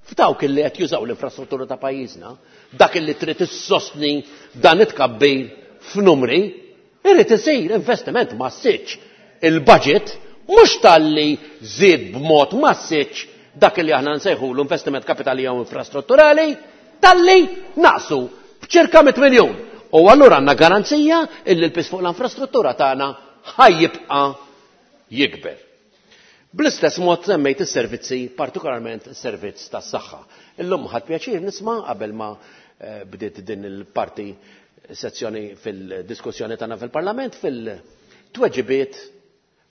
f'dawk illi qed jużaw l-infrastruttura ta' pajjiżna, dak illi trid issostni dan it-tkabbir f'numri, irid isir investiment massiċ. Il-budget mhux talli żied b'mod massiċ dak illi aħna nsejħu l-investiment kapitali jew infrastrutturali, talli naqsu b'ċirka mitt miljun. U allura għandna garanzija illi l-pis fuq l-infrastruttura tagħna ħa jibqa' jikber. Bl-istess mod semmejt is-servizzi, partikolarment is-servizz tas-saħħa. Illum ħadt pjaċir nisma' qabel ma, eh, bdiet din il-parti sezzjoni fil-diskussjoni tagħna fil-Parlament, fil-tweġibiet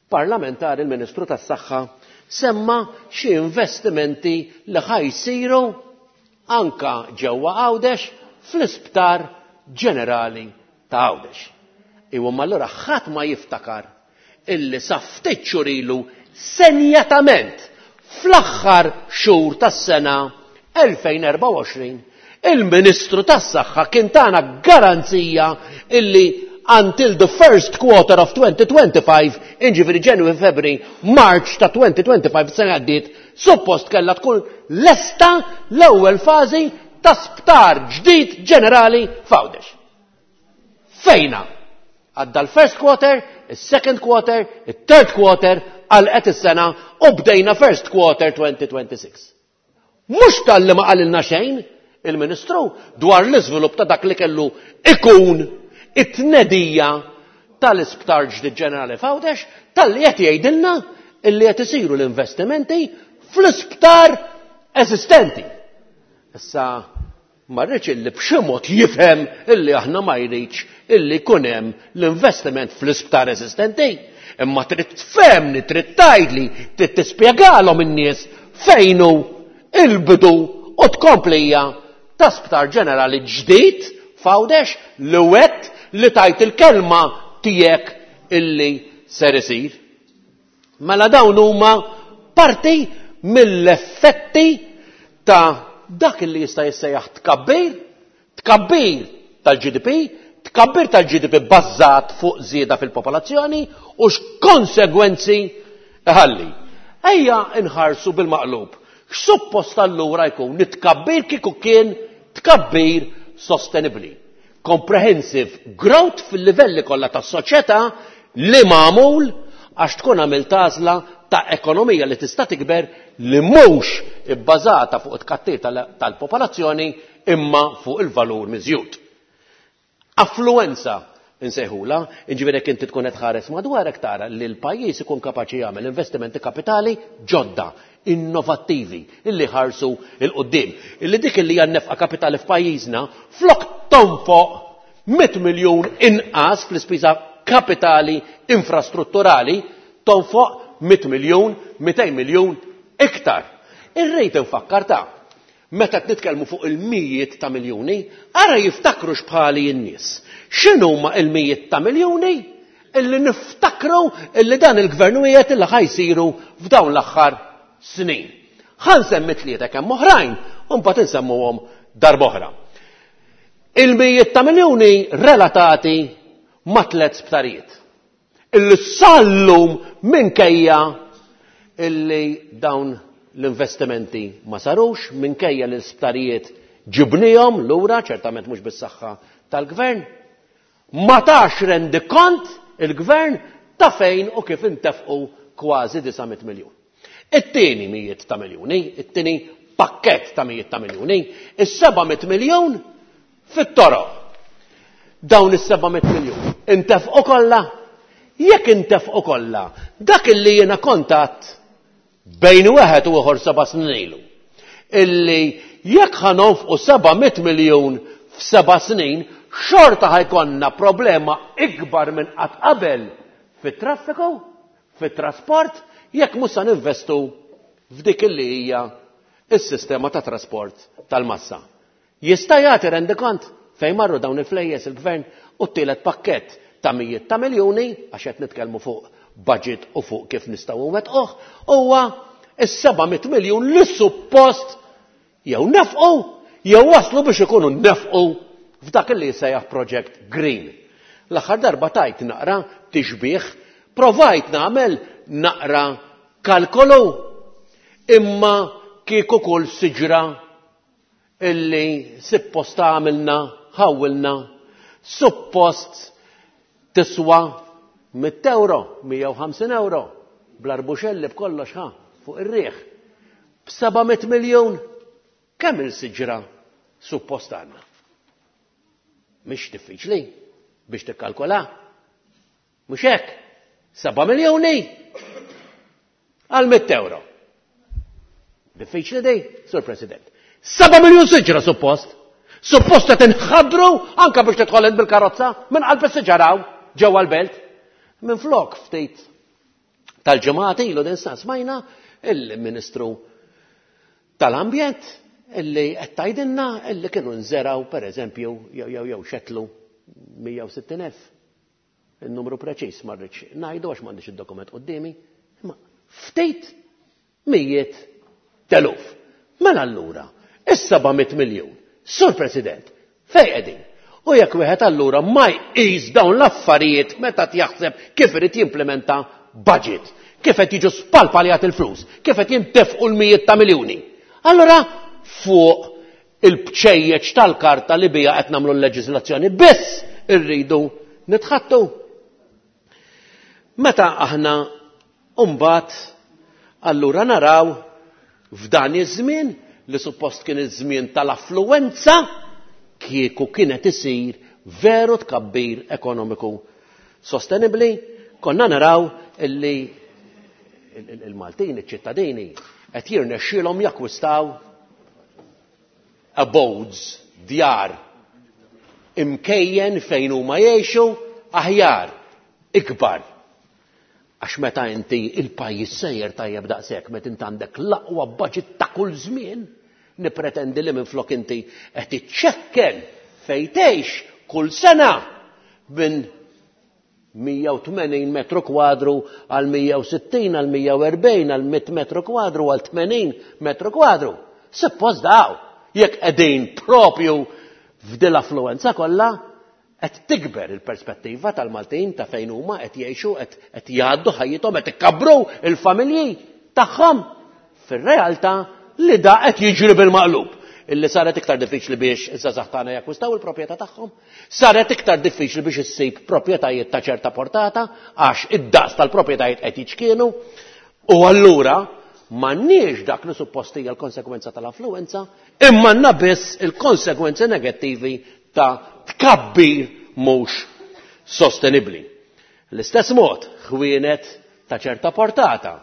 parlamentari il-Ministru tas-Saħħa semma xi investimenti li ħa jsiru anka ġewwa Għawdex fl-Isptar Ġenerali ta' Għawdex. Iwa allura ħadd ma jiftakar illi sa ftit xhur ilu senjatament fl-aħħar xhur tas-sena elfejn erbgħa u għoxrin il-Ministru tas-Saħħa kien tana garanzija illi until the first quarter of twenty twenty-five, inġifieri January, February, March ta' twenty twenty-five, sena għaddiet, suppost kellha tkun lesta l-ewwel fażi ta' sptar ġdid ġenerali f'Għawdex. Fejna? Għadda l-first quarter, il-second quarter, il-third quarter, għalqet is-sena u bdejna first quarter twenty twenty-six. Mhux talli ma qalilna xejn il-Ministru dwar l-iżvilupp ta' dak li kellu ikun it-tnedija tal-isptar ġdid ġenerali f'Għawdex, talli qed jgħidilna illi qed isiru l-investimenti fl-isptar eżistenti. Issa ma rridx illi b'xi mod jifhem illi aħna ma jridx illi jkun hemm l-investiment fl-isptar eżistenti. Imma trid tfehmni, trid tgħidli, trid tispjegalhom in-nies fejn hu il-bidu u tkomplija ta' sptar ġenerali ġdid f'Għawdex li wet li tajt il-kelma tiegħek illi ser isir. Mela dawn huma parti mill-effetti ta' dak illi jista' jissejjaħ tkabbir, tkabbir tal-G D P, tkabbir tal-G D P bbażat fuq żieda fil-popolazzjoni u x'konsegwenzi ħalli. Ejja nħarsu bil-maqlub. X'suppost allura jkun it-tkabbir kieku kien tkabbir sostenibbli? Comprehensive growth fil-livelli kollha tas-soċjetà li magħmul għax tkun għamilt għażla ta' ekonomija li tista' tikber li mhux ibbażata fuq it-tkattir tal-, tal-popolazzjoni imma fuq il-valur miżjud. Affluenza Insejħula, jiġifieri jekk inti tkun qed tħares madwarek tara li l-pajjiż ikun kapaċi jagħmel investimenti kapitali ġodda, innovattivi, illi ħarsu 'l quddiem. Illi dik illi hija nefqa kapitali f'pajjiżna flok tonfoq mitt miljun inqas fl-ispiża kapitali infrastrutturali, tonfoq mitt miljun, mitejn miljun iktar. Irrid infakkar ta' meta qed nitkellmu fuq il-mijiet ta' miljuni, ara jiftakru x'bħali n-nies. X'inhuma il-mijiet ta' miljuni illi niftakru illi dan il-gvern wiegħed illi ħa jsiru f'dawn l-aħħar snin. Ħa nsemmi tlieta kemm oħrajn u mbagħad insemmuhom darb'oħra. Il-mijiet ta' miljuni relatati ma' tliet sptarijiet. Illi sallum minkejja illi dawn l-investimenti ma sarux, minkejja li l-sptarijiet ġibnihom lura, ċertament mhux bis-saħħa tal-gvern, ma tax rendikont il-gvern ta' fejn u kif intefqu kważi disa' mitt miljun. It-tieni mijiet ta' miljuni, it-tieni pakkett ta' mijiet ta' miljuni, is-seba' mitt miljun fit-toroq. Dawn is-seba' mitt miljun intefqu kollha? Jekk intefqu kollha, dak illi jiena kontatt bejn wieħed u ieħor seba' snin ilu, illi jekk ħa nonfqu seba' mitt miljun f'seba' snin, xorta ħajkonna problema ikbar minn qatt qabel fit-traffiku, fit-trasport, jekk mhux se ninvestu f'dik illi hija s-sistema ta' trasport tal-massa. Jista' jagħti rendikont fejn marru dawn il-flejjes il-gvern u t-tielet pakkett ta' mijiet ta' miljuni, għax qed nitkellmu fuq budget u fuq kif nistgħu nwettquh, huwa is-seba' mitt miljun li suppost jew nefqu jew waslu biex ikunu nefqu f'dak li jsejjaħ Project Green. L-aħħar darba tajt naqra tixbih, provajt nagħmel naqra kalkolu, imma kieku kull siġra illi suppost għamilna, ħawwilna, suppost tiswa mitt euro, mija u ħamsin euro, bl-arbuxelli b'kollox ħa, fuq ir-riħ. B'seba' mitt miljun, kemm il-siġra suppost għandna? Mhix diffiċli biex tikkalkola. Mhux hekk? Seba' miljuni għal mitt euro. Diffiċli di, Sur President. Seba' miljun siġra suppost. Suppost qed inħadru anke biex tidħol int bil-karozza minn qalb is-siġaraw ġewwa l-belt. Minn flok ftit tal-ġimgħat ilu din sa smajna il-Ministru tal-Ambjent illi qed tgħidilna illi kienu nżeraw pereżempju jew jew jew xetlu mija u sittin elf. Il-numru preċiż ma rridx ngħidu għax m'għandix id-dokument quddiemi, imma ftit mijiet teluf. Mela allura, is-seba' mitt miljun, Sur President, fejn qegħdin? U jekk wieħed allura ma jqis dawn l-affarijiet meta jaħseb kif irid jimplementa budget, kif qed jiġu spalpaljat il-flus, kif qed jintefqu l-mijiet ta' miljuni. Allura fuq il-bċejjeċ tal-karta li bija qed nagħmlu l-leġiżlazzjoni biss irridu nitħattu. Meta aħna mbagħad allura naraw f'dan iż-żmien li suppost kien iż-żmien tal-affluwenza kieku kienet isir veru tkabbir ekonomiku sostenibli, konna naraw illi il-Maltin, iċ-ċittadini, qed jirnexxielhom jakkwistaw abodes, djar, imkejjen fejn huma jgħixu aħjar, ikbar. Għax meta inti il-pajjiż sejjer tajjeb daqshekk, meta inti għandek l-aqwa budget ta' kull żmien, nipretendi li minflok inti qed iċċekken fejn tgħix kull sena minn mija u tmenin metru kwadru għal mija u sittin, għal mija u erbgħin, għal mitt metru kwadru, għal tmenin metru kwadru. Suppost daw, jekk qegħdin propju f'dil affluenza kollha, qed tikber il-perspettiva tal-Maltin ta' fejn huma qed jgħixu, qed, qed jgħaddu ħajjithom, qed ikabbru il-familji tagħhom. Fir-realtà li da qed jiġri bil-maqlub. Illi saret iktar diffiċli biex iż-żgħażagħ tagħna jakkwistaw il-proprjetà tagħhom, saret iktar diffiċli biex issib proprjetajiet ta' ċerta portata għax id-daqs tal-proprjetajiet qed jiċkienu, u allura m'għandniex dak li suppost hija l-konsekwenza tal-affluenza, imma għandna biss il-konsekwenzi negattivi ta' tkabbir mhux sostenibbli. L-istess mod, ħwienet ta' ċerta portata,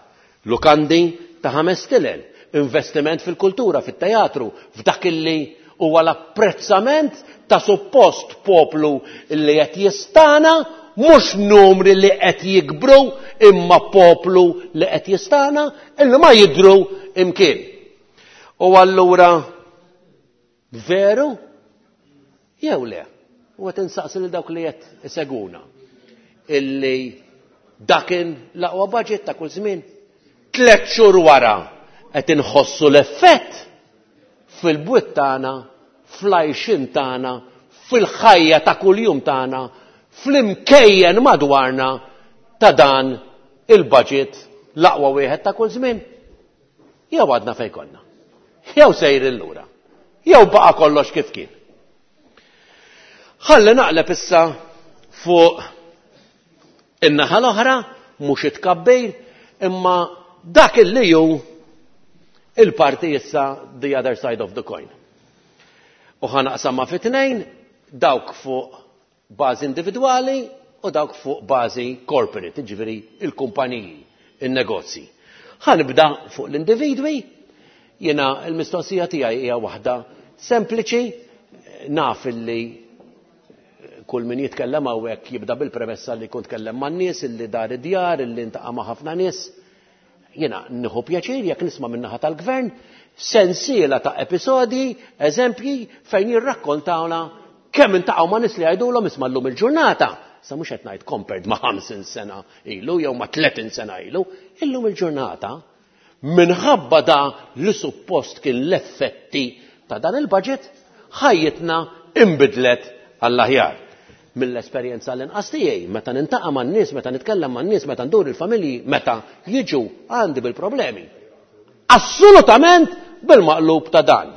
lukandi ta' ħames tilel, investiment fil-kultura, fit-teatru, f'dak illi huwa l-apprezzament ta' suppost poplu li qed jistana, mhux numri li qed jikbru, imma poplu li qed jistana illi ma jidhru imkien. U allura veru jew le? U qed insaqsi lil dawk li qed isegwuna illi dakin l-aqwa budget ta' kull żmien. Tliet xhur wara qed inħossu l-effett fil-bwiet tagħna, fl-għajxien tagħna, fil-ħajja ta' kuljum tagħna, fl-imkejjen madwarna ta' dan il-budget l-aqwa wieħed ta' kull żmien. Jew għadna fejn konna. Jew sejrin lura. Jew baqa' kollox kif kien. Ħalli naqleb issa fuq in-naħa l-oħra, mhux it-tkabbir, imma dak illi hu il-parti issa the other side of the coin. U ħa naqsamha fi tnejn, dawk fuq bażi individwali u dawk fuq bażi corporate, jiġifieri il-kumpaniji, il-negozji. Ħa nibda fuq l-individwi, jiena l-mistoqsija tiegħi hija waħda sempliċi, naf illi kull min jitkellem hawnhekk jibda bil-premessa li jkun tkellem man-nies, illi dar id-djar, illi ntaqa' ma' ħafna nies. Jiena nieħu pjaċir jekk nisma' min-naħa tal-gvern sensiela ta' episodji, eżempji fejn jirrakkontawna kemm intaqgħu ma' nies li jgħidulhom isma' llum il-ġurnata. Sa mhux qed ngħid compared ma' ħamsin sena ilu jew ma' tletin sena ilu, illum il-ġurnata minħabba da li suppost kien l-effetti ta' dan il-budget, ħajjitna imbidlet għall-aħjar. Mill-esperjenza l-inqas tiegħi, meta nintaqa' man-nies, meta nitkellem man-nies, meta ndur il-familji, meta jiġu għandi bil-problemi. Assolutament bil-maqlub ta' dan,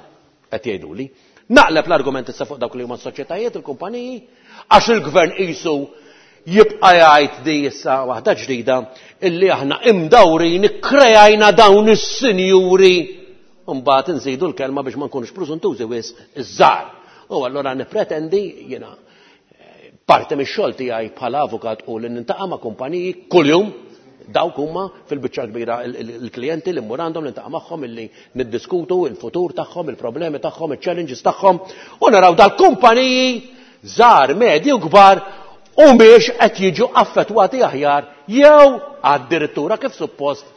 qed jgħiduli. Naqleb l-argument issa fuq dawk li huma s-soċjetajiet, il-kumpaniji, għax il-gvern qisu jibqa' jgħid di issa waħda ġdida illi aħna imdawrin ikkrejajna dawn is-sinjuri. Mbagħad inżidu l-kelma biex ma nkunux preżuntużi wisq iż-żgħar. U allura nippretendi jiena parti mix-xogħol tiegħi bħala avukat u li nintaqa' ma' kumpaniji kuljum, dawk huma fil-biċċa kbira il-klijenti li mmur għandhom, nintaqa' magħhom, illi niddiskutu il-futur tagħhom, il-problemi tagħhom, iċ-challenges tagħhom, u naraw dal-kumpaniji żgħar, medji u kbar u mhix qed jiġu affettwati aħjar jew addirittura kif suppost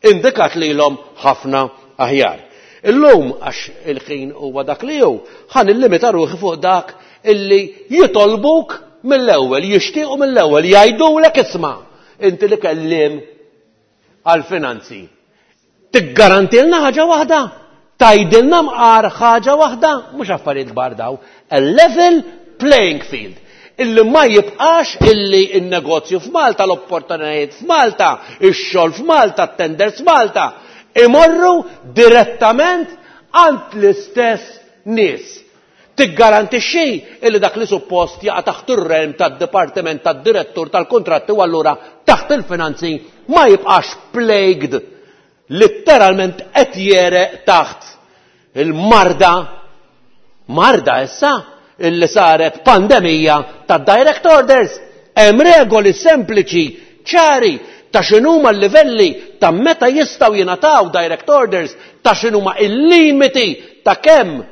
indikat lilhom ħafna aħjar. Illum għax il-ħin huwa dak li hu, ħa nillimita ruħi fuq dak illi jitolbuk mill-ewwel, jixtiequ mill-ewwel, jgħidulek isma' inti li kellim għal-finanzi. Tiggarantilna ħaġa waħda, tgħidilna mqar ħaġa waħda, mhux affarijiet kbar daw, a level playing field. Illi ma jibqax illi n-negozju f'Malta, l-opportunitajiet f'Malta, ix-xogħol f'Malta, t-tenders f'Malta, imorru direttament għand l-istess nies. Tiggarantixxi illi dak li suppost jaqa' taħt ir-realm tad-dipartiment tad-direttur tal-kontratti u allura taħt il-finanzi ma jibqax plagued, letteralment qed jereq taħt il-marda, marda issa illi saret pandemija tad-direct orders. Hemm regoli sempliċi, ċari, ta' x'inhuma l-livelli ta' meta jistgħu jingħataw direct orders, ta' x'inhuma il-limiti ta' kemm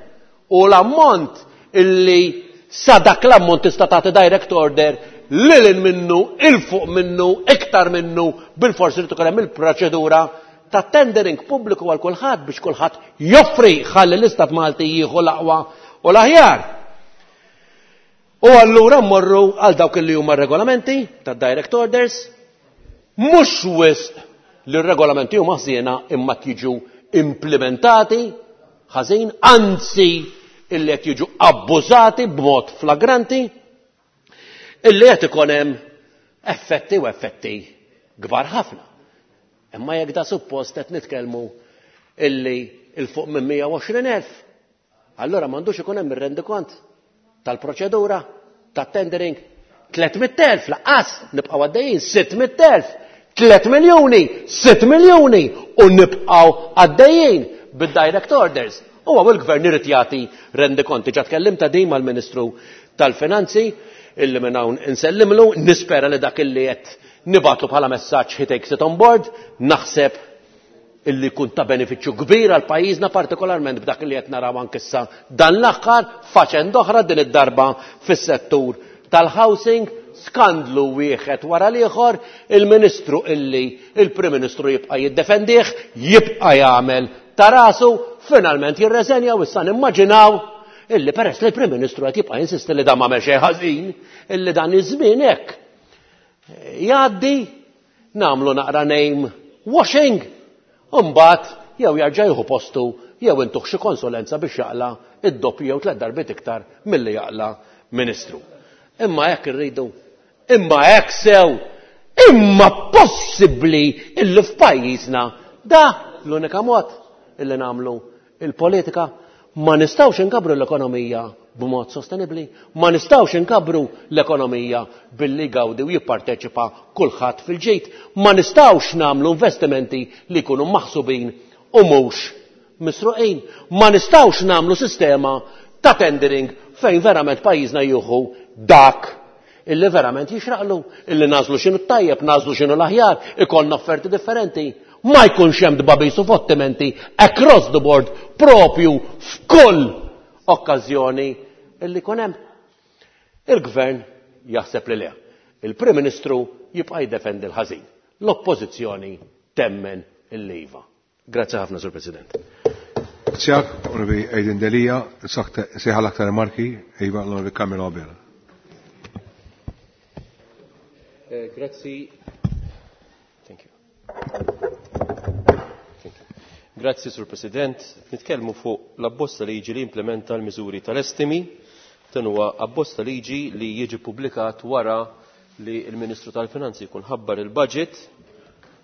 u l-ammont illi sa dak l-ammont tista' tagħti direct order lil minnu, il fuq minnu, iktar minnu, bil-forsi li tkun hemm il-proċedura ta' tendering pubbliku għal kulħadd biex kulħadd joffri ħalli l-Istat Malti jieħu l-aqwa u l-aħjar. U allura mmorru għal dawk li huma regolamenti ta' direct orders, mhux wisq li r-regolamenti huma ħżiena imma jiġu implementati ħażin, anzi illi qed jiġu abbużati b'mod flagranti, illi qed ikun hemm effetti u effetti kbar ħafna. Imma jekk da suppost qed nitkellmu illi il fuq minn mija u għoxrin elf, allura m'għandux ikun hemm ir-rendikont tal-proċedura tat-tendering. Tliet mitt elf laqqas nibqgħu għaddejjin, sitt mitt elf, tliet miljuni, sitt miljuni u nibqgħu għaddejjin bid-direct orders. U għaw il-gvern irid jagħti rendikonti. Ġa tkellimt ta' din mal-Ministru tal-Finanzi, illi minn hawn insellimlu, nispera li dak illi qed nibgħatlu bħala messaġġ he takes it on board, naħseb illi jkun ta' benefiċċju kbir għal pajjiżna, partikolarment b'dak li qed naraw anke issa dan l-aħħar faċenda oħra din id-darba fis-settur tal-housing, skandlu wieħed wara l-ieħor, il-Ministru illi il-Prim Ministru jibqa' jiddefendih, jibqa' jagħmel ta' rasu, finalment jirreżenja u issa nimmaġinaw illi peress li l-Prim Ministru qed jibqa' jinsisti li dan m'għamel xejn ħażin, illi dan iż-żmien hekk jgħaddi, nagħmlu naqra name washing, u mbagħad jew jarġa' jieħu postu jew intuh xi konsulenza biex jaqla' id-doppju jew tliet darbiet iktar milli jaqla' Ministru. Imma hekk irridu, imma hekk sew, imma possibbli illi f'pajjiżna da l-unika mod illi nagħmlu il-politika. Ma nistgħux inkabbru l-ekonomija b'mod sostenibbli, ma nistgħux inkabbru l-ekonomija billi jgawdi u jipparteċipa kulħadd fil-ġid, ma nistgħux nagħmlu investimenti li jkunu maħsubin u mhux misruqin, ma nistgħux nagħmlu sistema ta' tendering fejn verament pajjiżna jieħu dak illi verament jixraqlu, illi nażlu x'inhu t-tajjeb, nażlu x'inhu l-aħjar, ikollna offerti differenti. Ma jkunx hemm tbabis u fottimenti across the board propju f'kull okkażjoni illi jkun hemm. Il-Gvern jaħseb li le. Il-Prim Ministru jibqa' jiddefendi l-ħażin. L-Oppożizzjoni temmen il-iva. Grazzi ħafna, Sur President. Grazie, Onorevoli Adrian Delia, sejħal aktar remarki, iva l-Onorevoli Carmelo Abela. Eh, grazzi. Thank you. Thank you. Grazzi, Sur President. Nitkellmu fuq l-abbozz ta' liġi li implementa l-miżuri tal-estimi. Dan huwa abbozz ta' liġi li jiġi ppubblikat wara li l-Ministru tal-Finanzi jkun ħabbar il-budget,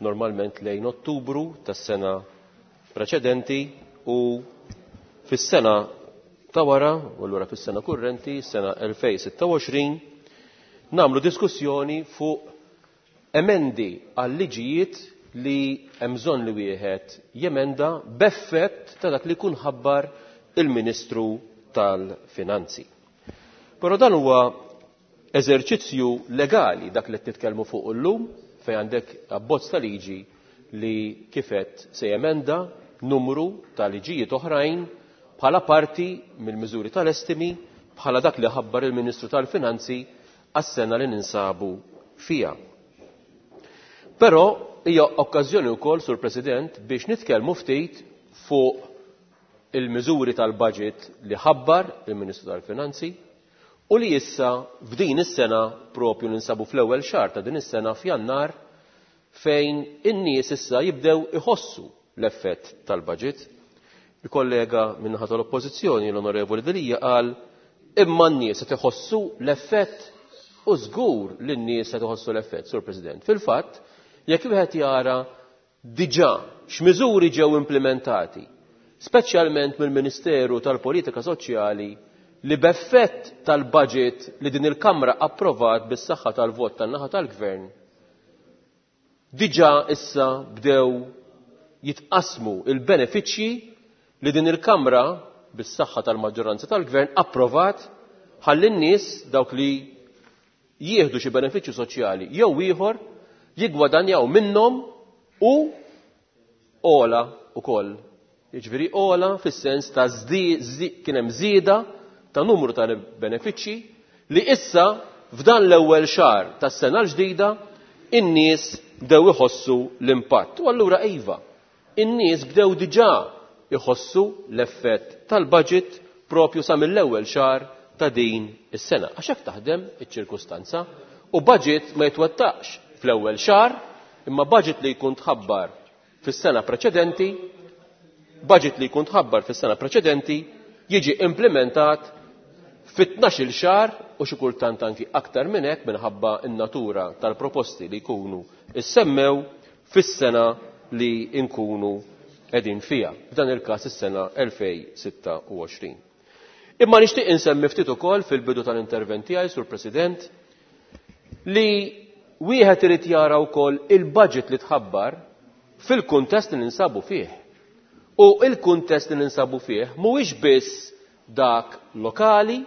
normalment lejn Ottubru tas-sena preċedenti, u fis-sena ta' wara, u allura fis-sena kurrenti, sena elfejn sitta u għoxrin, nagħmlu diskussjoni fuq emendi għal liġijiet li hemm bżonn li wieħed jemenda b'effett ta' dak li jkun ħabbar il-Ministru tal-Finanzi. Però dan huwa eżerċizzju legali dak li qed nitkellmu fuq illum, fejn għandek abbozz ta' liġi li kifet se jemenda numru ta' liġijiet oħrajn bħala parti mill-miżuri tal-estimi bħala dak li ħabbar il-Ministru tal-Finanzi għas-sena li ninsabu fija. Però hija okkażjoni wkoll, Sur President, biex nitkellmu ftit fuq il-miżuri tal-budget li ħabbar il-Ministru tal-Finanzi u li issa f'din is-sena propju ninsabu fl-ewwel xahar ta' din is-sena f'Jannar, fejn in-nies issa jibdew iħossu l-effett tal-budget. Il-kollega min-naħa tal-Oppożizzjoni, l-Onorevoli Delia, qal imma n-nies qed iħossu l-effett, u żgur li n-nies qed iħossu l-effett, Sur President. Fil-fatt, jekk wieħed jara diġà x'miżuri ġew implementati, speċjalment mill-Ministeru tal-Politika Soċjali, li b'effett tal-budget li din il-Kamra approvat bis-saħħa tal-vot tan-naħa tal-Gvern, diġà issa bdew jitqasmu il-benefiċċji li din il-Kamra bis-saħħa tal-maġġoranza tal-Gvern approvat ħalli n-nies dawk li jieħdu xi benefiċċju soċjali jew ieħor jiggwadanjaw minnhom u ola ukoll. Jiġifieri ola fis-sens ta' żdi-, żdi-, kien hemm żieda ta' numru ta' benefiċċji li issa f'dan l-ewwel xahar tas-sena l-ġdida in-nies bdew iħossu l-impatt. U allura iva, in-nies bdew diġà iħossu l-effett tal-budget propju sa mill-ewwel xahar ta' din is-sena. Għax hekk taħdem iċ-ċirkustanza, u budget ma jitwettaqx fl-ewwel xahar, imma budget li jkun tħabbar fis-sena preċedenti, budget li jkun tħabbar fis-sena preċedenti jiġi implementat fit-tnax-il xahar u xi kultant anki aktar minn hekk minħabba n-natura tal-proposti li jkunu issemmew fis-sena li nkunu qegħdin fiha, f'dan il-każ is-sena elfejn sitta u għoxrin. Imma nixtieq insemmi ftit ukoll fil-bidu tal-intervent tiegħi, Sur President, li wieħed irid jara wkoll il-budget li tħabbar fil-kuntest li ninsabu fih. U il-kuntest li ninsabu fih mhuwiex biss dak lokali,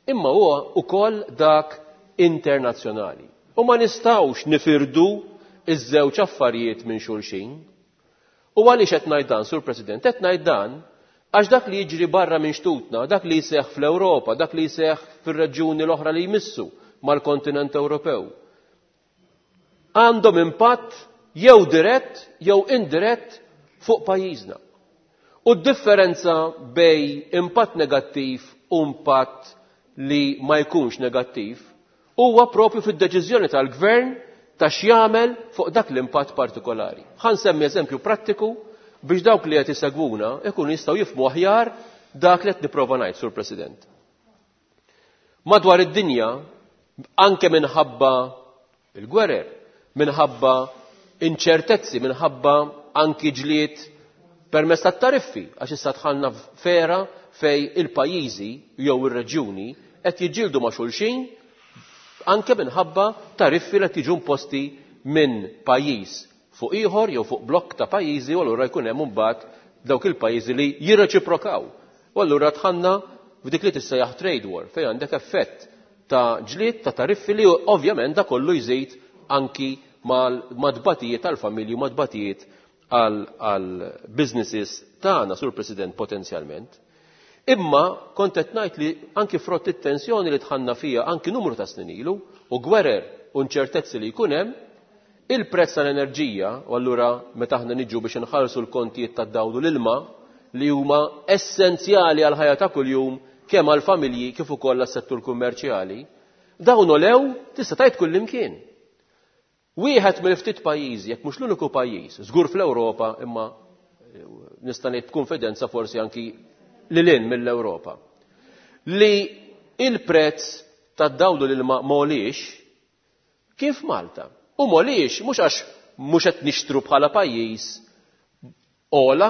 imma huwa wkoll dak internazzjonali. U ma nistgħux nifirdu iż-żewġ affarijiet minn xulxin. U għaliex qed ngħid dan, Sur President? Qed ngħid dan għax dak li jiġri barra minn xtutna, dak li jseħħ fl-Ewropa, dak li jseħħ fir-reġjuni l-oħra li jmissu mal-kontinent Ewropew, għandhom impatt jew dirett jew indirett fuq pajjiżna. U d-differenza bej impatt negattiv u impatt li ma jkunx negattiv huwa propju fid-deċiżjoni tal-gvern ta' x'jagħmel fuq dak l-impatt partikolari. Ħa nsemmi eżempju prattiku biex dawk li qed isegwuna ikunu jistgħu jifhmu aħjar dak li qed nipprova ngħid, Sur President. Madwar id-dinja, anke minħabba il-gwerer, minħabba inċertezzi, minħabba anki ġlied permezz tat-tariffi, għax issa dħalna f'era fej il-pajjiżi jew ir-reġjuni qed jiġġieldu ma' xulxin anke minħabba tariffi li qed jiġu imposti minn pajjiż fuq ieħor jew fuq blokk ta' pajjiżi, u allura jkun hemm imbagħad dawk il-pajjiżi li jirreċiprokaw. U allura dħalna f'dik li tissejjaħ trade war, fejn għandek effett ta' ġlied ta' tariffi li ovvjament da kollu jżid anki mad-dbatijiet tal-familji u mad-dbatijiet għal businesses tagħna, Sur President, potenzjalment. Imma kont qed ngħid li anki frott it-tensjoni li dħalna fija anki numru ta' snin ilu u gwerer u nċertezzi li jkun hemm, il-prezz tal-enerġija, u allura meta aħna niġu biex inħallsu l-kontijiet tad-dawl u l-ilma li huma essenzjali għal ħajja ta' kuljum kemm għall-familji kif ukoll għas-settur kummerċjali, dawn olew tista' tgħid kullimkien. Wieħed mill-ftit pajjiżi, jekk mhux l-uniku pajjiż, żgur fl-Ewropa, imma nista' ngħid b'kunfidenza forsi anki lil hinn mill-Ewropa, li il-prezz tad-dawl u l-ilma m'għoliex kien f'Malta. U m'għoliex mhux għax mhux qed nixtru bħala pajjiż ola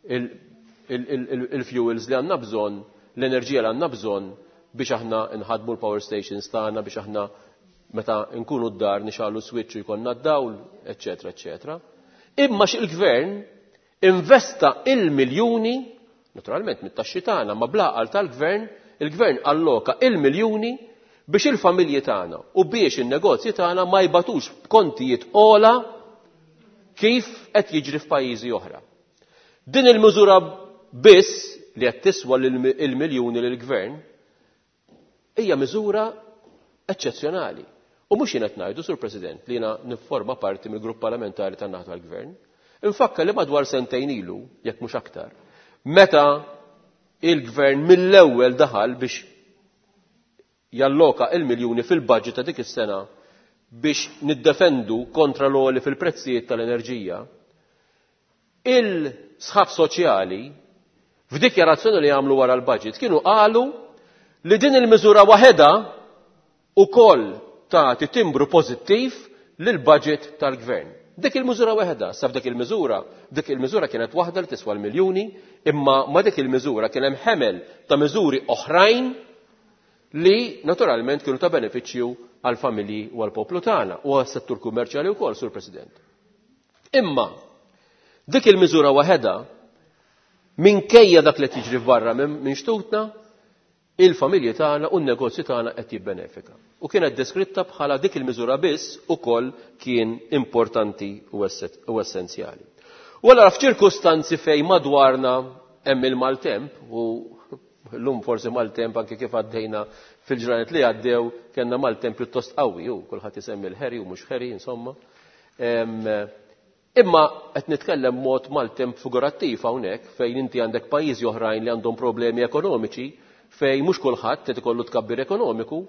il-fuels li għandna bżonn, l-enerġija li għandna bżonn biex aħna nħadmu l-power stations tagħna, biex aħna meta nkunu d-dar nixgħalu switch u jkollna d-dawl, eċetera, eċetera. Imma x'il-gvern investa il-miljuni, naturalment mit-taxxi tagħna, ma blaqal tal-gvern, il-gvern alloka il-miljuni biex il-familji tagħna u biex in-negozji tagħna ma jbatux b'kontijiet ola kif qed jiġri f'pajjiżi oħra. Din il-miżura biss li qed tiswa il-miljuni lill-gvern hija miżura eċċezzjonali. U mhux jien qed ngħidu, Sur President, li jiena nifforma parti mill-grupp parlamentari tan-naħa tal-gvern. Infakkar li madwar sentejn ilu, jekk mhux aktar, meta il-gvern mill-ewwel daħal biex jalloka il-miljuni fil-budget ta' dik is-sena biex niddefendu kontra l-għoli fil-prezzijiet tal-enerġija, il-sħab soċjali f'dikjarazzjoni li għamlu wara l-budget kienu qalu li din il-miżura waħedha ukoll tagħti timbru pożittiv lill-budget tal-gvern. Dik il-miżura waħedha, sa f'dik il-miżura, dik il-miżura kienet waħda li tiswa l-miljuni, imma ma dik il-miżura kien hemm ħemel ta' miżuri oħrajn li naturalment kienu ta' benefiċċju għal-familji u għal-poplu tagħna u għas-settur kummerċjali wkoll, Sur President. Imma dik il-miżura waħedha minkejja dak li tiġri barra minn xtutna, il-familji tagħna u n-negozji tagħna qed jibbenefika. U kienet deskritta bħala dik il-miżura biss ukoll kien importanti u essenzjali. U allura f'ċirkustanzi fejn madwarna hemm il-maltemp, u llum forsi maltemp anke kif għaddejna fil-ġranet li għaddew kellna maltemp pjuttost qawwi, u kulħadd isemmi l-ħeri u mhux ħeri, insomma. Imma qed nitkellem mod maltemp figurattiv hawnhekk fejn inti għandek pajjiżi oħrajn li għandhom problemi ekonomiċi fejn mhux kulħadd qed ikollu tkabbir ekonomiku,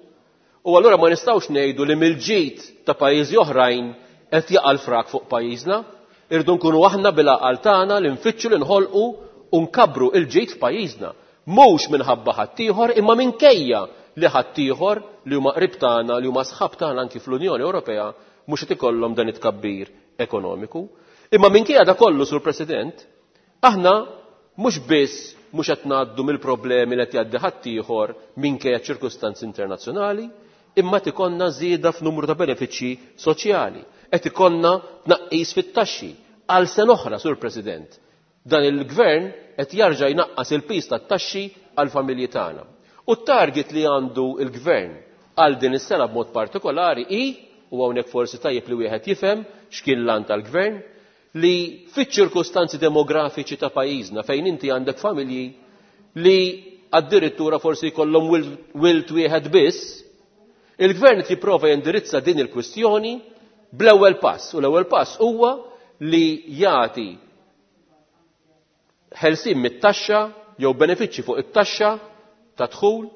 u allura ma nistgħux ngħidu li mill-ġid ta' pajjiżi oħrajn qed jaqa' l-frak fuq pajjiżna. Irdu nkunu aħna bil-għaqal tagħna li nfittxu li nħolqu u nkabbru l-ġid f'pajjiżna. Mhux minħabba ħaddieħor, imma minkejja li ħaddieħor li huma qrib tagħna, li huma sħab tagħna anki fl-Unjoni Ewropea, mhux qed ikollhom dan it-tkabbir ekonomiku. Imma minkejja da kollu, Sur President, aħna mhux biss mhux qed ngħaddu mill-problemi li qed jgħaddi ħaddieħor minkejja ċirkustanzi internazzjonali, imma qed ikollna żieda f'numru ta' benefiċċji soċjali, qed ikollna tnaqqis fit-taxxi. Għal sena oħra, Sur President, dan il-gvern qed jarġa' jnaqqas il-piż tat-taxxi għall-familji tagħna. U t-target li għandu il-gvern għal din is-sena b'mod partikolari hi, u hawnhekk forsi tajjeb li wieħed jifhem x'kien l-għan tal-gvern, li fiċ-ċirkustanzi demografiċi ta' pajjiżna fejn inti għandek familji li addirittura forsi jkollhom wild wieħed biss, il-gvern qed jipprova jindirizza din il-kwistjoni bl-ewwel pass, u l-ewwel pass huwa li jagħti ħelsien mit-taxxa jew benefiċċji fuq it-taxxa ta' dħul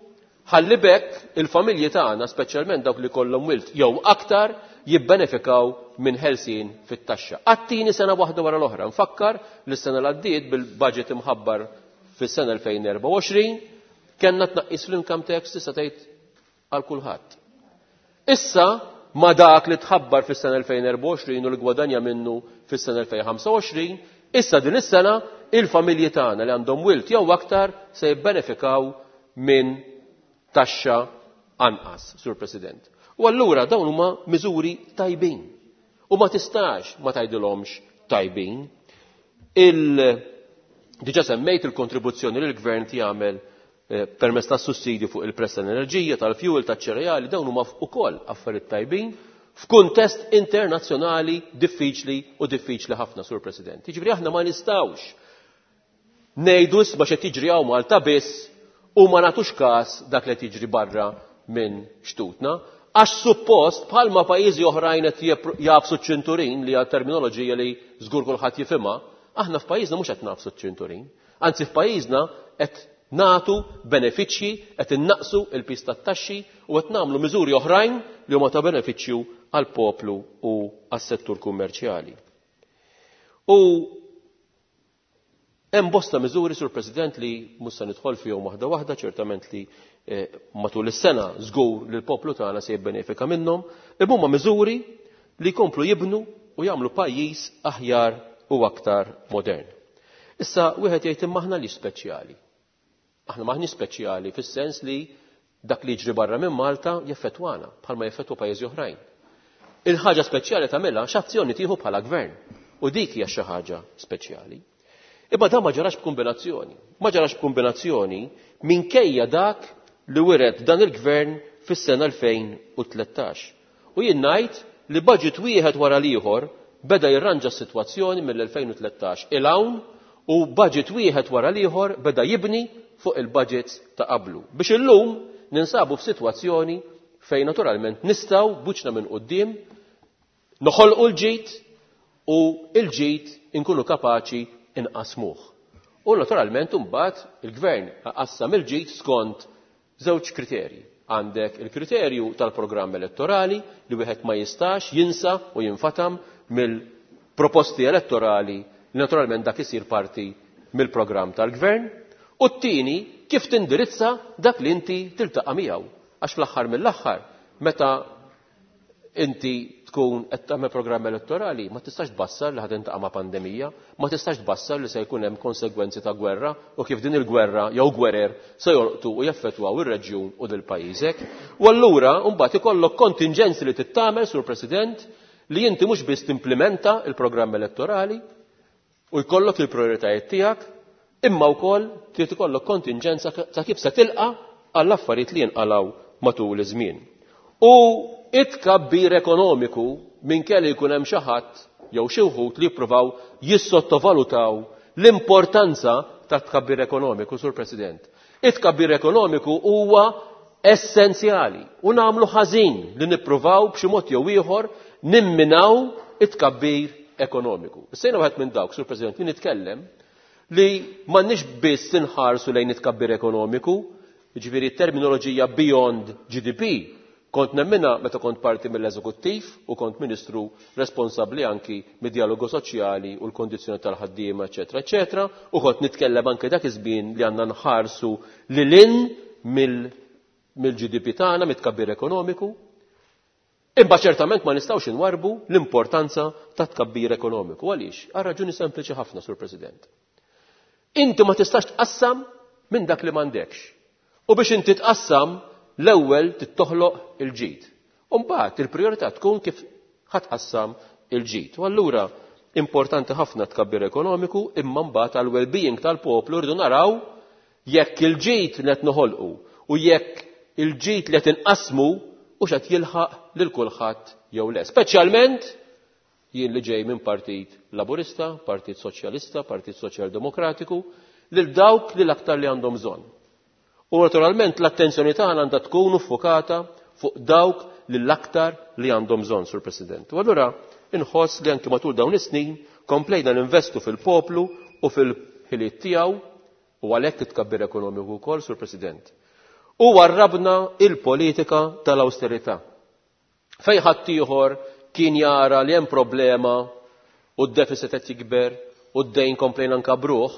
ħalli bekk il-familji tagħna, speċjalment dawk li kollhom wild jew aktar, jibbenefikaw minn ħelsien fit-taxxa. Għat-tieni sena waħda wara l-oħra, nfakkar li s-sena l-għaddiet bil-budget imħabbar fis-sena elfejn erbgħa u għoxrin kellna tnaqqis fl-income tax tista' tgħid għal kulħadd. Issa ma dak li tħabbar fis-sena elfejn erbgħa u għoxrin u li gwadanja minnu fis-sena elfejn ħamsa u għoxrin, issa din is-sena il-familji tagħna li għandhom wild jew aktar se jibbenefikaw minn taxxa anqas, Sur President. U allura dawn huma miżuri tajbin. U ma tistax ma tgħidilhomx tajbin. Il- Diġà semmejt il-kontribuzzjoni li l-gvern jagħmel, eh, permezz tas sussidju fuq il-prezz tal-enerġija, tal-fuel, taċ-ċereali, dawn huma wkoll affarijiet tajbin f'kuntest internazzjonali diffiċli u diffiċli ħafna, Sur President. Jiġifieri aħna ma nistgħux ngħidu isma' x'qed jiġri hawn Malta biss u ma nagħtux każ dak li qed jiġri barra minn xtutna, għax suppost bħalma pajjiżi oħrajn qed jepr-, jafsu ċ-ċinturin, li hija terminoloġija li żgur kulħadd jifhimha, aħna f'pajjiżna mhux qed nafsu ċ-ċinturin. Anzi f'pajjiżna qed nagħtu benefiċċji, qed innaqsu l-piż tat-taxxi u qed nagħmlu miżuri oħrajn li huma ta' benefiċċju għall-poplu u għas-settur kummerċjali. U hemm bosta miżuri, Sur President, li mhux se nidħol fihom waħda waħda, ċertament li, eh, matul is-sena żgur li l-poplu tagħna se jibbenefika minnhom, imma huma miżuri li jkomplu jibnu u jagħmlu pajjiż aħjar u aktar modern. Issa wieħed jgħid imma aħna li speċjali. Aħna maħniex speċjali fis-sens li dak li jiġri barra minn Malta jeffettwana bħalma jeffettwa pajjiżi oħrajn. Il-ħaġa speċjali tagħmilha x'azzjoni tieħu bħala gvern u dik hija xi ħaġa speċjali. Imma dan ma ġarax b'kombinazzjoni. Ma ġarax b'kombinazzjoni minkejja dak li wiret dan il-gvern fis-sena elfejn u tlettax. U jien ngħid li budget wieħed wara l-ieħor beda jirranġa s-sitwazzjoni mill-elfejn u tlettax il hawn u budget wieħed wara l-ieħor beda jibni fuq il-budgets ta' qablu. Biex illum ninsabu f'sitwazzjoni fejn naturalment nistgħu buċna minn quddiem noħolqu l-ġid u l-ġid inkunu kapaċi inqasmuh. U naturalment imbagħad il-gvern qassam il-ġid skont żewġ kriterji. Għandek il-kriterju tal-programm elettorali li wieħed ma jistax jinsa u jinfatam mill-proposti elettorali li naturalment dak isir parti mill-programm tal-gvern. U t-tieni kif tindirizza dak li inti tiltaqa' miegħu. Għax fl-aħħar mill-aħħar meta inti tkun qed tagħmel programm elettorali ma tistax tbassar li ħad intaqa' ma' pandemija, ma tistax tbassar li se jkun hemm konsegwenzi ta' gwerra u kif din il-gwerra jew gwerer se jolqtu u jaffettwaw ir-reġjun u dil pajjiżek. U allura mbagħad ikollok kontingenzi li tittamel, Sur President, li inti mhux biss timplementa il-programm elettorali u jkollok il-prioritajiet tiegħek, imma wkoll trid ikollok kontingenza ta' kif se tilqa' għall-affarijiet li jinqalgħu matul iż-żmien. U it-tkabbir ekonomiku minn kelli jkun hemm xi ħadd jew xi wħud li jippruvaw jissottovalutaw l-importanza ta' tkabbir ekonomiku, Sur President. It-tkabbir ekonomiku huwa essenzjali u nagħmlu ħażin li nippruvaw b'xi mod jew ieħor nimminaw it-tkabbir ekonomiku. Issejna wieħed minn dawk, Sur President, li nitkellem li m'għandniex biss inħarsu lejn it-tkabbir ekonomiku, jiġifieri terminoloġija beyond G D P, kont nemmina meta kont parti mill-eżekuttiv u kont ministru responsabbli anki mid-dialogu soċjali u l-kondizzjoni tal-ħaddiema, eċetera, eċetera, u kont nitkellem anke dak iż-żmien li għandna nħarsu lil hinn mill-, mill-G D P tagħna, mit-tkabbir ekonomiku. Imma ċertament ma nistgħux inwarbu l-importanza ta' tkabbir ekonomiku. Għaliex? Għal raġuni sempliċi ħafna, Sur President. Inti ma tistax tqassam minn dak li m'għandekx. U biex inti tqassam, l-ewwel tittoħloq il-ġid. U mbagħad il-prijorità tkun kif ħatqassam il-ġid. U allura importanti ħafna tkabbir ekonomiku, imma mbagħad għal well-being tal-poplu rridu naraw jekk il-ġid li qed noħolqu u jekk il-ġid li qed inqasmu u x'qed jilħaq lil kulħadd jew le. Speċjalment jien li ġej minn Partit Laburista, Partit Soċjalista, Partit Soċjal-Demokratiku, lil dawk li l-aktar li għandhom bżonn. U naturalment l-attenzjoni tagħna għandha tkun ffukata fuq dawk li l-aktar li għandhom bżonn, Sur President. U allura inħoss li anki matul dawn is-snin komplejna ninvestu fil-poplu u fil-ħiliet tiegħu u għalhekk it-tkabbir ekonomiku wkoll, Sur President. U warrabna il-politika tal-awsterità. Fejn ħaddieħor kien jara li hemm problema u d-deficit qed jikber u d-dejn komplejna nkabruh,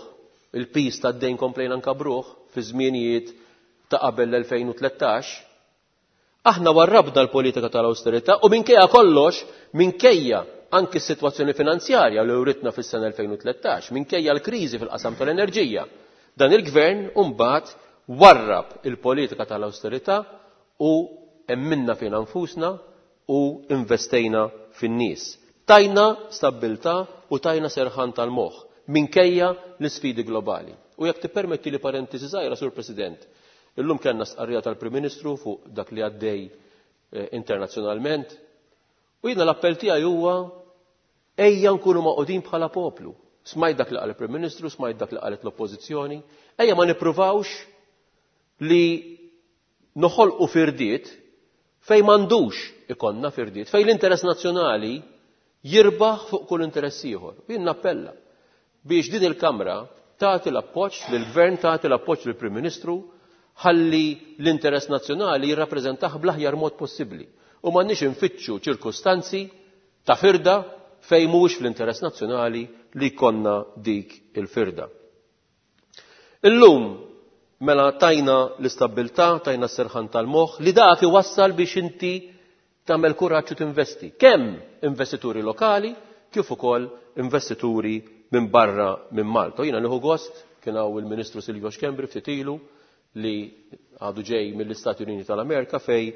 il-pis tad-dejn komplejna nkabruh fi żmienijiet ta' qabel l-elfejn u tlettax, aħna warrabna l-politika tal-awsterità u minkejja kollox, minkejja anki s-sitwazzjoni finanzjarja li writna fis-sena elfejn u tlettax, minkejja l-kriżi fil-qasam tal-enerġija, dan il-gvern mbagħad warrab il-politika tal-awsterità u emminna fina nfusna u investejna fin-nies. Tajna stabbiltà u tajna serħan tal-moħħ minkejja l-isfidi globali. U jekk tippermetti li parentesi żgħira, Sur President, illum kellna stqarrija tal-Prim Ministru fuq dak li għaddej, eh, internazzjonalment, u jiena l-appell tiegħi huwa ejja nkunu maqudin bħala poplu. Smajt dak li qal il-Prim Ministru, smajt dak li qalet l-Oppożizzjoni, ejja ma nippruvawx li noħolqu firdiet fejn m'għandux ikonna firdiet, fejn l-interess nazzjonali jirbaħ fuq kull interess ieħor. U jien nappella biex din il-Kamra tagħti l-appoġġ lill-Gvern, tagħti l-appoġġ lill-Prim Ministru, ħalli l-interess nazzjonali jirrappreżentah bl-aħjar mod possibbli. U m'għandniex infittxu ċirkustanzi ta' firda fejn mhuwiex fl-interess nazzjonali li jkollna dik il-firda. Illum mela tajna l-istabbiltà, tajna s-serħan tal-moħħ li dak iwassal biex inti tagħmel kuraġġ u tinvesti. Kemm investituri lokali kif ukoll investituri minn barra minn Malta. Jiena nieħu gost kien hawn il-Ministru Silvio Schembri ftit ilu li għadu ġej mill-Istati Uniti tal-Amerika fej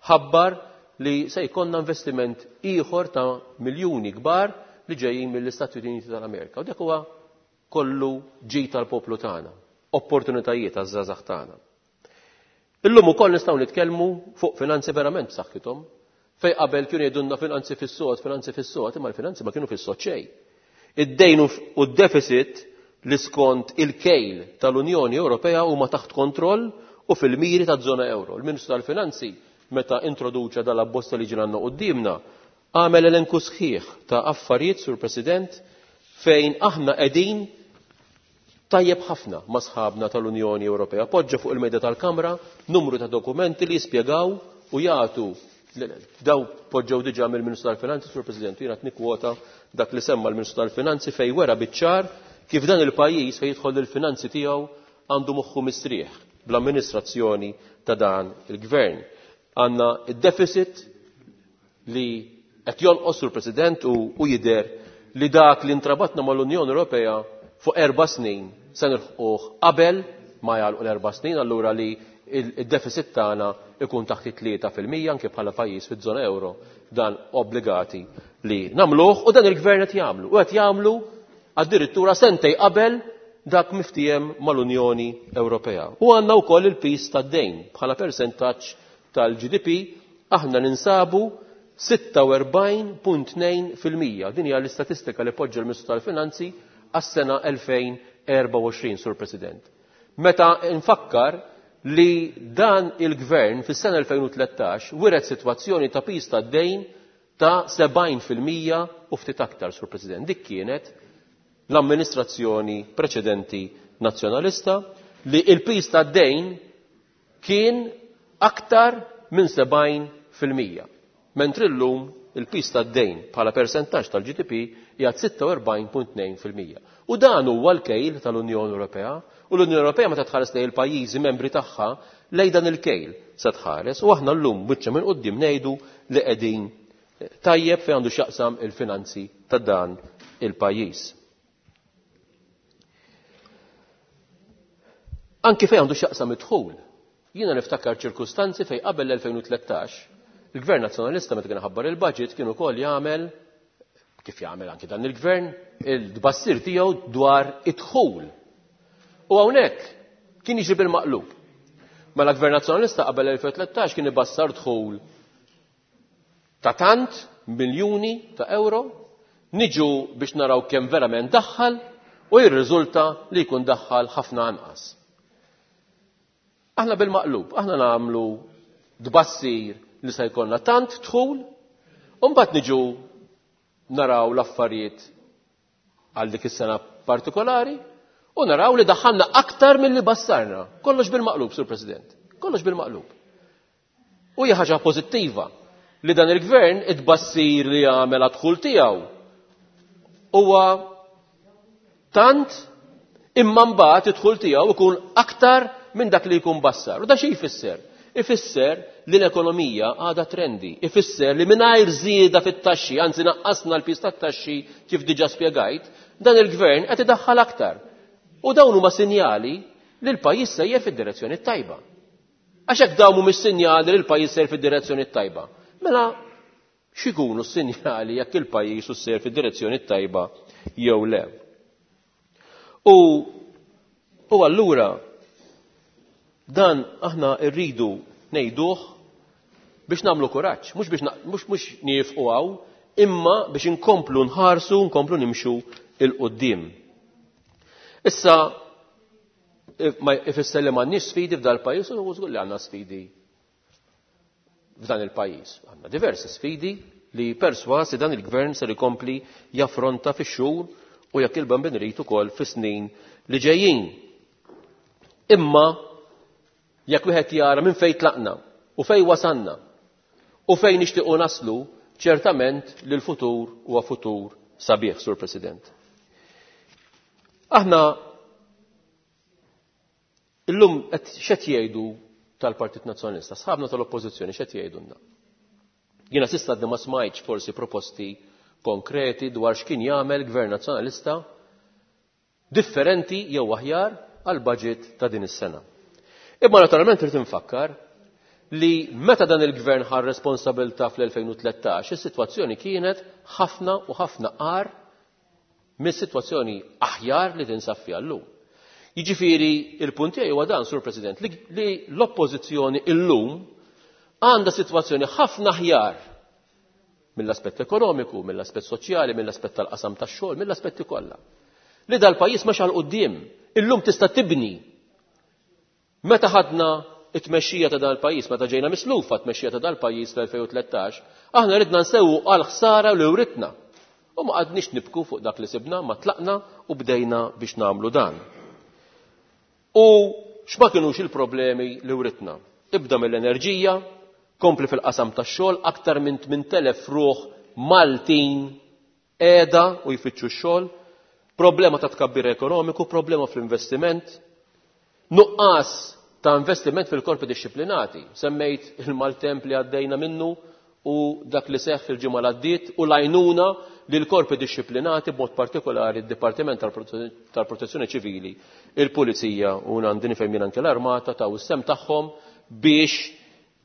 ħabbar li se jkollna investiment ieħor ta' miljuni kbar li ġejjin mill-Istati Uniti tal-Amerika. U dak huwa kollu ġid tal-poplu tagħna, opportunitajiet għaż-żgħażagħ tagħna. Illum ukoll nistgħu nitkellmu fuq finanzi verament b'saħħithom, fej qabel kienu jgħidulna finanzi fis-sod, finanzi fis-sod, imma l-finanzi ma kienu fis-sod xejn. Id-dejn u d-deficit li skont il-kejl tal-Unjoni Ewropea huma taħt kontroll u fil-miri taż-żona euro. Il-Ministru tal-Finanzi meta introduċa dal-abbozz li ġie għandna quddiemna għamel elenku sħiħ ta' affarijiet, Sur President, fejn aħna qegħdin tajjeb ħafna ma' sħabna tal-Unjoni Ewropea. Poġġa fuq il-mejda tal-Kamra numru ta' dokumenti li jispjegaw u jagħtu daw poġġew diġà mill-Ministru tal-Finanzi, Sur President, jiena qed nikkwota dak li semma l-Ministru tal-Finanzi fejn wera biċ-ċar kif dan il-pajjiż fejn jidħol il-finanzi tiegħu għandu moħħu mistrieħ bl-amministrazzjoni ta' dan il-gvern. Għandna id-deficit li qed jonqos, Sur President, u, u jidher li dak li intrabatna mal-Unjoni Ewropea fuq erba' snin se nilħquh qabel ma jagħlqu l-erba' snin, allura li il-deficit tagħna ikun taħt it-tlieta fil-mija anke bħala pajjiż fiż-żona euro, dan obbligati li nagħmluh u dan il-gvern qed jagħmlu. U qed jagħmlu addirittura sentej qabel dak miftiem mal-Unjoni Ewropea. U għandna wkoll il-pis tad-dejn bħala persentaġġ tal-G D P, aħna ninsabu sitta u erbgħin punt tnejn fil-mija. Din hija l-istatistika li poġġa l-Ministru tal-Finanzi għas-sena elfejn erba' u għoxrin, Sur President. Meta nfakkar li dan il-gvern fis-sena elfejn u tlettax wiret sitwazzjoni ta' pis tad-dejn ta' sebgħin fil-mija u ftit aktar, Sur President. Dik kienet l-amministrazzjoni preċedenti nazzjonalista li il-pis tad-dejn kien aktar minn sebgħin fil-mija. Mentri llum il-pis tad-dejn bħala persentaġġ tal-G D P qiegħed sitta u erbgħin punt tnejn fil-mija. U dan huwa l-kejl tal-Unjoni Ewropea, u l-Unjoni Ewropea meta tħares lejn il-pajjiżi membri tagħha lejn dan il-kejl se tħares, u aħna llum biċċa minn quddiem ngħidu li qegħdin tajjeb fejn għandu x'jaqsam il-finanzi ta' dan il-pajjiż. Anki fejn għandu x'jaqsam id-dħul. Jiena niftakar ċirkustanzi fejn qabel l-elfejn u tlettax il-Gvern Nazzjonalista meta kien ħabbar il-budget kien ukoll jagħmel, kif jagħmel anki dan il-Gvern, il-tbassir tiegħu dwar id-dħul. U hawnhekk kien jiġri bil-maqlub. Mela Gvern Nazzjonalista qabel elfejn u tlettax kien ibassar dħul ta' tant miljuni ta' euro, niġu biex naraw kemm verament daħħal u jirriżulta li jkun daħħal ħafna anqas. Aħna bil-maqlub, aħna nagħmlu tbassir li se jkollna tant dħul, u mbagħad niġu naraw l-affarijiet għal dik is-sena partikolari u naraw li daħħalna aktar milli bassarna. Kollox bil-maqlub, Sur President. Kollox bil-maqlub. U hija ħaġa pożittiva li dan il-gvern it-bassir li għamel għad-dħul tiegħu huwa tant imma mbagħad id-dħul tiegħu ikun aktar minn dak li jkun bassar. U da xi jfisser? Ifisser li l-ekonomija għadha trendi. Ifisser li mingħajr żieda fit-taxxi, anzi naqqasna l-piż tat-taxxi kif diġà spjegajt, dan il-gvern qed idaħħal aktar. U dawn huma sinjali li l-pajjiż sejjer fid-direzzjoni tajba. Għax hekk dawn mhumiex sinjali li l-pajjiż sejjer fid-direzzjoni tajba. Mela x'ikunu s-sinjali jekk il-pajjiż sejjer fid-direzzjoni tajba jew le? U, u allura dan aħna rridu ngħiduh biex nagħmlu kuraġġ, mhux biex mhux mhux niefqu hawn, imma biex inkomplu nħarsu, nkomplu nimxu 'il quddiem. Issa ma ifisser li m'għandniex sfidi f'dal pajjiż, u żgur li għandna sfidi f'dan il-pajjiż. Għandna diversi sfidi li perswas li dan il-gvern ser ikompli jaffronta fix-xhur u jekk il-Bambin irid ukoll fis-snin li ġejjin. Imma jekk wieħed jara minn fejn tlaqna u fejn wasanna u fejn nixtiequ naslu, ċertament li l-futur huwa futur sabiħ, Sur President. Aħna illum qed x'qed jgħidu tal-Partit Nazzjonalista, sħabna tal-Oppożizzjoni x'qed jgħidulna. Jiena s'issa għadni ma smajtx forsi proposti konkreti dwar x'kien jagħmel Gvern Nazzjonalista differenti jew aħjar għal budget ta' din is-sena. Imma naturalment irid infakkar li meta dan il-gvern ħa responsabilità fl-elfejn u tlettax, is-sitwazzjoni kienet ħafna u ħafna qar mis-sitwazzjoni aħjar li tinsab fiha llum. Jiġifieri il-punt tiegħi huwa dan, Sur President, li, li l-oppożizzjoni illum għandha sitwazzjoni ħafna aħjar mill-aspett ekonomiku, mill-aspett soċjali, mill-aspett tal-qasam tax-xogħol, mill-aspetti kollha. Li dal-pajjiż mexa 'l quddiem, illum tista' tibni. Meta ħadna it-tmexxija ta' dal-pajjiż, meta ġejna mislufa t-tmexxija ta' dal-pajjiż fl-elfejn u tlettax, aħna ridna nsewwu għal ħsara li writna. U ma qadniex nibku fuq dak li sibna, ma tlaqna u bdejna biex nagħmlu dan. U x'ma kinux il-problemi li writna? Ibda mill-enerġija, kompli fil-qasam tax-xogħol, aktar minn tmien elef ruħ Maltin qiegħda u jfittxu x-xogħol, problema ta' tkabbir ekonomiku, problema fl-investiment, nuqqas ta' investiment fil-korpi dixxiplinati. Semmejt il-maltemp li għaddejna minnu u dak li seħħ fil-ġimgħa li għaddiet u l-għajnuna li l-korpi dixxiplinati b'mod partikolari d-Dipartiment tal-Protezzjoni Ċivili, il-Pulizija u għandi nifhem jien anke l-Armata taw is-sem tagħhom biex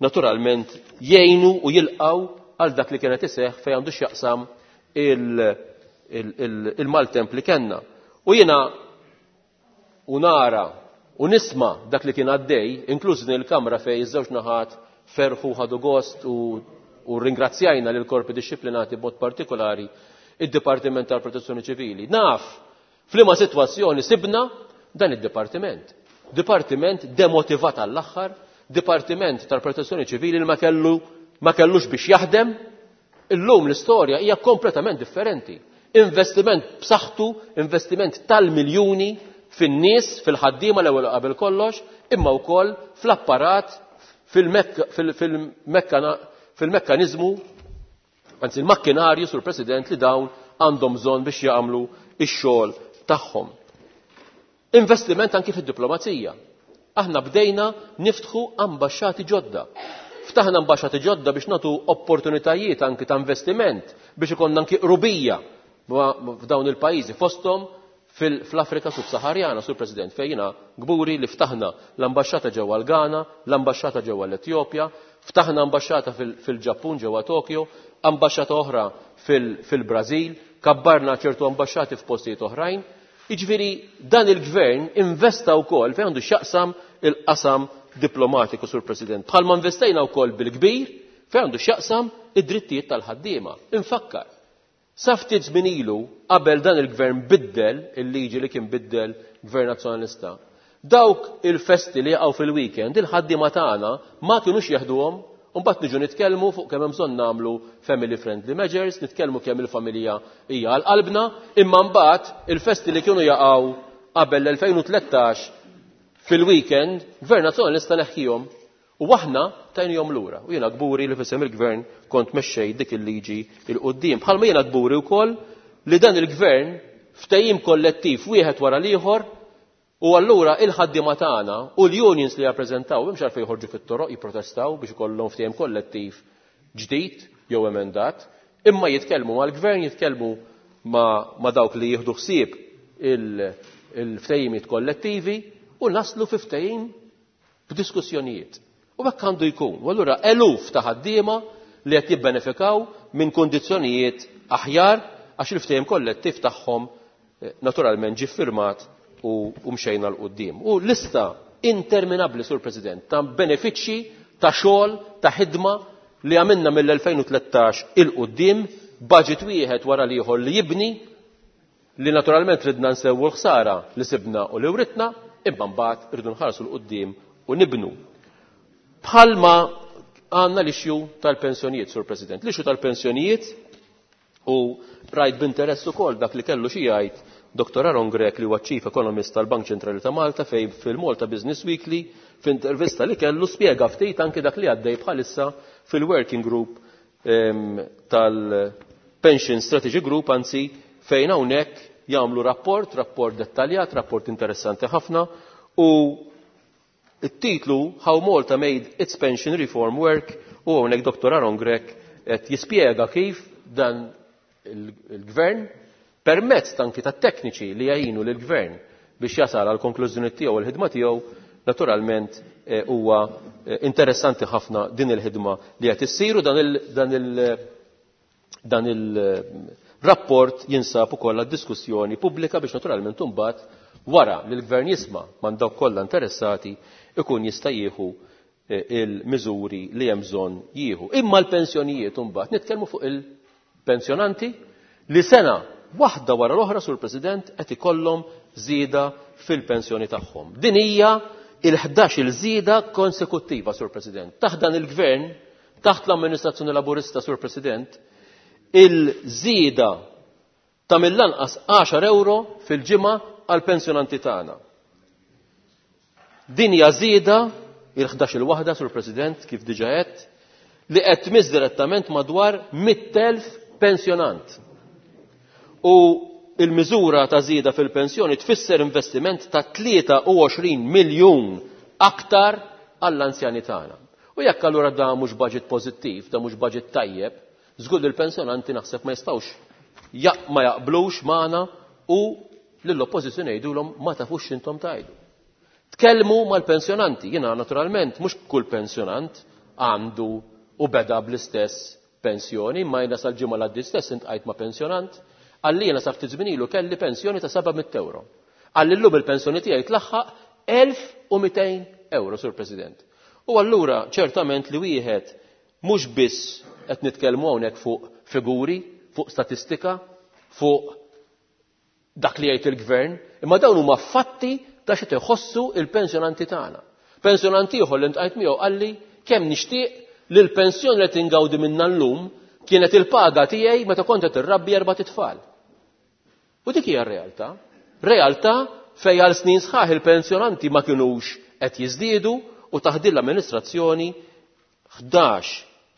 naturalment jgħinu u jilqgħu għal dak li kienet iseħħ fejn għandu x'jaqsam il-maltemp li kellna. U jiena u nara u nisma dak li kien għaddej, inkluż din il-kamra fejn iż-żewġ naħat ferħu ħadu gost u, u ringrazzjajna lil korpi dixxiplinati b'mod partikolari id-Dipartiment tal-Protezzjoni Ċivili. Naf f'liema sitwazzjoni sibna dan id-dipartiment. Dipartiment demotivat għall-aħħar, Dipartiment tal-Protezzjoni Ċivili li ma kellu, ma kellux biex jaħdem. Illum l-istorja hija kompletament differenti. Investiment b'saħħtu, investiment tal-miljuni fin-nies, fil-ħaddiema l-ewwel qabel kollox, imma wkoll fl-apparat, fil-mekkaniżmu, anzi il-makkinarju, Sur President, li dawn għandhom bżonn biex jagħmlu x-xogħol tagħhom. Investiment anki fid-diplomazija. Aħna bdejna niftħu ambaxxati ġodda. Ftaħna ambaxxati ġodda biex nagħtu opportunitajiet anki ta' investiment biex ikollna anki qrubija f'dawn il-pajjiżi, fosthom fl-Afrika Subsaharjana, Sur President, fejn jiena kburi li ftaħna l-ambaxxata ġewwa l-Ghana, l-ambaxxata ġewwa l-Etjopja, ftaħna ambaxxata fil-Ġappun ġewwa Tokyo, ambaxxata oħra fil-Brażil, kabbarna ċertu ambaxxati f'postijiet oħrajn. Jiġifieri dan il-gvern investa wkoll fejn għandu x'jaqsam il-qasam diplomatiku, Sur President. Bħalma investejna wkoll bil-kbir Fejn għandu x'jaqsam id-drittijiet tal-ħaddiema. Infakkar, sa ftit żmien ilu qabel dan il-gvern biddel il-liġi li kien biddel Gvern Nazzjonalista, dawk il-festi li jaqgħu fil-weekend il-ħaddiema tagħna ma kinux jeħduhom. U mbagħad niġu nitkellmu fuq kemm hemm bżonn nagħmlu family friendly measures, nitkellmu kemm il-familja hija għal qalbna, imma mbagħad il-festi li kienu jaqgħu qabel l-elfejn u tlettax fil-weekend, Gvern Nazzjonalista neħħihom u aħna tajnihom lura. U jiena kburi li f'isem il-gvern kont mexxej dik il-liġi il quddiem. Bħalma jiena kburi wkoll li dan il-gvern ftehim kollettiv wieħed wara l-ieħor, u allura il-ħaddiema tagħna u l-unions li jappreżentaw m'hemmx għalfejn joħorġu fit-toroq jipprotestaw biex ikollhom ftehim kollettiv ġdid jew emendat, imma jitkellmu mal-gvern, jitkellmu ma', ma' dawk li jieħdu ħsieb il-, il-ftehimiet kollettivi u naslu fi ftehim b'diskussjonijiet. U hekk għandu jkun. U allura eluf ta' ħaddiema li qed jibbenefikaw minn kundizzjonijiet aħjar għax il-ftehim kollettiv tagħhom, eh, naturalment ġie ffirmat u, u mxejna 'l quddiem. U lista interminabbli, Sur President, ta' benefiċċji, ta' xogħol, ta' ħidma li għamilna mill-elfejn u tlettax il quddiem, budget wieħed wara l-ieħor li jibni, li naturalment ridna nsewwu l-ħsara li sibna u li writna, imma mbagħad irridu nħarsu 'l quddiem u nibnu. Bħalma għandna l-issue tal-pensjonijiet, Sur President. L-issue tal-pensjonijiet, u rajt b'interess ukoll dak li kellu xi jgħid Doktor Aaron Grech, li huwa Chief Economist tal-Bank Ċentrali ta' Malta, fejn fil-Malta Business Weekly, f'intervista li kellu spjega ftit anke dak li għaddej bħalissa fil-Working Group, ehm, tal-Pension Strategy Group, anzi fejn hawnhekk jagħmlu rapport, rapport dettaljat, rapport interessanti ħafna, u it-titlu How Malta Made Its Pension Reform Work, u hawnhekk Doktor Aaron Grech qed jispjega kif dan il-, il-gvern permezz anki ta' tekniċi li jgħinu lill-gvern biex jasal għal konklużjoni tiegħu u l-ħidma tiegħu, naturalment, eh, huwa, eh, interessanti ħafna din il-ħidma li qed issir, u dan il-, dan il-, dan il-rapport jinsab ukoll għad-diskussjoni pubblika biex naturalment imbagħad wara li l-gvern jisma' man dawk kollha interessati ikun jista' jieħu, eh, il-miżuri li hemm bżonn jieħu. Imma l-pensjonijiet imbagħad nitkellmu fuq il-pensjonanti li sena waħda wara l-oħra, Sur President, qed ikollhom żieda fil-pensjoni tagħhom. Din hija il-ħdax-il żieda konsekuttiva, Sur President. Taħt dan il-gvern, taħt l-amministrazzjoni Laburista, Sur President, il-żieda ta' mill-anqas għaxar euro fil-ġimgħa għall-pensjonanti tagħna. Din hija żieda il-ħdax-il waħda, Sur President, kif diġà għedt, li qed tmiss direttament madwar mitt elf pensjonant. U il-miżura ta' żieda fil-pensjoni tfisser investiment ta' tlieta u għoxrin miljun aktar għall-anzjani tagħna. U jekk allura da mhux budget pożittiv, da mhux budget tajjeb, żgur li l-pensjonanti naħseb ma jistgħux jaq-, ma jaqblux magħna u lill-oppożizzjoni jgħidulhom ma tafux x'intom tgħidu. Tkellmu mal-pensjonanti, jiena naturalment mhux kull pensjonant għandu u beda bl-istess pensjoni, imma jiena sal-ġimgħa l-għaddi stess intqajt ma' pensjonant, għalli jiena sa ftit żmien ilu kelli pensjoni ta' seba' mitt euro. Għalli llum il-pensjoni tiegħi tlaħħaq elf u mitejn euro, Sur President. U allura ċertament li wieħed mhux biss qed nitkellmu hawnhekk fuq figuri, fuq statistika, fuq dak li jgħid il-gvern, imma dawn huma fatti ta' xi tħossu il-pensjonanti tagħna. Pensjonanti ieħor li ntqajt miegħu qalli kemm nixtieq li l-pensjoni li tingawdi minna llum kienet il-paga tiegħi meta kont qed irrabbi erba' titfal. U dik hija r-realtà. Realtà fejn għal snin sħaħ il-pensjonanti ma kinux qed jiżdiedu u taħt din l-amministrazzjoni ħdax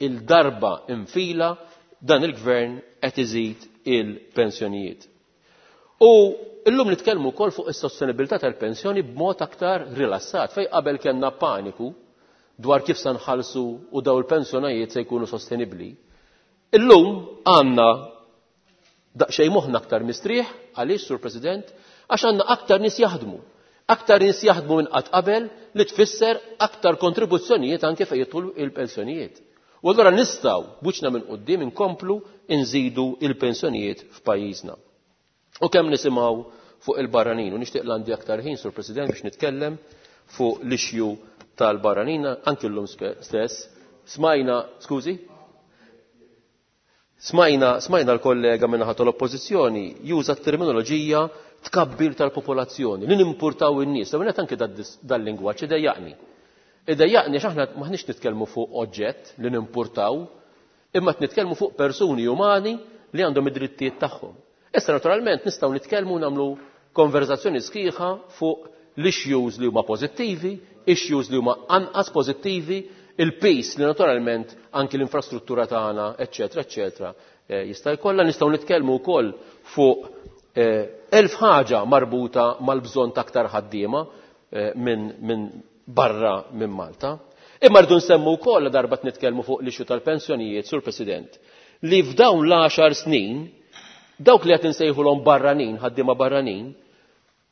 il-darba infila dan il-gvern qed iżid il-pensjonijiet. U illum nitkellmu wkoll fuq is-sostenibilità tal-pensjoni b'mod aktar rilassat, fejn qabel kellna paniku dwar kif se nħallsu u daw il-pensjonijiet se jkunu sostenibbli. Illum għandna daqsxejn moħħna aktar mistrieħ, għaliex, Sur President, għax għandna aktar nies jaħdmu. Aktar nies jaħdmu minn qatt qabel li tfisser aktar kontribuzzjonijiet anke fejn jidħlu il-pensjonijiet. U allura nistgħu buċna minn quddiem inkomplu nżidu il-pensjonijiet f'pajjiżna. U kemm nisimgħu fuq il-barranin, u nixtieq l-għandi aktar ħin, Sur President, biex nitkellem fuq l-issue tal-barranin, anki llum spe-, stess, Smajna, skużi? Smajna, smajna l-kollega min-naħa tal-Oppożizzjoni juża t-terminoloġija tkabbir tal-popolazzjoni, li nimpurtaw in-nies. L-ewwel anke dal-lingwaġġ idejjaqni. Idejjaqni għax aħna maħniex nitkellmu fuq oġġett li nimpurtaw, imma qed nitkellmu fuq persuni umani li għandhom id-drittijiet tagħhom. Issa naturalment nistgħu nitkellmu nagħmlu konverzazzjoni sħiħa fuq l-issues li huma pożittivi, issues li huma anqas pożittivi, il-peace li naturalment anki l-infrastruttura tagħna, eċċetera, eċċetera, jista' jkollha. Nistgħu nitkellmu wkoll fuq elf ħaġa marbuta mal-bżonn ta' aktar ħaddiema minn min barra minn Malta. Imma rridu nsemmu wkoll darba nitkellmu fuq l-issue tal-pensjonijiet, Sur President, li f'dawn l-għaxar snin dawk li qed insejħulhom barranin, ħaddiema barranin,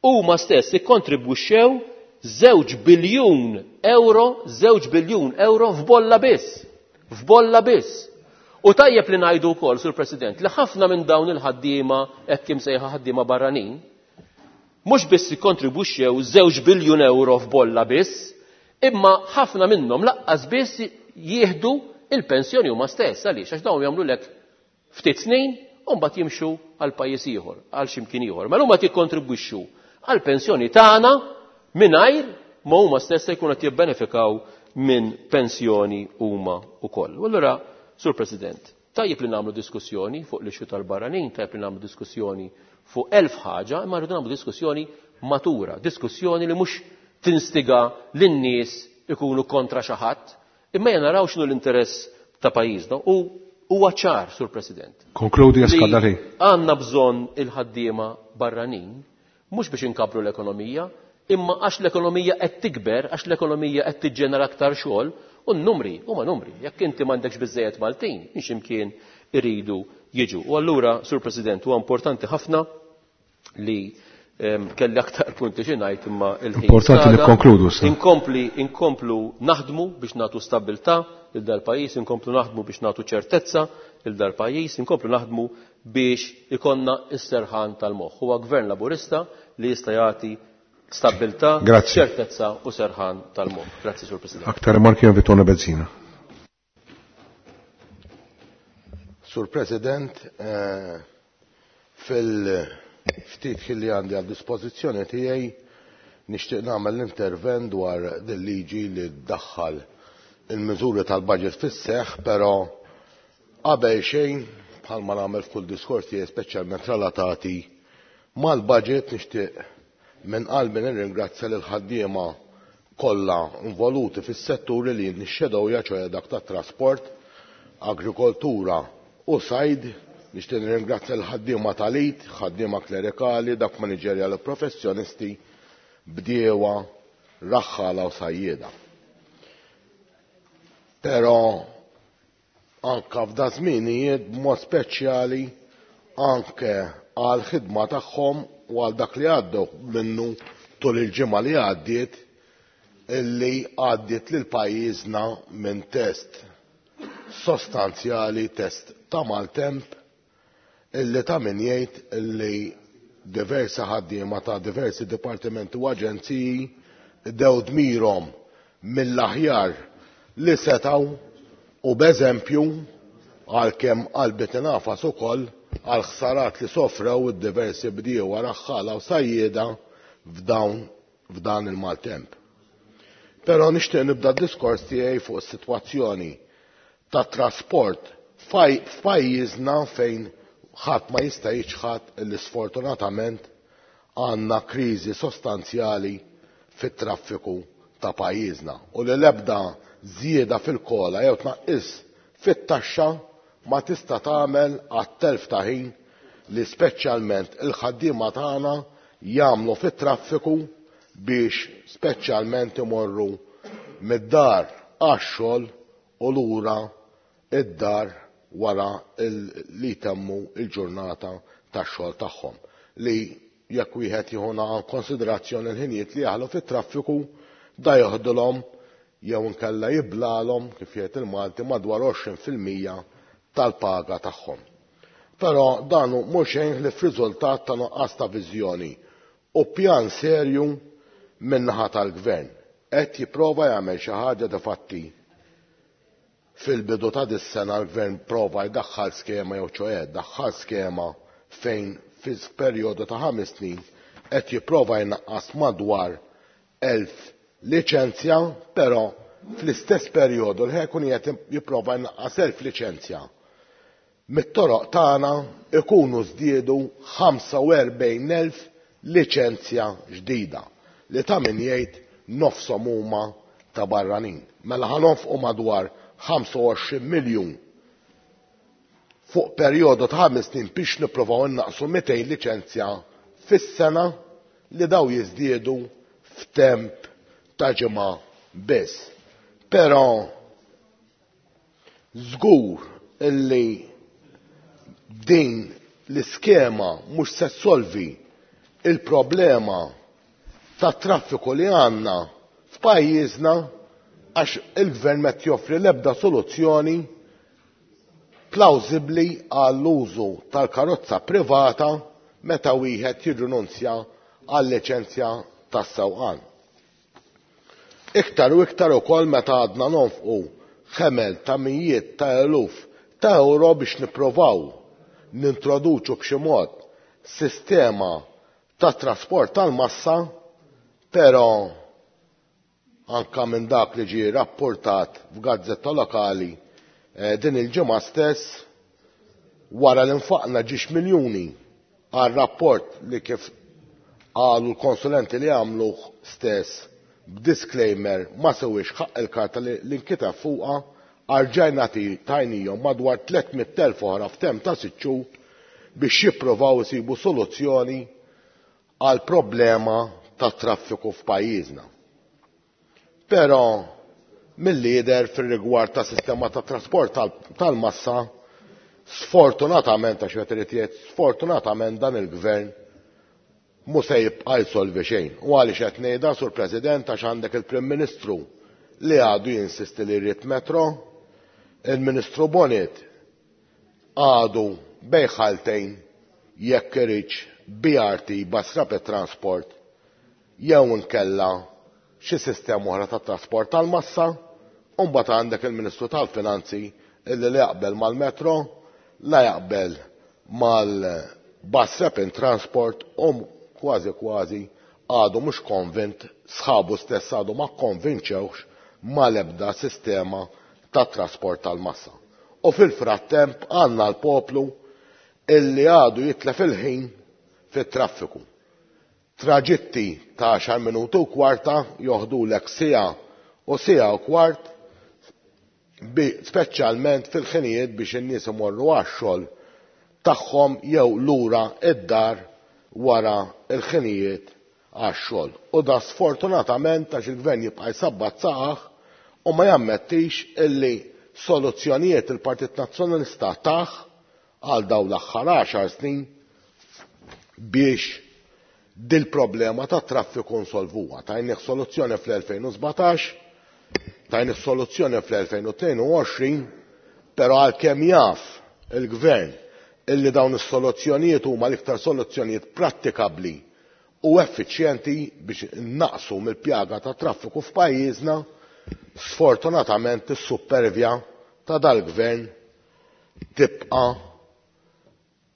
huma stess ikkontribwixxew żewġ biljun euro, żewġ biljun euro f'bolla biss. F'bolla biss. U tajjeb li ngħidu wkoll, Sur President, li ħafna minn dawn il-ħaddiema hekk imsejħa ħaddiema barranin, mhux biss ikkontribwixxew żewġ biljun euro f'bolla biss, imma ħafna minnhom laqqas biss jieħdu il-pensjoni huma stess. Għaliex? Għax dawn jagħmlu lek ftit snin u mbagħad jimxu għal pajjiż ieħor, għal xi mkien ieħor. Mela huma jikkontribwixxu għall pensjoni tagħna mingħajr ma huma stess se jkunu qed jibbenefikaw minn pensjoni huma wkoll. U allura, Sur President, tajjeb li nagħmlu diskussjoni fuq l-issue tal-barranin, tajjeb li nagħmlu diskussjoni fuq elf ħaġa, imma rridu nagħmlu diskussjoni matura, diskussjoni li mhux tinstiga lin-nies ikunu kontra xi ħadd, imma jena naraw x'inhu l-interess ta' pajjiżna. U huwa ċar, Sur President. Konkludi għax Għandna bżonn il-ħaddiema barranin, mhux biex inkabru l-ekonomija, imma għax l-ekonomija qed tikber, għax l-ekonomija qed tiġġenera aktar xogħol, u n-numri huma numri. Jekk inti m'għandekx biżejjed Maltin, mhix imkien iridu jiġu. U allura, Sur President, huwa importanti ħafna li kelli aktar punti xi ngħid, imma il-ħin. Importanti li konkludu. Inkompli inkomplu naħdmu biex nagħtu stabbiltà lil dal-pajjiż, inkomplu naħdmu biex nagħtu ċertezza lil dal-pajjiż, inkomplu naħdmu biex ikonna s-serħan tal-moħħ. Huwa gvern Laburista li jista' jagħti stabbiltà, ċertezza u serħan tal-moħħ. Grazzi, Sur President. Aktar rimarki Vitona Bezzina. Sur President, eh, fil-ftit li għandi għal dispożizzjoni tiegħi nixtieq nagħmel l-intervent dwar din liġi li ddaħħal il-miżuri tal-budget fis-seħħ, però qabel xejn bħalma nagħmel f'kull diskors tiegħi speċjalment relatati mal-budget nixtieq minn qalbi nirringrazzja lil ħaddiema kollha involuti fis-setturi li nixxedew ċoe dak tat-trasport, agrikoltura u sajd. Nixtieq nirringrazzja l-ħaddiema tal-it, ħaddiema klerikali, dak maniġerjali professjonisti, bdiewa, raħħala u sajjieda. Però anke f'da żminijiet b'mod speċjali anke għal ħidma tagħhom u għal dak li għaddew minnu tul il-ġimgħa li għaddiet, illi għaddiet lil pajjiżna minn test sostanzjali, test ta' maltemp, illi ta' min jgħid illi diversi ħaddiema ta' diversi dipartimenti u aġenziji dew dmirhom mill-aħjar li setgħu, u b'eżempju għalkemm qalbi tinafas ukoll għal ħsarat li sofrew id-diversi bdiewa, raħħala u sajjieda f'dawn f'dan il-maltemp. Però nixtieq nibda d-diskors tiegħi fuq is-sitwazzjoni ta' trasport f'pajjiżna fejn ħadd ma jista' jiċħad li sfortunatament għandna kriżi sostanzjali fit-traffiku ta' pajjiżna u li l-ebda żieda fil-kola jew tnaqqis fit-taxxa ma tista' tagħmel għat-telf ta' ħin li speċjalment il-ħaddiema tagħna jagħmlu fit-traffiku biex speċjalment imorru mid-dar għax-xogħol u lura id-dar wara li jtemmu il-ġurnata tax-xogħol tagħhom, li jekk wieħed jieħu konsiderazzjoni l-ħinijiet li jaħlu fit-traffiku da joħdulhom jew inkella jiblalhom kif jgħid il-Malti madwar għoxrin fil-mija tal-paga tagħhom. Però dan mhux xejn li f'riżultat ta' nuqqas ta' viżjoni u pjan serju min-naħa tal-gvern qed jipprova jagħmel xi ħaġa de fatti fil-bidu ta' dis-sena l-gvern prova jdaħħal skema jew ċoħe daħħal skema fejn fi perjodu ta' ħames snin qed jipprova jnaqqas madwar elf liċenzja, però fl-istess perjodu li ħekun qed jipprova jnaqqas elf liċenzja. Mit-toroq tagħna ikunu żdiedu ħamsa u erbgħin elf liċenzja ġdida li ta' min jgħid nofshom huma ta' barranin. Mela ħanonfqu madwar ħamsa u għoxrin miljun fuq perjodu ta' ħames snin biex nippruvaw innaqsu mitejn liċenzja fis-sena li daw jiżdiedu f'temp ta' ġimgħa biss. Però żgur illi din l-iskema mhux se ssolvi il-problema ta' traffiku li għandna f'pajjiżna għax il-gvern qed joffri l-ebda soluzzjoni plawsibbli għall-użu tal-karozza privata meta wieħed jirrinunzja għal-liċenzja tas-sewqan. Iktar u iktar ukoll meta għadna nonfqu ħemel ta' mijiet ta' eluf ta' euro biex nipprovaw nintroduċu b'xi mod sistema ta' trasport tal-massa, però anka minn dak li ġie rapportat f'gazzetta lokali, eh, din il-ġimgħa stess wara li nfaqna ġiex miljuni għal rapport li kif qalu l-konsulenti li għamluh stess b'disclaimer ma sewiex ħaqq il-karta li, li nkiteb fuqha, arġajna tajnihom madwar tliet mitt elf oħra f'temp ta' sitt xhur biex jippruvaw isibu soluzzjoni għal problema ta' traffiku f'pajjiżna. Però mill-lider fir-rigward ta' sistema ta' trasport tal-, tal-massa, sfortunatament, għax qed irid jgħid, sfortunatament dan il-gvern mhu se jibqa' jsolvi xejn. U għaliex qed ngħidha, Sur President, għax għandek il-Prim Ministru li għadu jinsisti li jrid metro, il-Ministru Bonett għadu bejn jekk iridx B R T, Bus Rapid Transport, jew inkella xi sistema oħra ta' trasport tal-massa, u mbagħad għandek il-Ministru tal-Finanzi illi li jaqbel mal-metro, la jaqbel mal-Bus Rapid Transport u kważi kważi għadu mhux konvint, sħabu stess għadu ma konvinċewx mal-ebda sistema ta' trasport tal-massa. U fil-frattemp għandna l-poplu illi għadu jitlef il-ħin fit-traffiku. Traġitti ta' għaxar minuti u kwarta joħdulek siegħa u siegħa u kwart, bi-, speċjalment fil-ħinijiet biex in-nies imorru għax-xogħol tagħhom jew lura id-dar wara l-ħinijiet għax-xogħol. U da sfortunatament għax il-gvern jibqa' jsabbat saqaħ u ma jammettix illi soluzzjonijiet il-Partit Nazzjonalista taħ għal dawn l-aħħar għaxar snin biex dil-problema ta' traffiku nsolvuha. Tajnih soluzzjoni fl-elfejn u sbatax, tajnih soluzzjoni fl-elfejn u tnejn u għoxrin, però għalkemm jaf il-gvern illi dawn is-soluzzjonijiet huma l-iktar soluzzjonijiet prattikabbli u effiċjenti biex innaqsu mill-pjaga ta' traffiku f'pajjiżna, sfortunatament is-supervja ta' dal-gvern tibqa'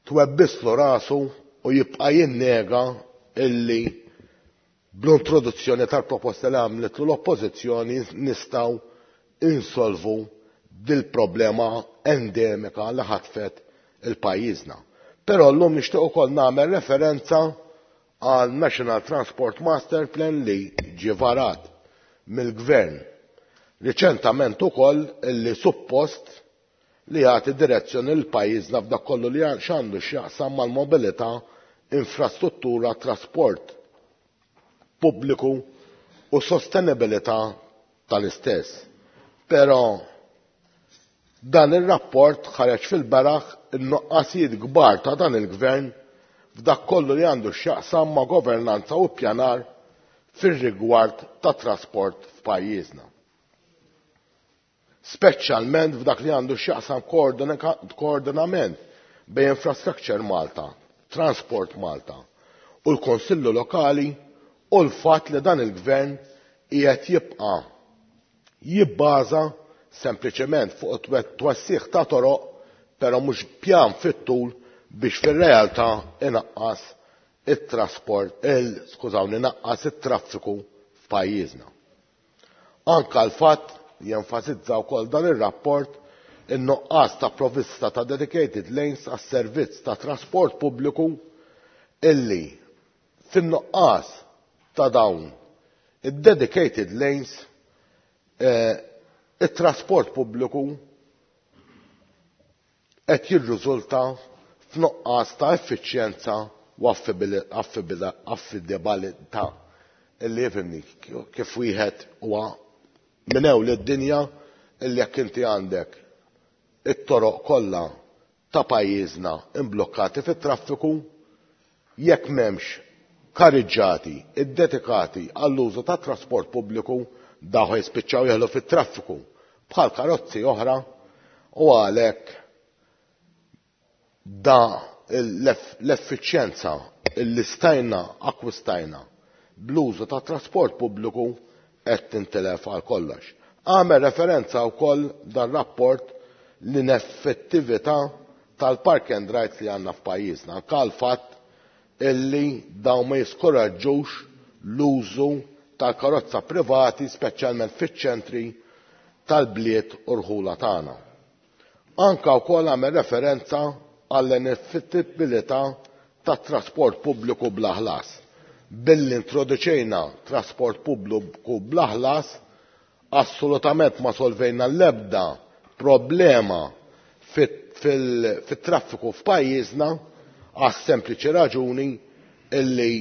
twebbislu rasu u jibqa' jinnega illi bl-introduzzjoni tal-proposta li għamlet l-oppożizzjoni nistgħu insolvu dil-problema endemika li ħatfet il-pajjiżna. Però llum nixtieq ukoll nagħmel referenza għal National Transport Master Plan li ġie varat mill-gvern riċentament ukoll illi suppost li jagħti direzzjoni lil pajjiżna f'dak kollu li x'għandu x'jaqsam mal-mobilità, infrastruttura, trasport pubbliku u sostenibilità tal-istess. Però dan ir-rapport ħareġ fil-beraħ in-nuqqasijiet kbar ta' dan il-gvern f'dak kollu li għandu x'jaqsam ma' governanza u ppjanar fir-rigward ta' trasport f'pajjiżna. Speċjalment f'dak li għandu x'jaqsam koordina-, koordinament bejn Infrastructure Malta, Transport Malta u l-Konsillu Lokali u l-fatt li dan il-gvern qiegħed jibqa' jibbaża sempliċement fuq twessiħ ta' toroq, però mhux pjan fit-tul biex fir-realtà inaqqas it-trasport, il skużawni, naqqas it-traffiku f'pajjiżna. Anka l-fatt jenfasizza wkoll dan ir-rapport in-nuqqas ta' provvista ta' dedicated lanes għas-servizz ta' trasport pubbliku illi fin-nuqqas ta' dawn id-dedicated lanes eh, it-trasport pubbliku qed jirriżulta f'nuqqas ta' effiċjenza u affidabilità illi jifhimni kif wieħed huwa minn ewl id-dinja illi jekk inti għandek it-toroq kollha ta' pajjiżna imblukkati fit-traffiku, jekk m'hemmx kariġġati iddedikati għall-użu ta' trasport pubbliku, dawn jispiċċaw jeħlu fit-traffiku bħal karozzi oħra, u għalhekk da l-effiċjenza illi stajna akkwistajna bl-użu ta' trasport pubbliku qed tintilef għal kollox. Għamel referenza wkoll dan rapport l-ineffettività tal-park and rides li għandna f'pajjiżna, anke l-fatt illi dawn ma jiskoraġġux l-użu tal-karozza privati, speċjalment fiċ-ċentri tal-bliet u rħula tagħna. Anka wkoll għamel referenza għall-ineffettibilità tat-trasport pubbliku bla ħlas. Billi introduċejna trasport pubbliku bla ħlas, assolutament ma solvejna l-ebda problema fit-traffiku f'pajjiżna, għas sempliċi raġuni illi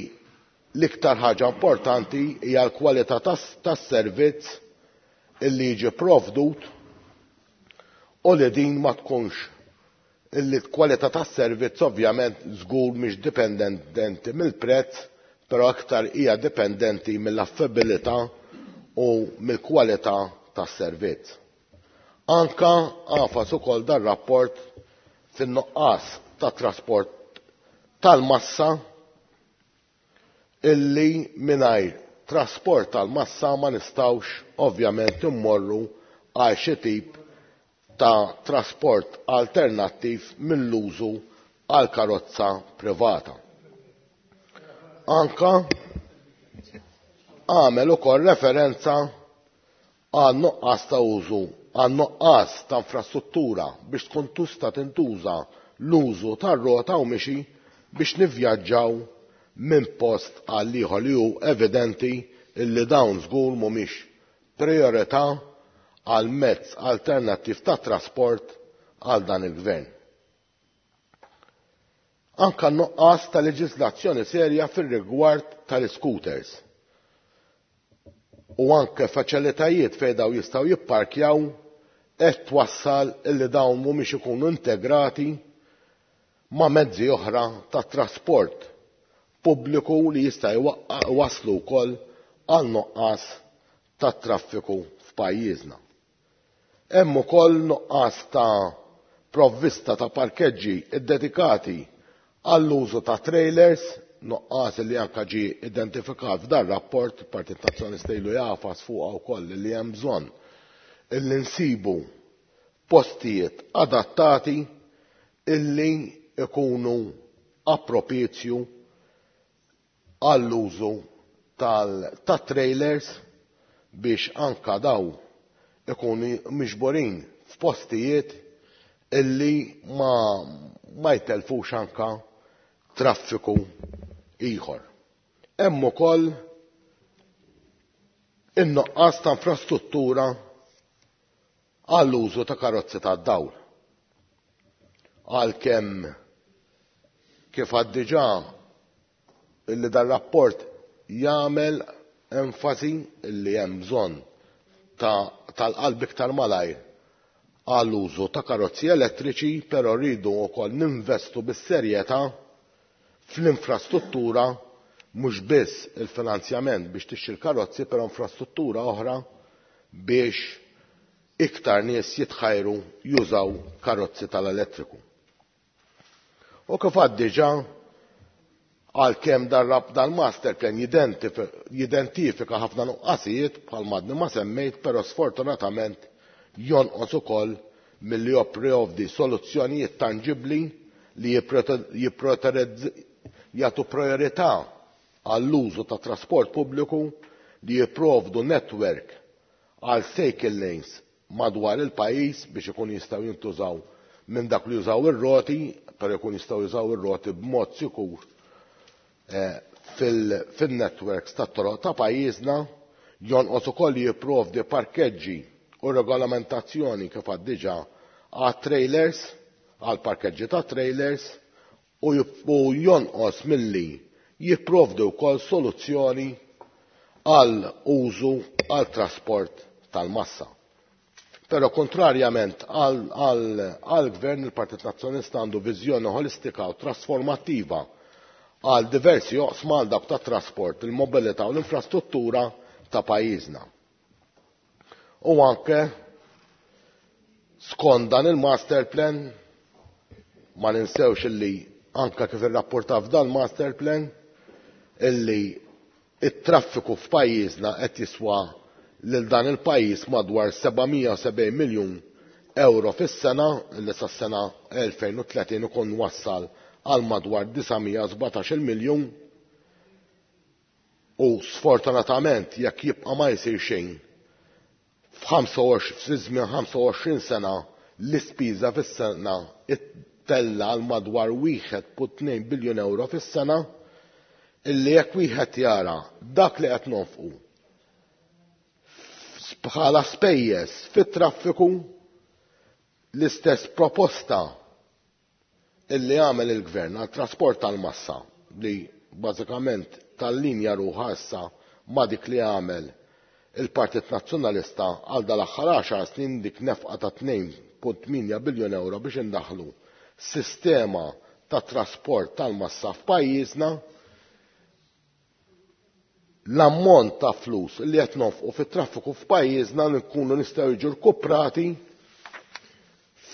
l-iktar ħaġa importanti hija l-kwalità tas-servizz illi jiġi provdut u li din ma tkunx illi l-kwalità tas-servizz ovvjament żgur mhix dipendenti mill-prezz, però aktar hija dipendenti mill-affabilità u mill-kwalità tas-servizz. Anka għafas ukoll dan rapport fin-nuqqas ta' trasport tal-massa illi mingħajr trasport tal-massa ma nistgħux ovvjament immorru għal xi tip ta' trasport alternattiv mill-użu għal karozza privata. Anka għamel ukoll referenza għal nuqqas ta' użu, għal nuqqas ta' infrastruttura biex tkun tista' tintuża l-użu tar-rota u mixi biex nivvjaġġaw minn post għal ieħor, li hu evidenti illi dawn żgur mhumiex priorità għal mezz alternattiv ta' trasport għal dan il-gvern. Anka nuqqas ta' leġislazzjoni serja fir-rigward tal-scooters u anke faċilitajiet fejn daw jistgħu jipparkjaw qed twassal illi dawn mhumiex ikunu integrati ma' mezzi oħra ta' trasport pubbliku li jista' jwasslu wkoll għal nuqqas ta' traffiku f'pajjiżna. Hemm ukoll nuqqas ta' provvista ta' parkeġġi ddedikati għall-użu ta' trailers, nuqqas li anke ġie identifikat f'dan rapport, il-Partit Nazzjonalista ilu jafas fuqha wkoll li hemm bżonn illi nsibu postijiet adattati illi ikunu appropizju għall-użu tat-trailers biex anka daw ikunu miġburin f'postijiet illi ma, ma jtelfux anka traffiku ieħor. Hemm ukoll in-nuqqas ta' infrastruttura għall-użu ta' karozzi tad-dawl. Għalkemm kif għad diġà illi dan rapport jagħmel enfasi illi hemm bżonn tal-qalb iktar malajr għall-użu ta' karozzi elettriċi, però rridu wkoll ninvestu bis-serjetà fl-infrastruttura, mhux biss il-finanzjament biex tixtri l-karozzi, però infrastruttura oħra biex iktar nies jitħajru jużaw karozzi tal-elettriku. U kif għad diġà, għalkemm dal-master plan jidentifika ħafna nuqqasijiet bħal madni ma semmejt, però sfortunatament Jonqos ukoll milli jipprovdi soluzzjonijiet tanġibbli li jagħtu priorità għall-użu ta' trasport pubbliku, li jipprovdu network għal cycle lanes madwar il-pajjiż biex ikun jistgħu jintużaw minn dak li jużaw ir-roti, però jkun jistgħu jużaw ir-roti b'mod sikur fil-networks tat-toroq ta' pajjiżna. Jonqos ukoll li jipprovdi parkeġġi u regolamentazzjoni kif għad diġà għat trailers, għal parkeġġi ta' trailers, u jonqos milli jipprovdi wkoll soluzzjoni għal użu għal trasport tal-massa. Però kontrarjament għal gvern, il-Partit Nazzjonalista għandu viżjoni ħolistika u trasformattiva għal diversi oqsma għal dawk tat-trasport, il-mobilità u l-infrastruttura ta' pajjiżna. U anke skont dan il-master plan, ma ninsewx illi anke kif irrapporta f'dan master plan illi it-traffiku f'pajjiżna qed jiswa lil dan il-pajjiż madwar seba' mija u sebgħin miljun euro fis-sena, illi sas-sena elfejn u tletin ikun wassal għal madwar disa' mija u sbatax-il miljun. U sfortunatament jekk jibqa' ma jsir xejn fi żmien ħamsa u għoxrin sena l-ispiża fis-sena ittella għal madwar wieħed punt tnejn biljun euro fis-sena, illi jekk wieħed jara dak li qed nonfqu bħala spejjeż fit-traffiku, l-istess proposta illi għamel il-gvern għal trasport tal-massa li bażikament tal-linja ruħha issa ma' dik li għamel il-Partit Nazzjonalista għal dal-aħħar għaxar snin, dik nefqa ta' tnejn punt tmienja biljun euro biex indaħlu sistema ta' trasport tal-massa f'pajjiżna, l-ammont ta' flus li qed nonfqu fit-traffiku f'pajjiżna nkunu nistgħu jiġu rkuprati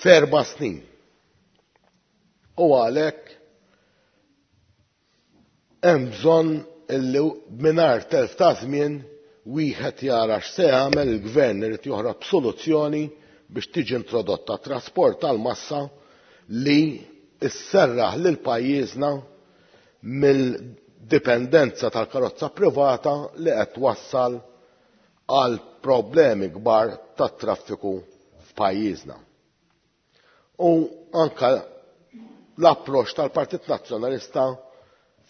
f'erba' snin. U għalhekk hemm bżonn illi mingħajr telf ta' żmien wieħed jara x'se jagħmel il-gvern, irid joħroġ b'soluzzjoni biex tiġi introdotta trasport tal-massa li sserraħ lil pajjiżna mill-dipendenza tal-karozza privata li qed twassal għal problemi kbar tat-traffiku f'pajjiżna. U anke l-approċċ tal-Partit Nazzjonalista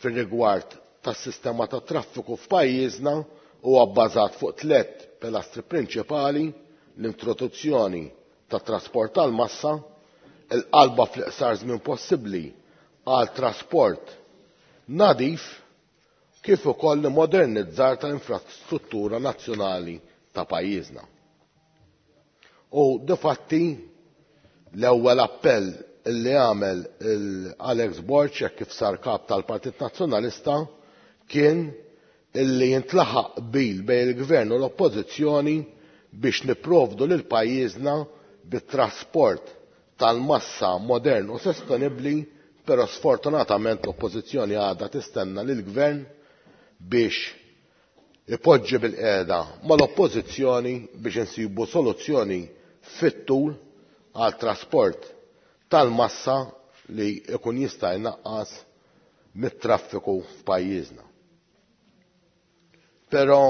fir-rigward tas-sistema tat-traffiku f'pajjiżna huwa bbażat fuq tliet pilastri prinċipali: l-introduzzjoni tat-trasport tal-massa, il-qalba fl-iqsar żmien possibbli għal trasport nadif, kif ukoll modernizzar tal-infrastruttura nazzjonali ta' pajjiżna. U difatti l-ewwel appell li għamel Alex Borg hekk kif sar kap tal-Partit Nazzjonalista kien illi jintlaħaq qbil bejn il-gvern u l-oppożizzjoni biex nipprovdu lil pajjiżna bit-trasport tal-massa modern u sostenibbli, però sfortunatament l-oppożizzjoni għadha tistenna lil gvern biex ipoġġi bil-qiegħda mal-oppożizzjoni biex insibu soluzzjoni fit-tul għal trasport tal-massa li jkun jista' jnaqqas mit-traffiku f'pajjiżna. Però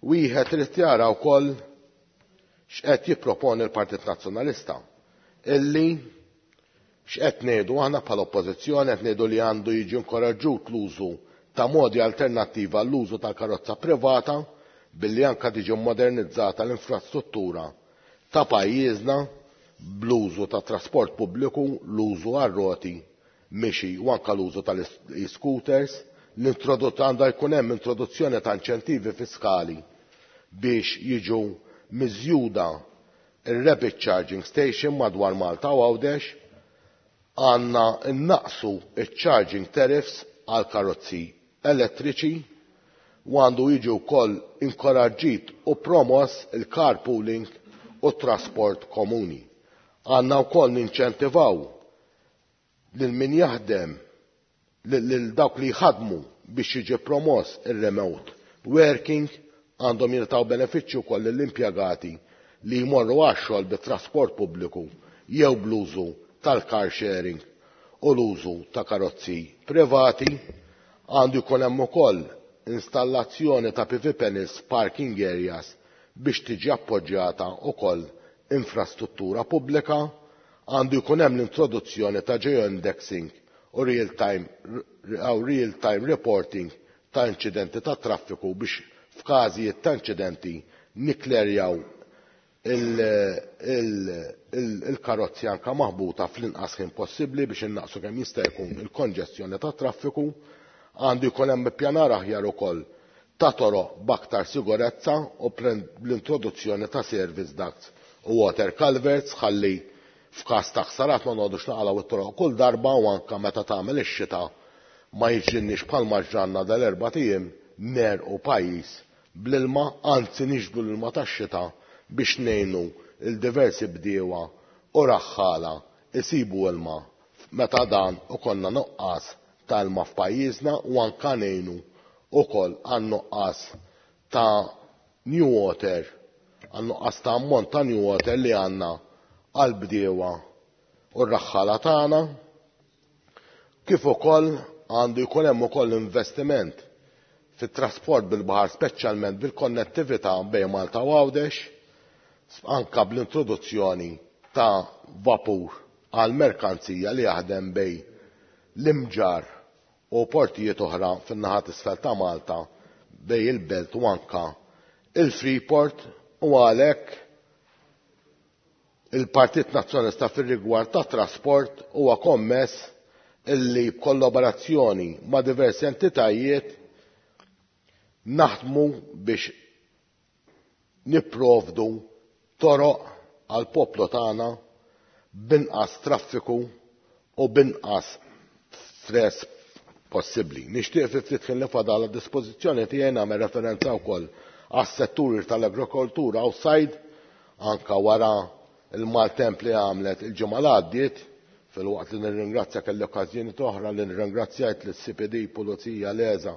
wieħed irid jara wkoll x'qed jipproponi l-Partit Nazzjonalista, illi x'qed ngħidu aħna bħala oppożizzjoni, qed ngħidu li għandu jiġi inkoraġġut l-użu ta' modi alternattiva għall-użu tal-karozza privata billi anke tiġi modernizzata l-infrastruttura ta' pajjiżna bl-użu ta' trasport pubbliku, l-użu għar-roti, mixi u anke l-użu tal-e-scooters. L-introduzzjoni għandha jkun hemm introduzzjoni ta' inċentivi fiskali biex jiġu miżjuda ir-rapid charging station madwar Malta u Għawdex. Għandna nnaqsu iċ-charging tariffs għal karozzi elettriċi u għandu jiġi wkoll inkoraġġit u promoss il-carpooling u trasport komuni. Għandna wkoll ninċentivaw lil min jaħdem, lil dawk li jħadmu biex jiġi promoss ir-remote working Għandhom jingħataw benefiċċju wkoll lill-impjegati li jmorru għax-xogħol bit-trasport pubbliku jew bl-użu tal-car sharing u l-użu ta' karozzi privati. Għandu jkun hemm ukoll installazzjoni ta' P V panels parking areas biex tiġi appoġġjata wkoll infrastruttura pubblika. Għandu jkun hemm l-introduzzjoni ta' geo-indexing u real-time, real-time reporting ta' inċidenti ta' traffiku biex f'każijiet ta' inċidenti nikklerjaw il-karozzi anka maħbuta fl-inqas ħin possibbli biex innaqsu kemm jista' jkun il-konġestjoni ta' traffiku. Għandu jkun hemm ippjanar aħjar ukoll ta' toroq b'aktar sigurezza u l-introduzzjoni ta' service ducts u water culverts ħalli f'każ ta' ħsarat ma noqogħdux naqalgħu it-toroq kull darba, u anke meta tagħmel ix-xita ma jiġrinniex bħalma ġranna dal-erba' ijiem nerqu pajjiż bl-ilma, anzi niġbdu l-ilma tax-xita biex ngħinu il-diversi bdiewa u raħħala isibu ilma meta dan u konna nuqqas ta' ilma f'pajjiżna, u anke ngħinu ukoll għan-nuqqas ta' new water, għan-nuqqas ta' ammont ta' new water li għandna għall-bdiewa u r-raħħala tagħna. Kif ukoll għandu jkun hemm ukoll investiment fit-trasport bil-baħar, speċjalment bil-konnettività bejn Malta u Għawdex, anka bl-introduzzjoni ta' vapur għal merkanzija li jaħdem bejn l-Imġarr u portijiet oħra fin-naħa t'isfel ta' Malta bejn il-Belt u anka il-Freeport. U għalhekk il-Partit Nazzjonalista fir-rigward ta' trasport huwa kommess illi b'kollaborazzjoni ma' diversi entitajiet naħdmu biex nipprovdu toroq għal poplu tagħna b'inqas traffiku u b'inqas stress possibbli. Nixtieq fi ftit ħin li fadal għad dispożizzjoni tiegħi nagħmel referenza wkoll għas-setturi tal-agrikoltura u sajd, anka wara il-maltemp li għamlet il-ġimgħa li għaddiet, fil-waqt li nirringrazzja kelli okkażjoni oħra li nirringrazzjajt lis-C P D, Pulizija, L E S A,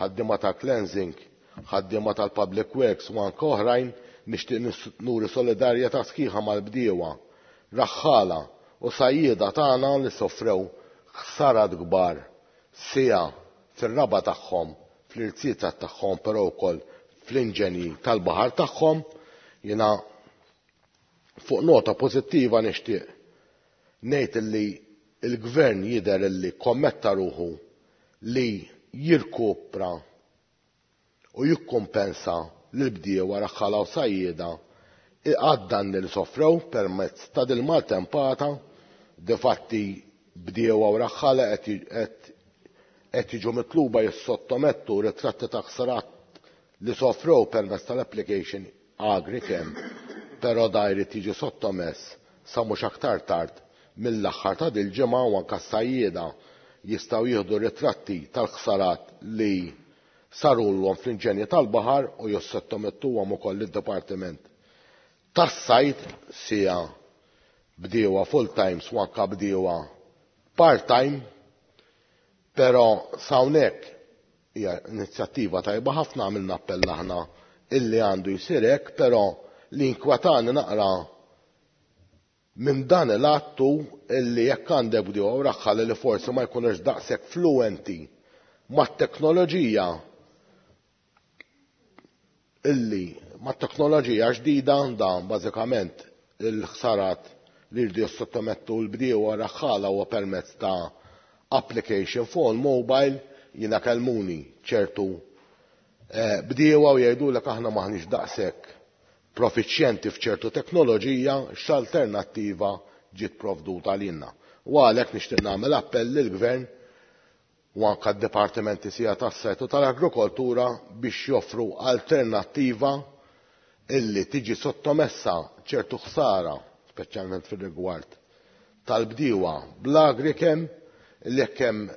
ħaddiema ta' cleansing, ħaddiema tal-Public Works u anke oħrajn. Nixtieq nuri solidarjetà sħiħa mal-bdiewa, raħħala u sajjieda tagħna li soffrew ħsarat kbar sija fir-raba tagħhom, fl-irziezet tagħhom, però wkoll fl-inġenji tal-baħar tagħhom. Jiena fuq nota pożittiva nixtieq ngħid illi il-gvern jidher illi kommetta ruħu li jirkupra u jikkumpensa lill-bdiewa, raħħala u sajjieda għad-danni li soffrew permezz ta' din maltempata. Difatti bdiewa u raħħala qed jiġu mitluba jissottomettu ritratti ta' ħsarat li soffrew permezz tal-application AgriChem, però da jrid jiġi sottomess sa mhux aktar tard mill-aħħar ta' dil-ġimgħa, u anke s-sajjieda jistgħu jieħdu ritratti tal-ħsarat li sarulhom fl-inġenji tal-baħar u jissottomettuhom ukoll lid-Dipartiment tas-Sajd, sija bdiewa full time u anke bdiewa part time. Però s'hawnhekk hija inizjattiva tajba ħafna, għamilna appell aħna illi għandu jsir hekk, però li inkwetani naqra minn dan il-attu illi jekk għandek bdiewa u raħħal li forsi ma jkunux daqshekk fluenti mat-teknoloġija illi mat-teknoloġija ġdida, dan bażikament il-ħsarat li jridu jissottomettu l-bdiewa raħħala huwa permezz ta' application phone mobile. Jiena kellmuni ċertu, eh, bdiewa u jgħidulek aħna maħniex daqshekk profiċjenti f'ċertu teknoloġija, x'alternattiva ġiet provduta lilna. U għalhekk nixtieq nagħmel appell lill-Gvern u anke d-dipartimenti sija tas-sajd u tal-agrikoltura biex joffru alternattiva illi tiġi sottomessa ċertu ħsara, speċjalment fir-rigward tal-bdiewa bl-AgriChem, illi jekk hemm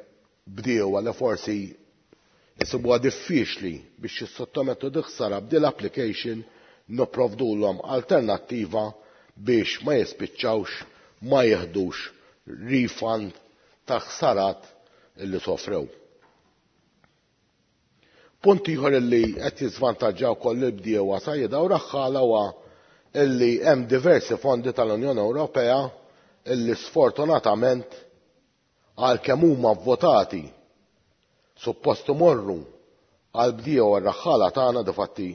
bdiewa li forsi jisibuha diffiċli biex jissottomettu dik ħsara b'dil application, nipprovdulhom alternattiva biex ma jispiċċawx ma jieħdux refund ta' ħsarat illi sofrew. Punt ieħor illi qed jiżvantaġġaw wkoll il-bdiewa sajjieda u raħħala huwa illi hemm diversi fondi tal-Unjoni Ewropea illi sfortunatament għalkemm huma vvotati suppost imorru għal bdiewa r-raħħala tagħna, difatti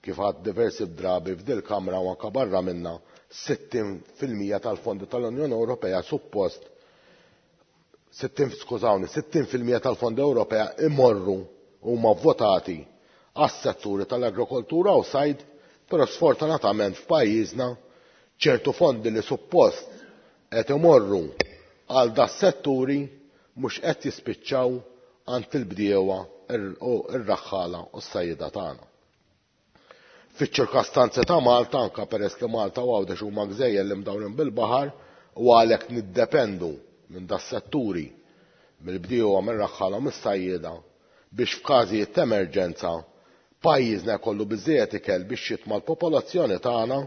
kif għad diversi drabi f'dil kamra u anke barra minna sittin fil-mija tal-fondi tal-Unjoni Ewropea suppost sittin, skużawni, sittin fil-mija tal-fondi Ewropea imorru huma votati għas-setturi tal-agrikoltura u sajd, però sfortunatament f'pajjiżna ċertu fondi li suppost qed imorru għal das-setturi mhux qed jispiċċaw għand il-bdiewa u r-raħħala u s-sajjieda tagħna. Fiċ-ċirkostanzi ta' Malta, anke peress li Malta u Għawdex huma gżejjer li mdawrin bil-baħar u għalhekk niddependu minn das-setturi, mill-bdiewa, mir-raħħala u mis-sajjieda, biex f'każijiet ta' emerġenza pajjiżna jkollu biżżejjed ikel biex jitma' l-popolazzjoni tagħna,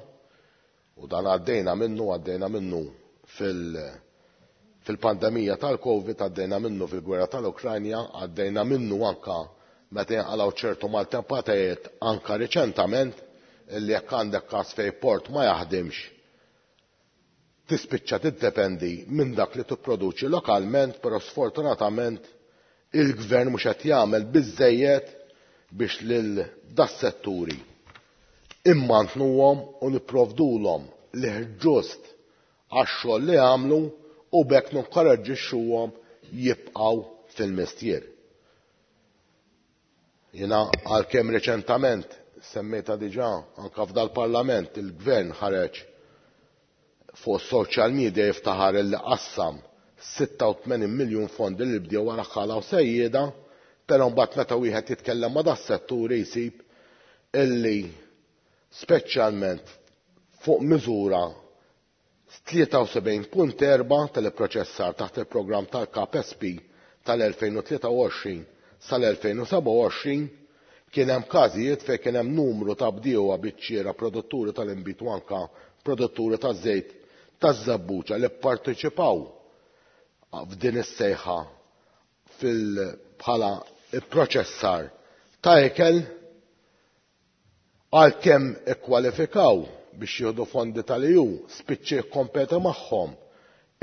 u dan għaddejna minnu, għaddejna minnu fil-, fil-pandemija tal-Covid, għaddejna minnu fil-gwerra tal-Ukranja, għaddejna minnu anka meta jinqalgħu ċertu maltempatajiet anka riċentament, illi jekk għandek każ fejn port ma jaħdimx, tispiċċa tiddependi minn dak li tipproduċi lokalment, però sfortunatament il-gvern mhux qed jagħmel biżżejjed biex lil das-setturi immantnuhom u nipprovdulhom li ġust għax-xogħol li għamlu u b'hekk ninkoraġġixxuhom jibqgħu fil-mestier. Jiena għalkemm reċentament semmejta diġà anke f'dal-Parlament il-gvern ħareġ fuq social media jiftaħar illi qassam sitta u tmenin miljun fondi li bdew wara ħala u sejjieda, però mbagħad meta wieħed jitkellem ma' das-setturi jsib illi speċjalment fuq miżura tlieta u sebgħin punt erba' tal-ipproċessar taħt il-programm tal-K P S P tal-elfejn u tlieta u għoxrin sal-elfejn u seba' u għoxrin kien hemm każijiet fejn kien hemm numru ta' bdiewa biċċiera produtturi tal-inbid u anke produtturi taż-żejt taż-żebbuġa li pparteċipaw f'din is-sejħa fil-, bħala ipproċessar ta' ikel, għalkemm ikkwalifikaw biex jieħdu fondi tal-E U, spiċċa jikkompeti magħhom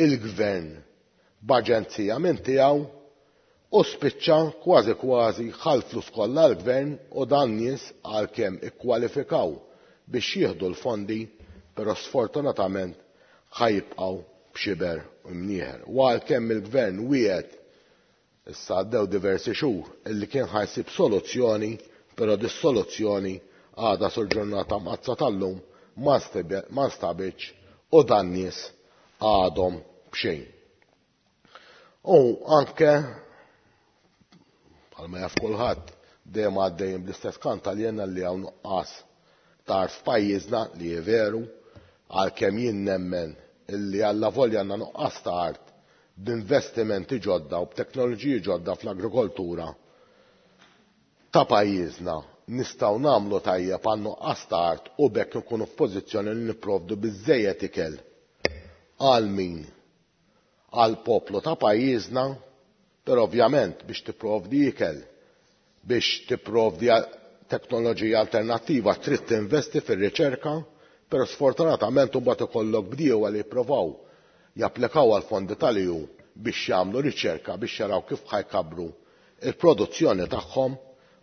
il-gvern b'aġenzija minn tiegħu u spiċċa kważi kważi ħa l-flus kollha l-gvern u dan nies għalkemm ikkwalifikaw biex jieħdu l-fondi, però sfortunatament ħajibqgħu b'xiber u mnieħer. U għalkemm il-gvern wiegħed issa għaddew diversi xhur illi kien ħajsib soluzzjoni, però dis-soluzzjoni għadha sul ġurnata mqazzza tal-lum ma nstebe-, ma nstabitx u dan nies għadhom b'xejn. U anke bħalma jaf kulħadd dejjem għaddejjin bl-istess kant għalina li hawn nuqqas ta' art f'pajjiżna li hi veru, għalkemm jien nemmen illi alla volja għandna nuqqas ta' art b'investimenti ġodda u b'teknoloġiji ġodda fl-agrikoltura ta' pajjiżna nistgħu nagħmlu tajjeb għal nuqqas ta' art u b'hekk nkunu f'pożizzjoni li nipprovdu biżżejjed ikel għal min għal poplu ta' pajjiżna, però ovvjament biex tipprovdi ikel, biex tipprovdi teknoloġija alternattiva trid tinvesti fir-riċerka, però sfortunatament imbagħad ikollok bdiewa li jippruvaw japplikaw għal fondi tal-E U biex jagħmlu riċerka biex jaraw kif ħajkabru il-produzzjoni tagħhom,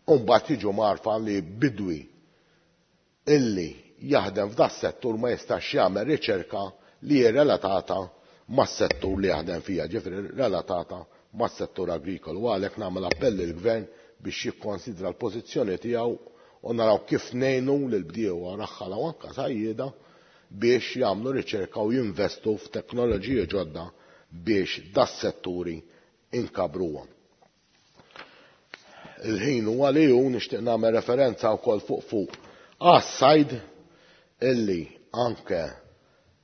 u mbagħad jiġu marfa li bidwi illi jaħdem f'das settur ma jistax jagħmel riċerka li hi relatata mas-settur li jaħdem fija, ġifieri relatata mas-settur agrikolu. U għalhekk nagħmel appell lill-gvern biex jikkonsidra l-pożizzjoni tiegħu u naraw kif ngħinu lill-bdiewa raħħala u anke sajjieda biex jagħmlu riċerka u jinvestu f'teknoloġiji ġodda biex das-setturi inkabruhom. Il-ħin huwa li hu nixtieq nagħmel referenza wkoll fuq fuq għas-sajd illi anke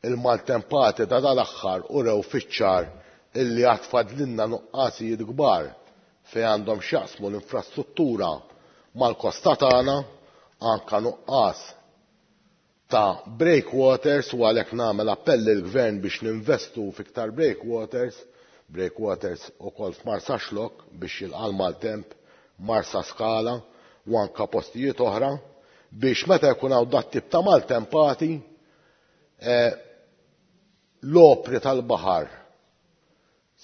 il-maltempati ta' dal-aħħar urew fiċ-ċar illi għad fadlilna nuqqasijiet kbar fejn għandhom x'jaqsmu l-infrastruttura mal-kosta tagħna, anke nuqqas ta' breakwaters, u għalhekk nagħmel appell lill-gvern biex ninvestu fiktar breakwaters, breakwaters ukoll f'Marsaxlokk biex jilqa' l-maltemp, Marsaskala u anka postijiet oħra biex meta jkun hawn dat tip ta' maltempati eh, l-opri tal-baħar,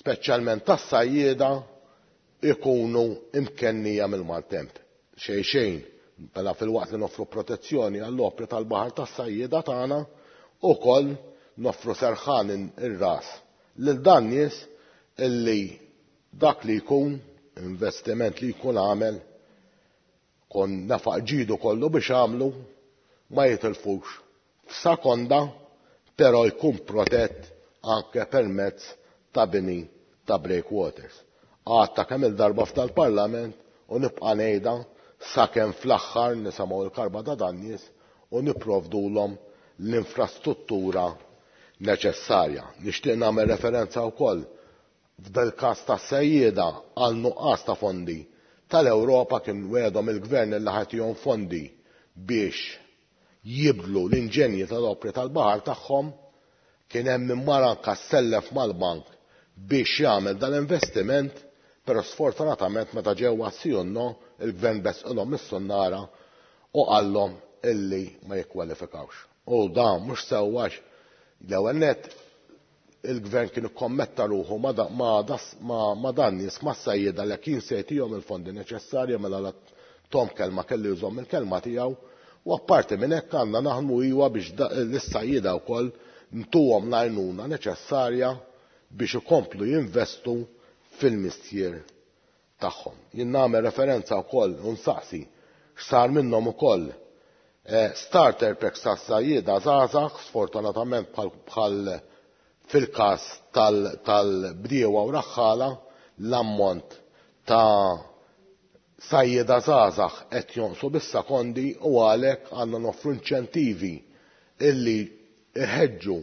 speċjalment tas-sajjieda, ikunu imkennija mill-maltemp. Xejn xejn, mela fil-waqt li noffru protezzjoni għall-opri tal-baħar tas-sajjieda tagħna, ukoll noffru serħan ir-ras lil dan nies illi dak li jkun investiment li jkun għamel kon nafaq ġidu kollu biex għamlu ma jitilfux f'sekonda, però jkun protett anke permezz ta' bini ta' breakwaters. Għadtha kemm il-darba f'tal-Parlament u nibqa' ngħidha sakemm fl-aħħar nisimgħu l-karba ta' dan nies u nipprovdulhom l-infrastruttura neċessarja. Nixtieq nagħmel referenza wkoll f'dal każ tas-sejjieda għal nuqqas ta' fondi tal-Ewropa. Kien wegħedhom il-gvern li ħa jtihom fondi biex jibdlu l-inġenji tal-opri tal-baħar tagħhom. Kien hemm min mar anka sellef mal-bank biex jagħmel dal-investiment, però sfortunatament meta ġew għas-sì u no il-gvern besqilhom is-sunnara u qallhom illi ma jikkwalifikawx. U dan mhux sewwa. L-ewwel nett il-gvern kien ikkommetta ruħu ma' dan nies, ma' sajjieda, li kien se jtihom il-fondi neċessarja, mela la tahom kelma kellu jżomm il-kelma tiegħu. U apparti minn hekk għandna naħdmu iwa biex l-sajjieda wkoll ntuhom l-għajnuna neċessarja biex ikomplu jinvestu fil-mistier tagħhom. Jien nagħmel referenza wkoll u nsaqsi x'sar minnhom ukoll eh, starter packs tas-sajjieda żgħażagħ. Sfortunatament bħal fil-każ tal-bdiewa u raħħala, l-ammont ta' sajjieda żgħażagħ qed jonqsu bis-sekondi u għalhekk għandna noffru inċentivi illi iħeġġu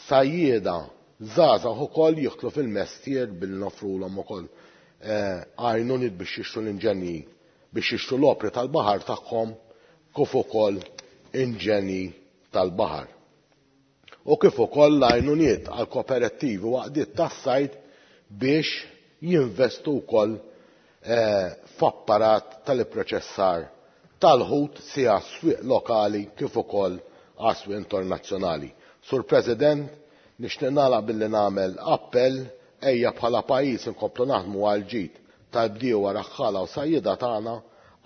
sajjieda żgħażagħ ukoll jidħlu fil-mestier billi noffrulhom ukoll eh, għajnuniet biex jixtru l-inġenji, biex jixtru l-opri tal-baħar tagħhom kif ukoll inġenji tal-baħar. U kif ukoll l-għajnuniet għal kooperattivi u għaqdiet tas-sajd biex jinvestu wkoll eh, f'apparat tal-ipproċessar tal-ħut sija swieq lokali kif ukoll għas-swieq internazzjonali. Sur President, nixtieq nagħlaq billi nagħmel appell: ejja bħala pajjiż inkomplu naħdmu għal ġid tal-bdiewa, raħħala u sajjieda tagħna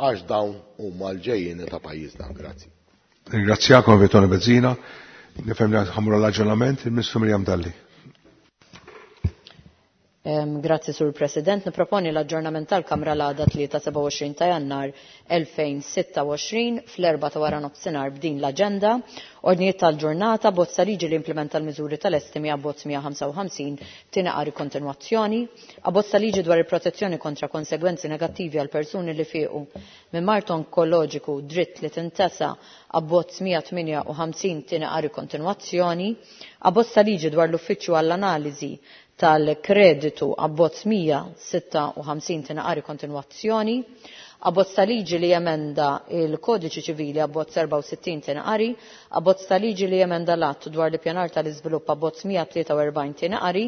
għax dawn huma l-ġejjieni ta' pajjiżna. Grazzi. Ringrazzjakom, Toni Bezzina. Nifhem li ħa mmorru l-aġġornament, il-Ministru Miriam Dalli. Grazzi, Sur President. Niproponi l-aġġornament tal-Kamra l-għada tlieta sebgħa u għoxrin ta' Jannar elfejn u sitta u għoxrin fl-erbgħa ta' wara nofsinhar b'din l-aġenda. Ordnijiet tal-ġurnata: bozza liġi li implementa l-miżuri tal-estimi, abbozz mija u ħamsa u ħamsin, tieni qari kontinwazzjoni. Abbozz liġi dwar il-protezzjoni kontra konsegwenzi negattivi għal persuni li fiequ minn mard onkoloġiku, dritt li tintesa, abbozz mija u tmienja u ħamsin, tieni qari kontinwazzjoni. Abbozz liġi dwar l-Uffiċċju għall-Analiżi tal-Kreditu, abbozz mija u sitta u ħamsin, tieni qari kontinwazzjoni. Abbozz ta' liġi li jemenda il-Kodiċi Ċivili, abbozz erbgħa u sittin, tieni qari. Abbozz ta' liġi li jemenda l-Att dwar l-Ippjanar tal-Iżvilupp, abbozz mija u tlieta u erbgħin, tieni qari.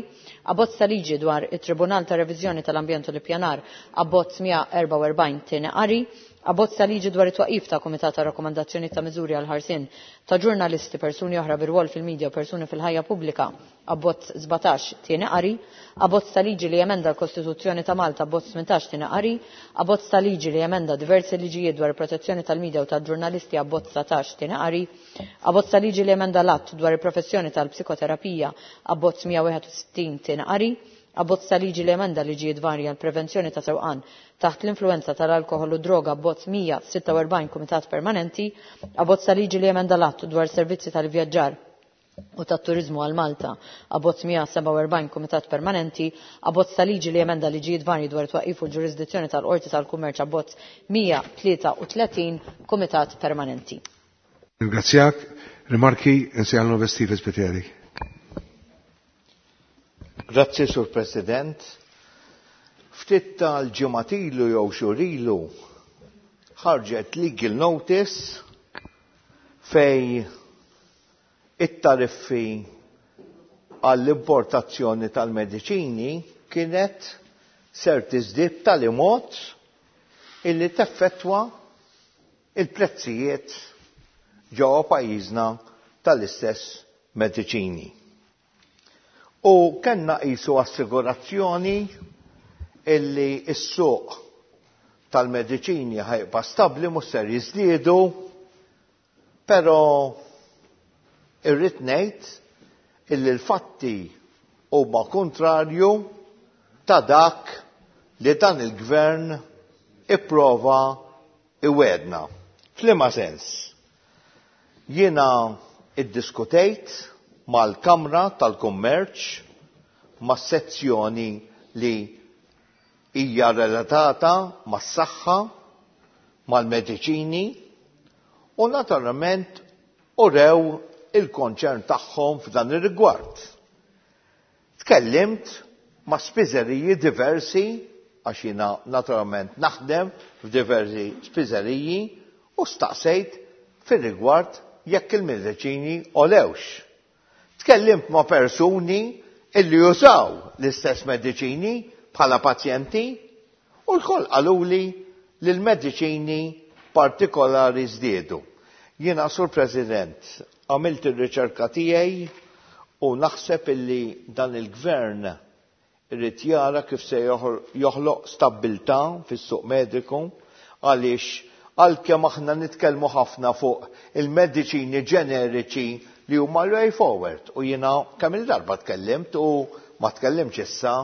Abbozz ta' liġi dwar it-Tribunal ta' Reviżjoni tal-Ambjent u l-Ippjanar, abbozz mija u erbgħa u erbgħin, tieni qari. Abbozz ta' liġi dwar it-twaqif ta' Kumitat ta' Rakkomandazzjoni ta' Miżuri għal ħarsien ta' ġurnalisti, persuni oħra bir-rwol fil-medja u persuni fil-ħajja pubblika, abbozz sbatax, tieni qari. Abbozz ta' liġi li jemenda l-Kostituzzjoni ta' Malta, abbozz tmintax, tieni qari. Abbozz ta' liġi li jemenda diversi liġijiet dwar il-protezzjoni tal-medja u tal-ġurnalisti, abbozz dsatax, tieni qari. Abbozz ta' liġi li jemenda l-Att dwar il-professjoni tal-psikoterapija, abbozz mija u wieħed u sittin, tieni qari. Abbozz ta' liġi li emenda liġijiet varji għal prevenzjoni ta' sewqan taħt l-influenza tal-alkoħol u droga, abbozz mija u sitta u erbgħin, kumitat permanenti. Abbozz ta' liġi li emenda l-Att dwar servizzi tal-vjaġġar u tat-turizmu għal Malta, abbozz mija u sebgħa u erbgħin, kumitat permanenti. Abbozz ta' liġi li emenda liġijiet varji dwar twaqif u l-ġurisdizzjoni tal-Qorti tal-Kummerċ, abbozz mija u tlieta u tletin, kumitat permanenti. Ringrazzjak. Rimarki insejħal Steve Spiteri. Grazzi, Sur President. Ftit tal-ġimgħat ilu jew xhur ilu ħarġet legal notice fej it-tariffi għall-importazzjoni tal-mediċini kienet ser tiżdied tal mod illi teffettwa il-prezzijiet ġewwa pajjiżna tal-istess mediċini. U kellna qisu assigurazzjoni illi s-suq tal-mediċini ħajba stabbli, mhux ser jiżdiedu, però irrid ngħid illi l-fatti huma kontrarju ta' dak li dan il-gvern ipprova iwedna. F'liema sens? Jiena iddiskutejt mal-Kamra tal-Kummerċ, mas-sezzjoni li hija relatata mas-saħħa, mal-mediċini, u naturalment urew il-konċern tagħhom f'dan ir-rigward. Tkellimt ma' spiżeriji diversi, għax jiena naturalment naħdem f'diversi spiżeriji, u staqsejt fir-rigward jekk il-mediċini olewx. Tkellimt ma' persuni illi jużaw l-istess mediċini bħala pazjenti, u l-koll qaluli li l-mediċini partikolari żdiedu. Jiena, Sur President, għamilt ir-riċerka tiegħi u naħseb illi dan il-gvern irid jara kif se joħloq stabbiltà fis-suq mediku, għaliex għalkemm aħna nitkellmu ħafna fuq il-mediċini ġeneriċi li huma l-way forward, u jiena kemm il-darba tkellimt u ma tkellimx issa,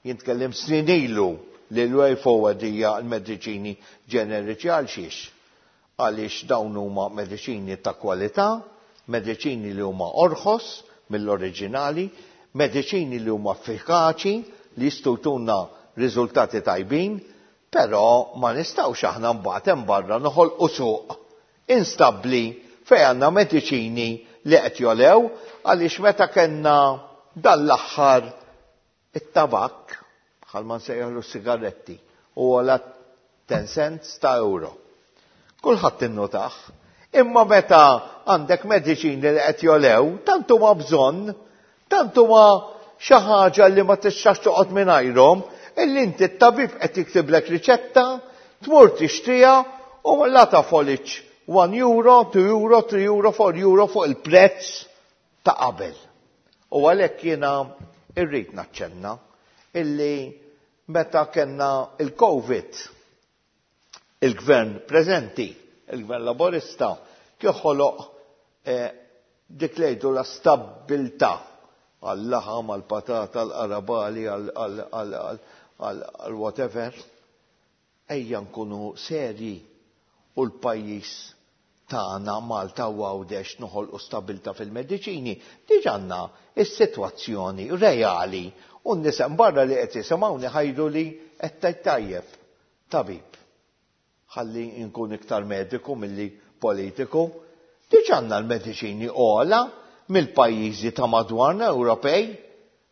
jien tkellimt snin ilu li l-way forward hija l-mediċini ġeneriċi. Għal xiex? Għaliex dawn huma mediċini ta' kwalità, mediċini li huma orħos mill-oriġinali, mediċini li huma effikaċi, li jistgħu jtuna riżultati tajbin, però ma nistgħux aħna mbagħad hemm barra noħolqu suq instabbli fejn għandna mediċini li qed jolew, għaliex meta kellna dan l-aħħar it-tabak, bħal ma nsejjaħlu sigaretti, u għala ten cents ta' euro. Kulħadd innutaħ. Imma meta għandek mediċini li qed jolew, tant huma bżonn, tant huma xi ħaġa li ma tistax toqgħod mingħajrhom, illi inti t-tabib qed jiktiblek riċetta, tmur tixtriha u la tafoliċ one euro, two euro, three euro, four euro fuq il-prezz ta' qabel. U għalhekk jiena irrid naċċenna illi meta kellna il-Covid, il-gvern preżenti, il-gvern laborista, kif ħoloq eh, dik li jgħidu la stabbiltà għal-laħam, għal-patata, għal-qarabali, għal-whatever. Ejja nkunu serji u l-pajjiż tagħna Malta u Għawdex noħolqu stabbiltà fil-mediċini. Diġà għandna is-sitwazzjoni reali u n-nies hemm barra li qed jisimgħuni ħajdu li qed tgħid tajjeb tabib. Ħalli nkun iktar mediku milli politiku. Diġà għandna l-mediċini ogħla mill-pajjiżi ta' madwarna Ewropej.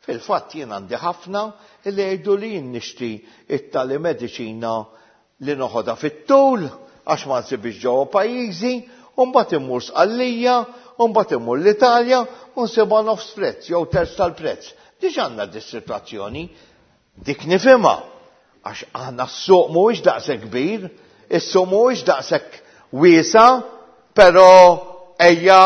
Fil-fatt jien għandi ħafna li jgħidu li jien nixtri it-tali mediċina li noħodha fit-tul għax ma nsibix ġewwa pajjiżi, u mbagħad immur Sqallija, u mbagħad immur l-Italja u nsibha nofs prezz jew terz tal-prezz. Diġà għandna dis-sitwazzjoni, dik nifhimha għax aħna s-suq mhuwiex daqshekk kbir, is-suq mhuwiex daqshekk wiesa', però ejja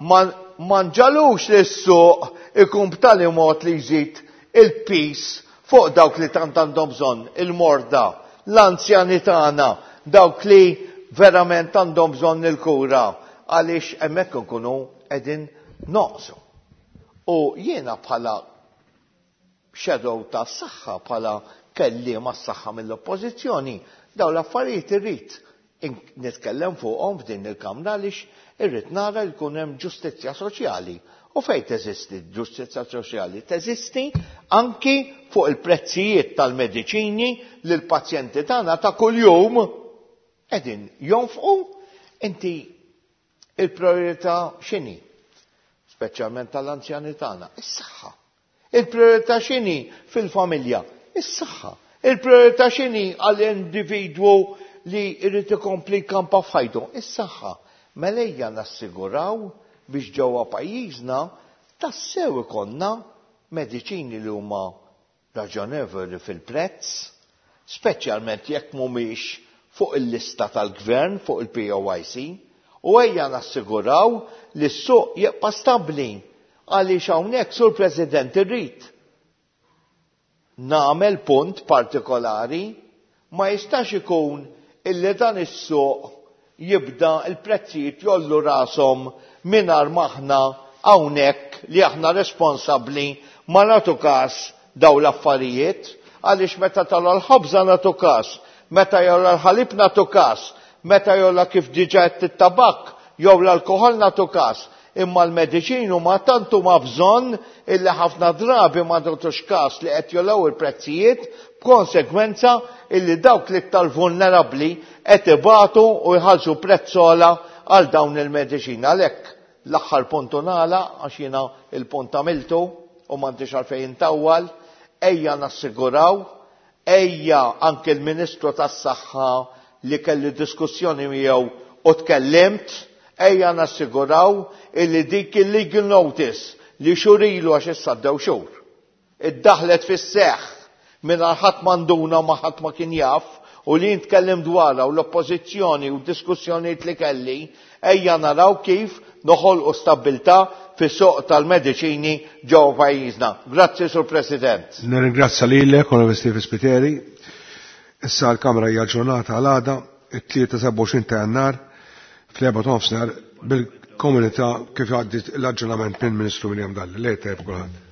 ma ma nġalux li s-suq ikun b'tali mod li jżid il-pis fuq dawk li tant għandhom bżonn, il-morda, l-anzjani tagħna, dawk li verament għandhom bżonn il-kura, għaliex hemmhekk nkunu qegħdin noqsu. U jiena bħala shadow ta' saħħa, bħala kelliem għas-saħħa mill-oppożizzjoni, dawn l-affarijiet irrid nitkellem fuqhom f'din il-kamra għaliex irrid nara li jkun hemm ġustizzja soċjali. U fejn teżisti ġustizzja soċjali? Teżisti anki fuq il-prezzijiet tal-mediċini li l-pazjenti tagħna ta' kuljum qegħdin jonfqu. Inti il-priorità x'inhi? Speċjalment tal-anzjani tagħna, is-saħħa. Il-priorità x'inhi fil-familja? Is-saħħa. Il-priorità x'inhi għall-individwu li jrid ikompli jkampa f'ħajtu? Is-saħħa. Mela ejja nassiguraw biex ġewwa pajjiżna tassew ikollna mediċini li huma raġonevoli fil-prezz, speċjalment jekk mhumiex fuq il-lista tal-gvern, fuq il-P O I C, u ejja nassiguraw li s-suq jibqa' stabbli, għaliex hawnhekk, Sur President, irrid nagħmel punt partikolari: ma jistax ikun illi dan is-suq jibda il-prezzijiet jgħollu rashom mingħajr m'aħna hawnhekk li aħna responsabbli ma nagħtu kas daw l-affarijiet, għaliex meta togħla l-ħobża nagħtu kas, meta jogħla l-ħalib nagħtu kas, meta jogħla, kif diġà, it-tabak jew l-alkoħol nagħtu kas, imma l-mediċini ma tant huma bżonn illi ħafna drabi ma nagħtux kas li qed jogħlew il-prezzijiet, b'konsegwenza illi dawk l-iktar vulnerabbli qed ibatu u jħallsu prezz ogħla għal dawn il-mediċini. Għalhekk l-aħħar punt nagħlaq, għax jiena il-punt għamiltu u m'għandix għalfejn intawwal: ejja nassiguraw, ejja anke l-Ministru tas-Saħħa li kelli diskussjoni miegħu u tkellimt, ejja nassiguraw illi dik il-legal notice li xhur ilu, għax issa għaddew xhur, iddaħlet fis-seħħ minn ħadd m'induna, ma ħadd ma kien jaf, u li nitkellem dwarha u l-oppożizzjoni u diskussjonijiet li kelli, ejja naraw kif noħolqu stabbiltà fis-suq tal-mediċini ġewwa pajjiżna. Grazzi, Sur President. Nirringrazzja lilek, Onorevoli Stephen Spiteri. Issa l-Kamra hija aġġornata għal għada, it-tlieta sebgħa u għoxrin ta' Jannar, fl-erbgħa nofsinhar bil-komunità kif għaddit l-aġġornament minn Ministru Miriam Dalli. Lejl tajjeb kulħadd.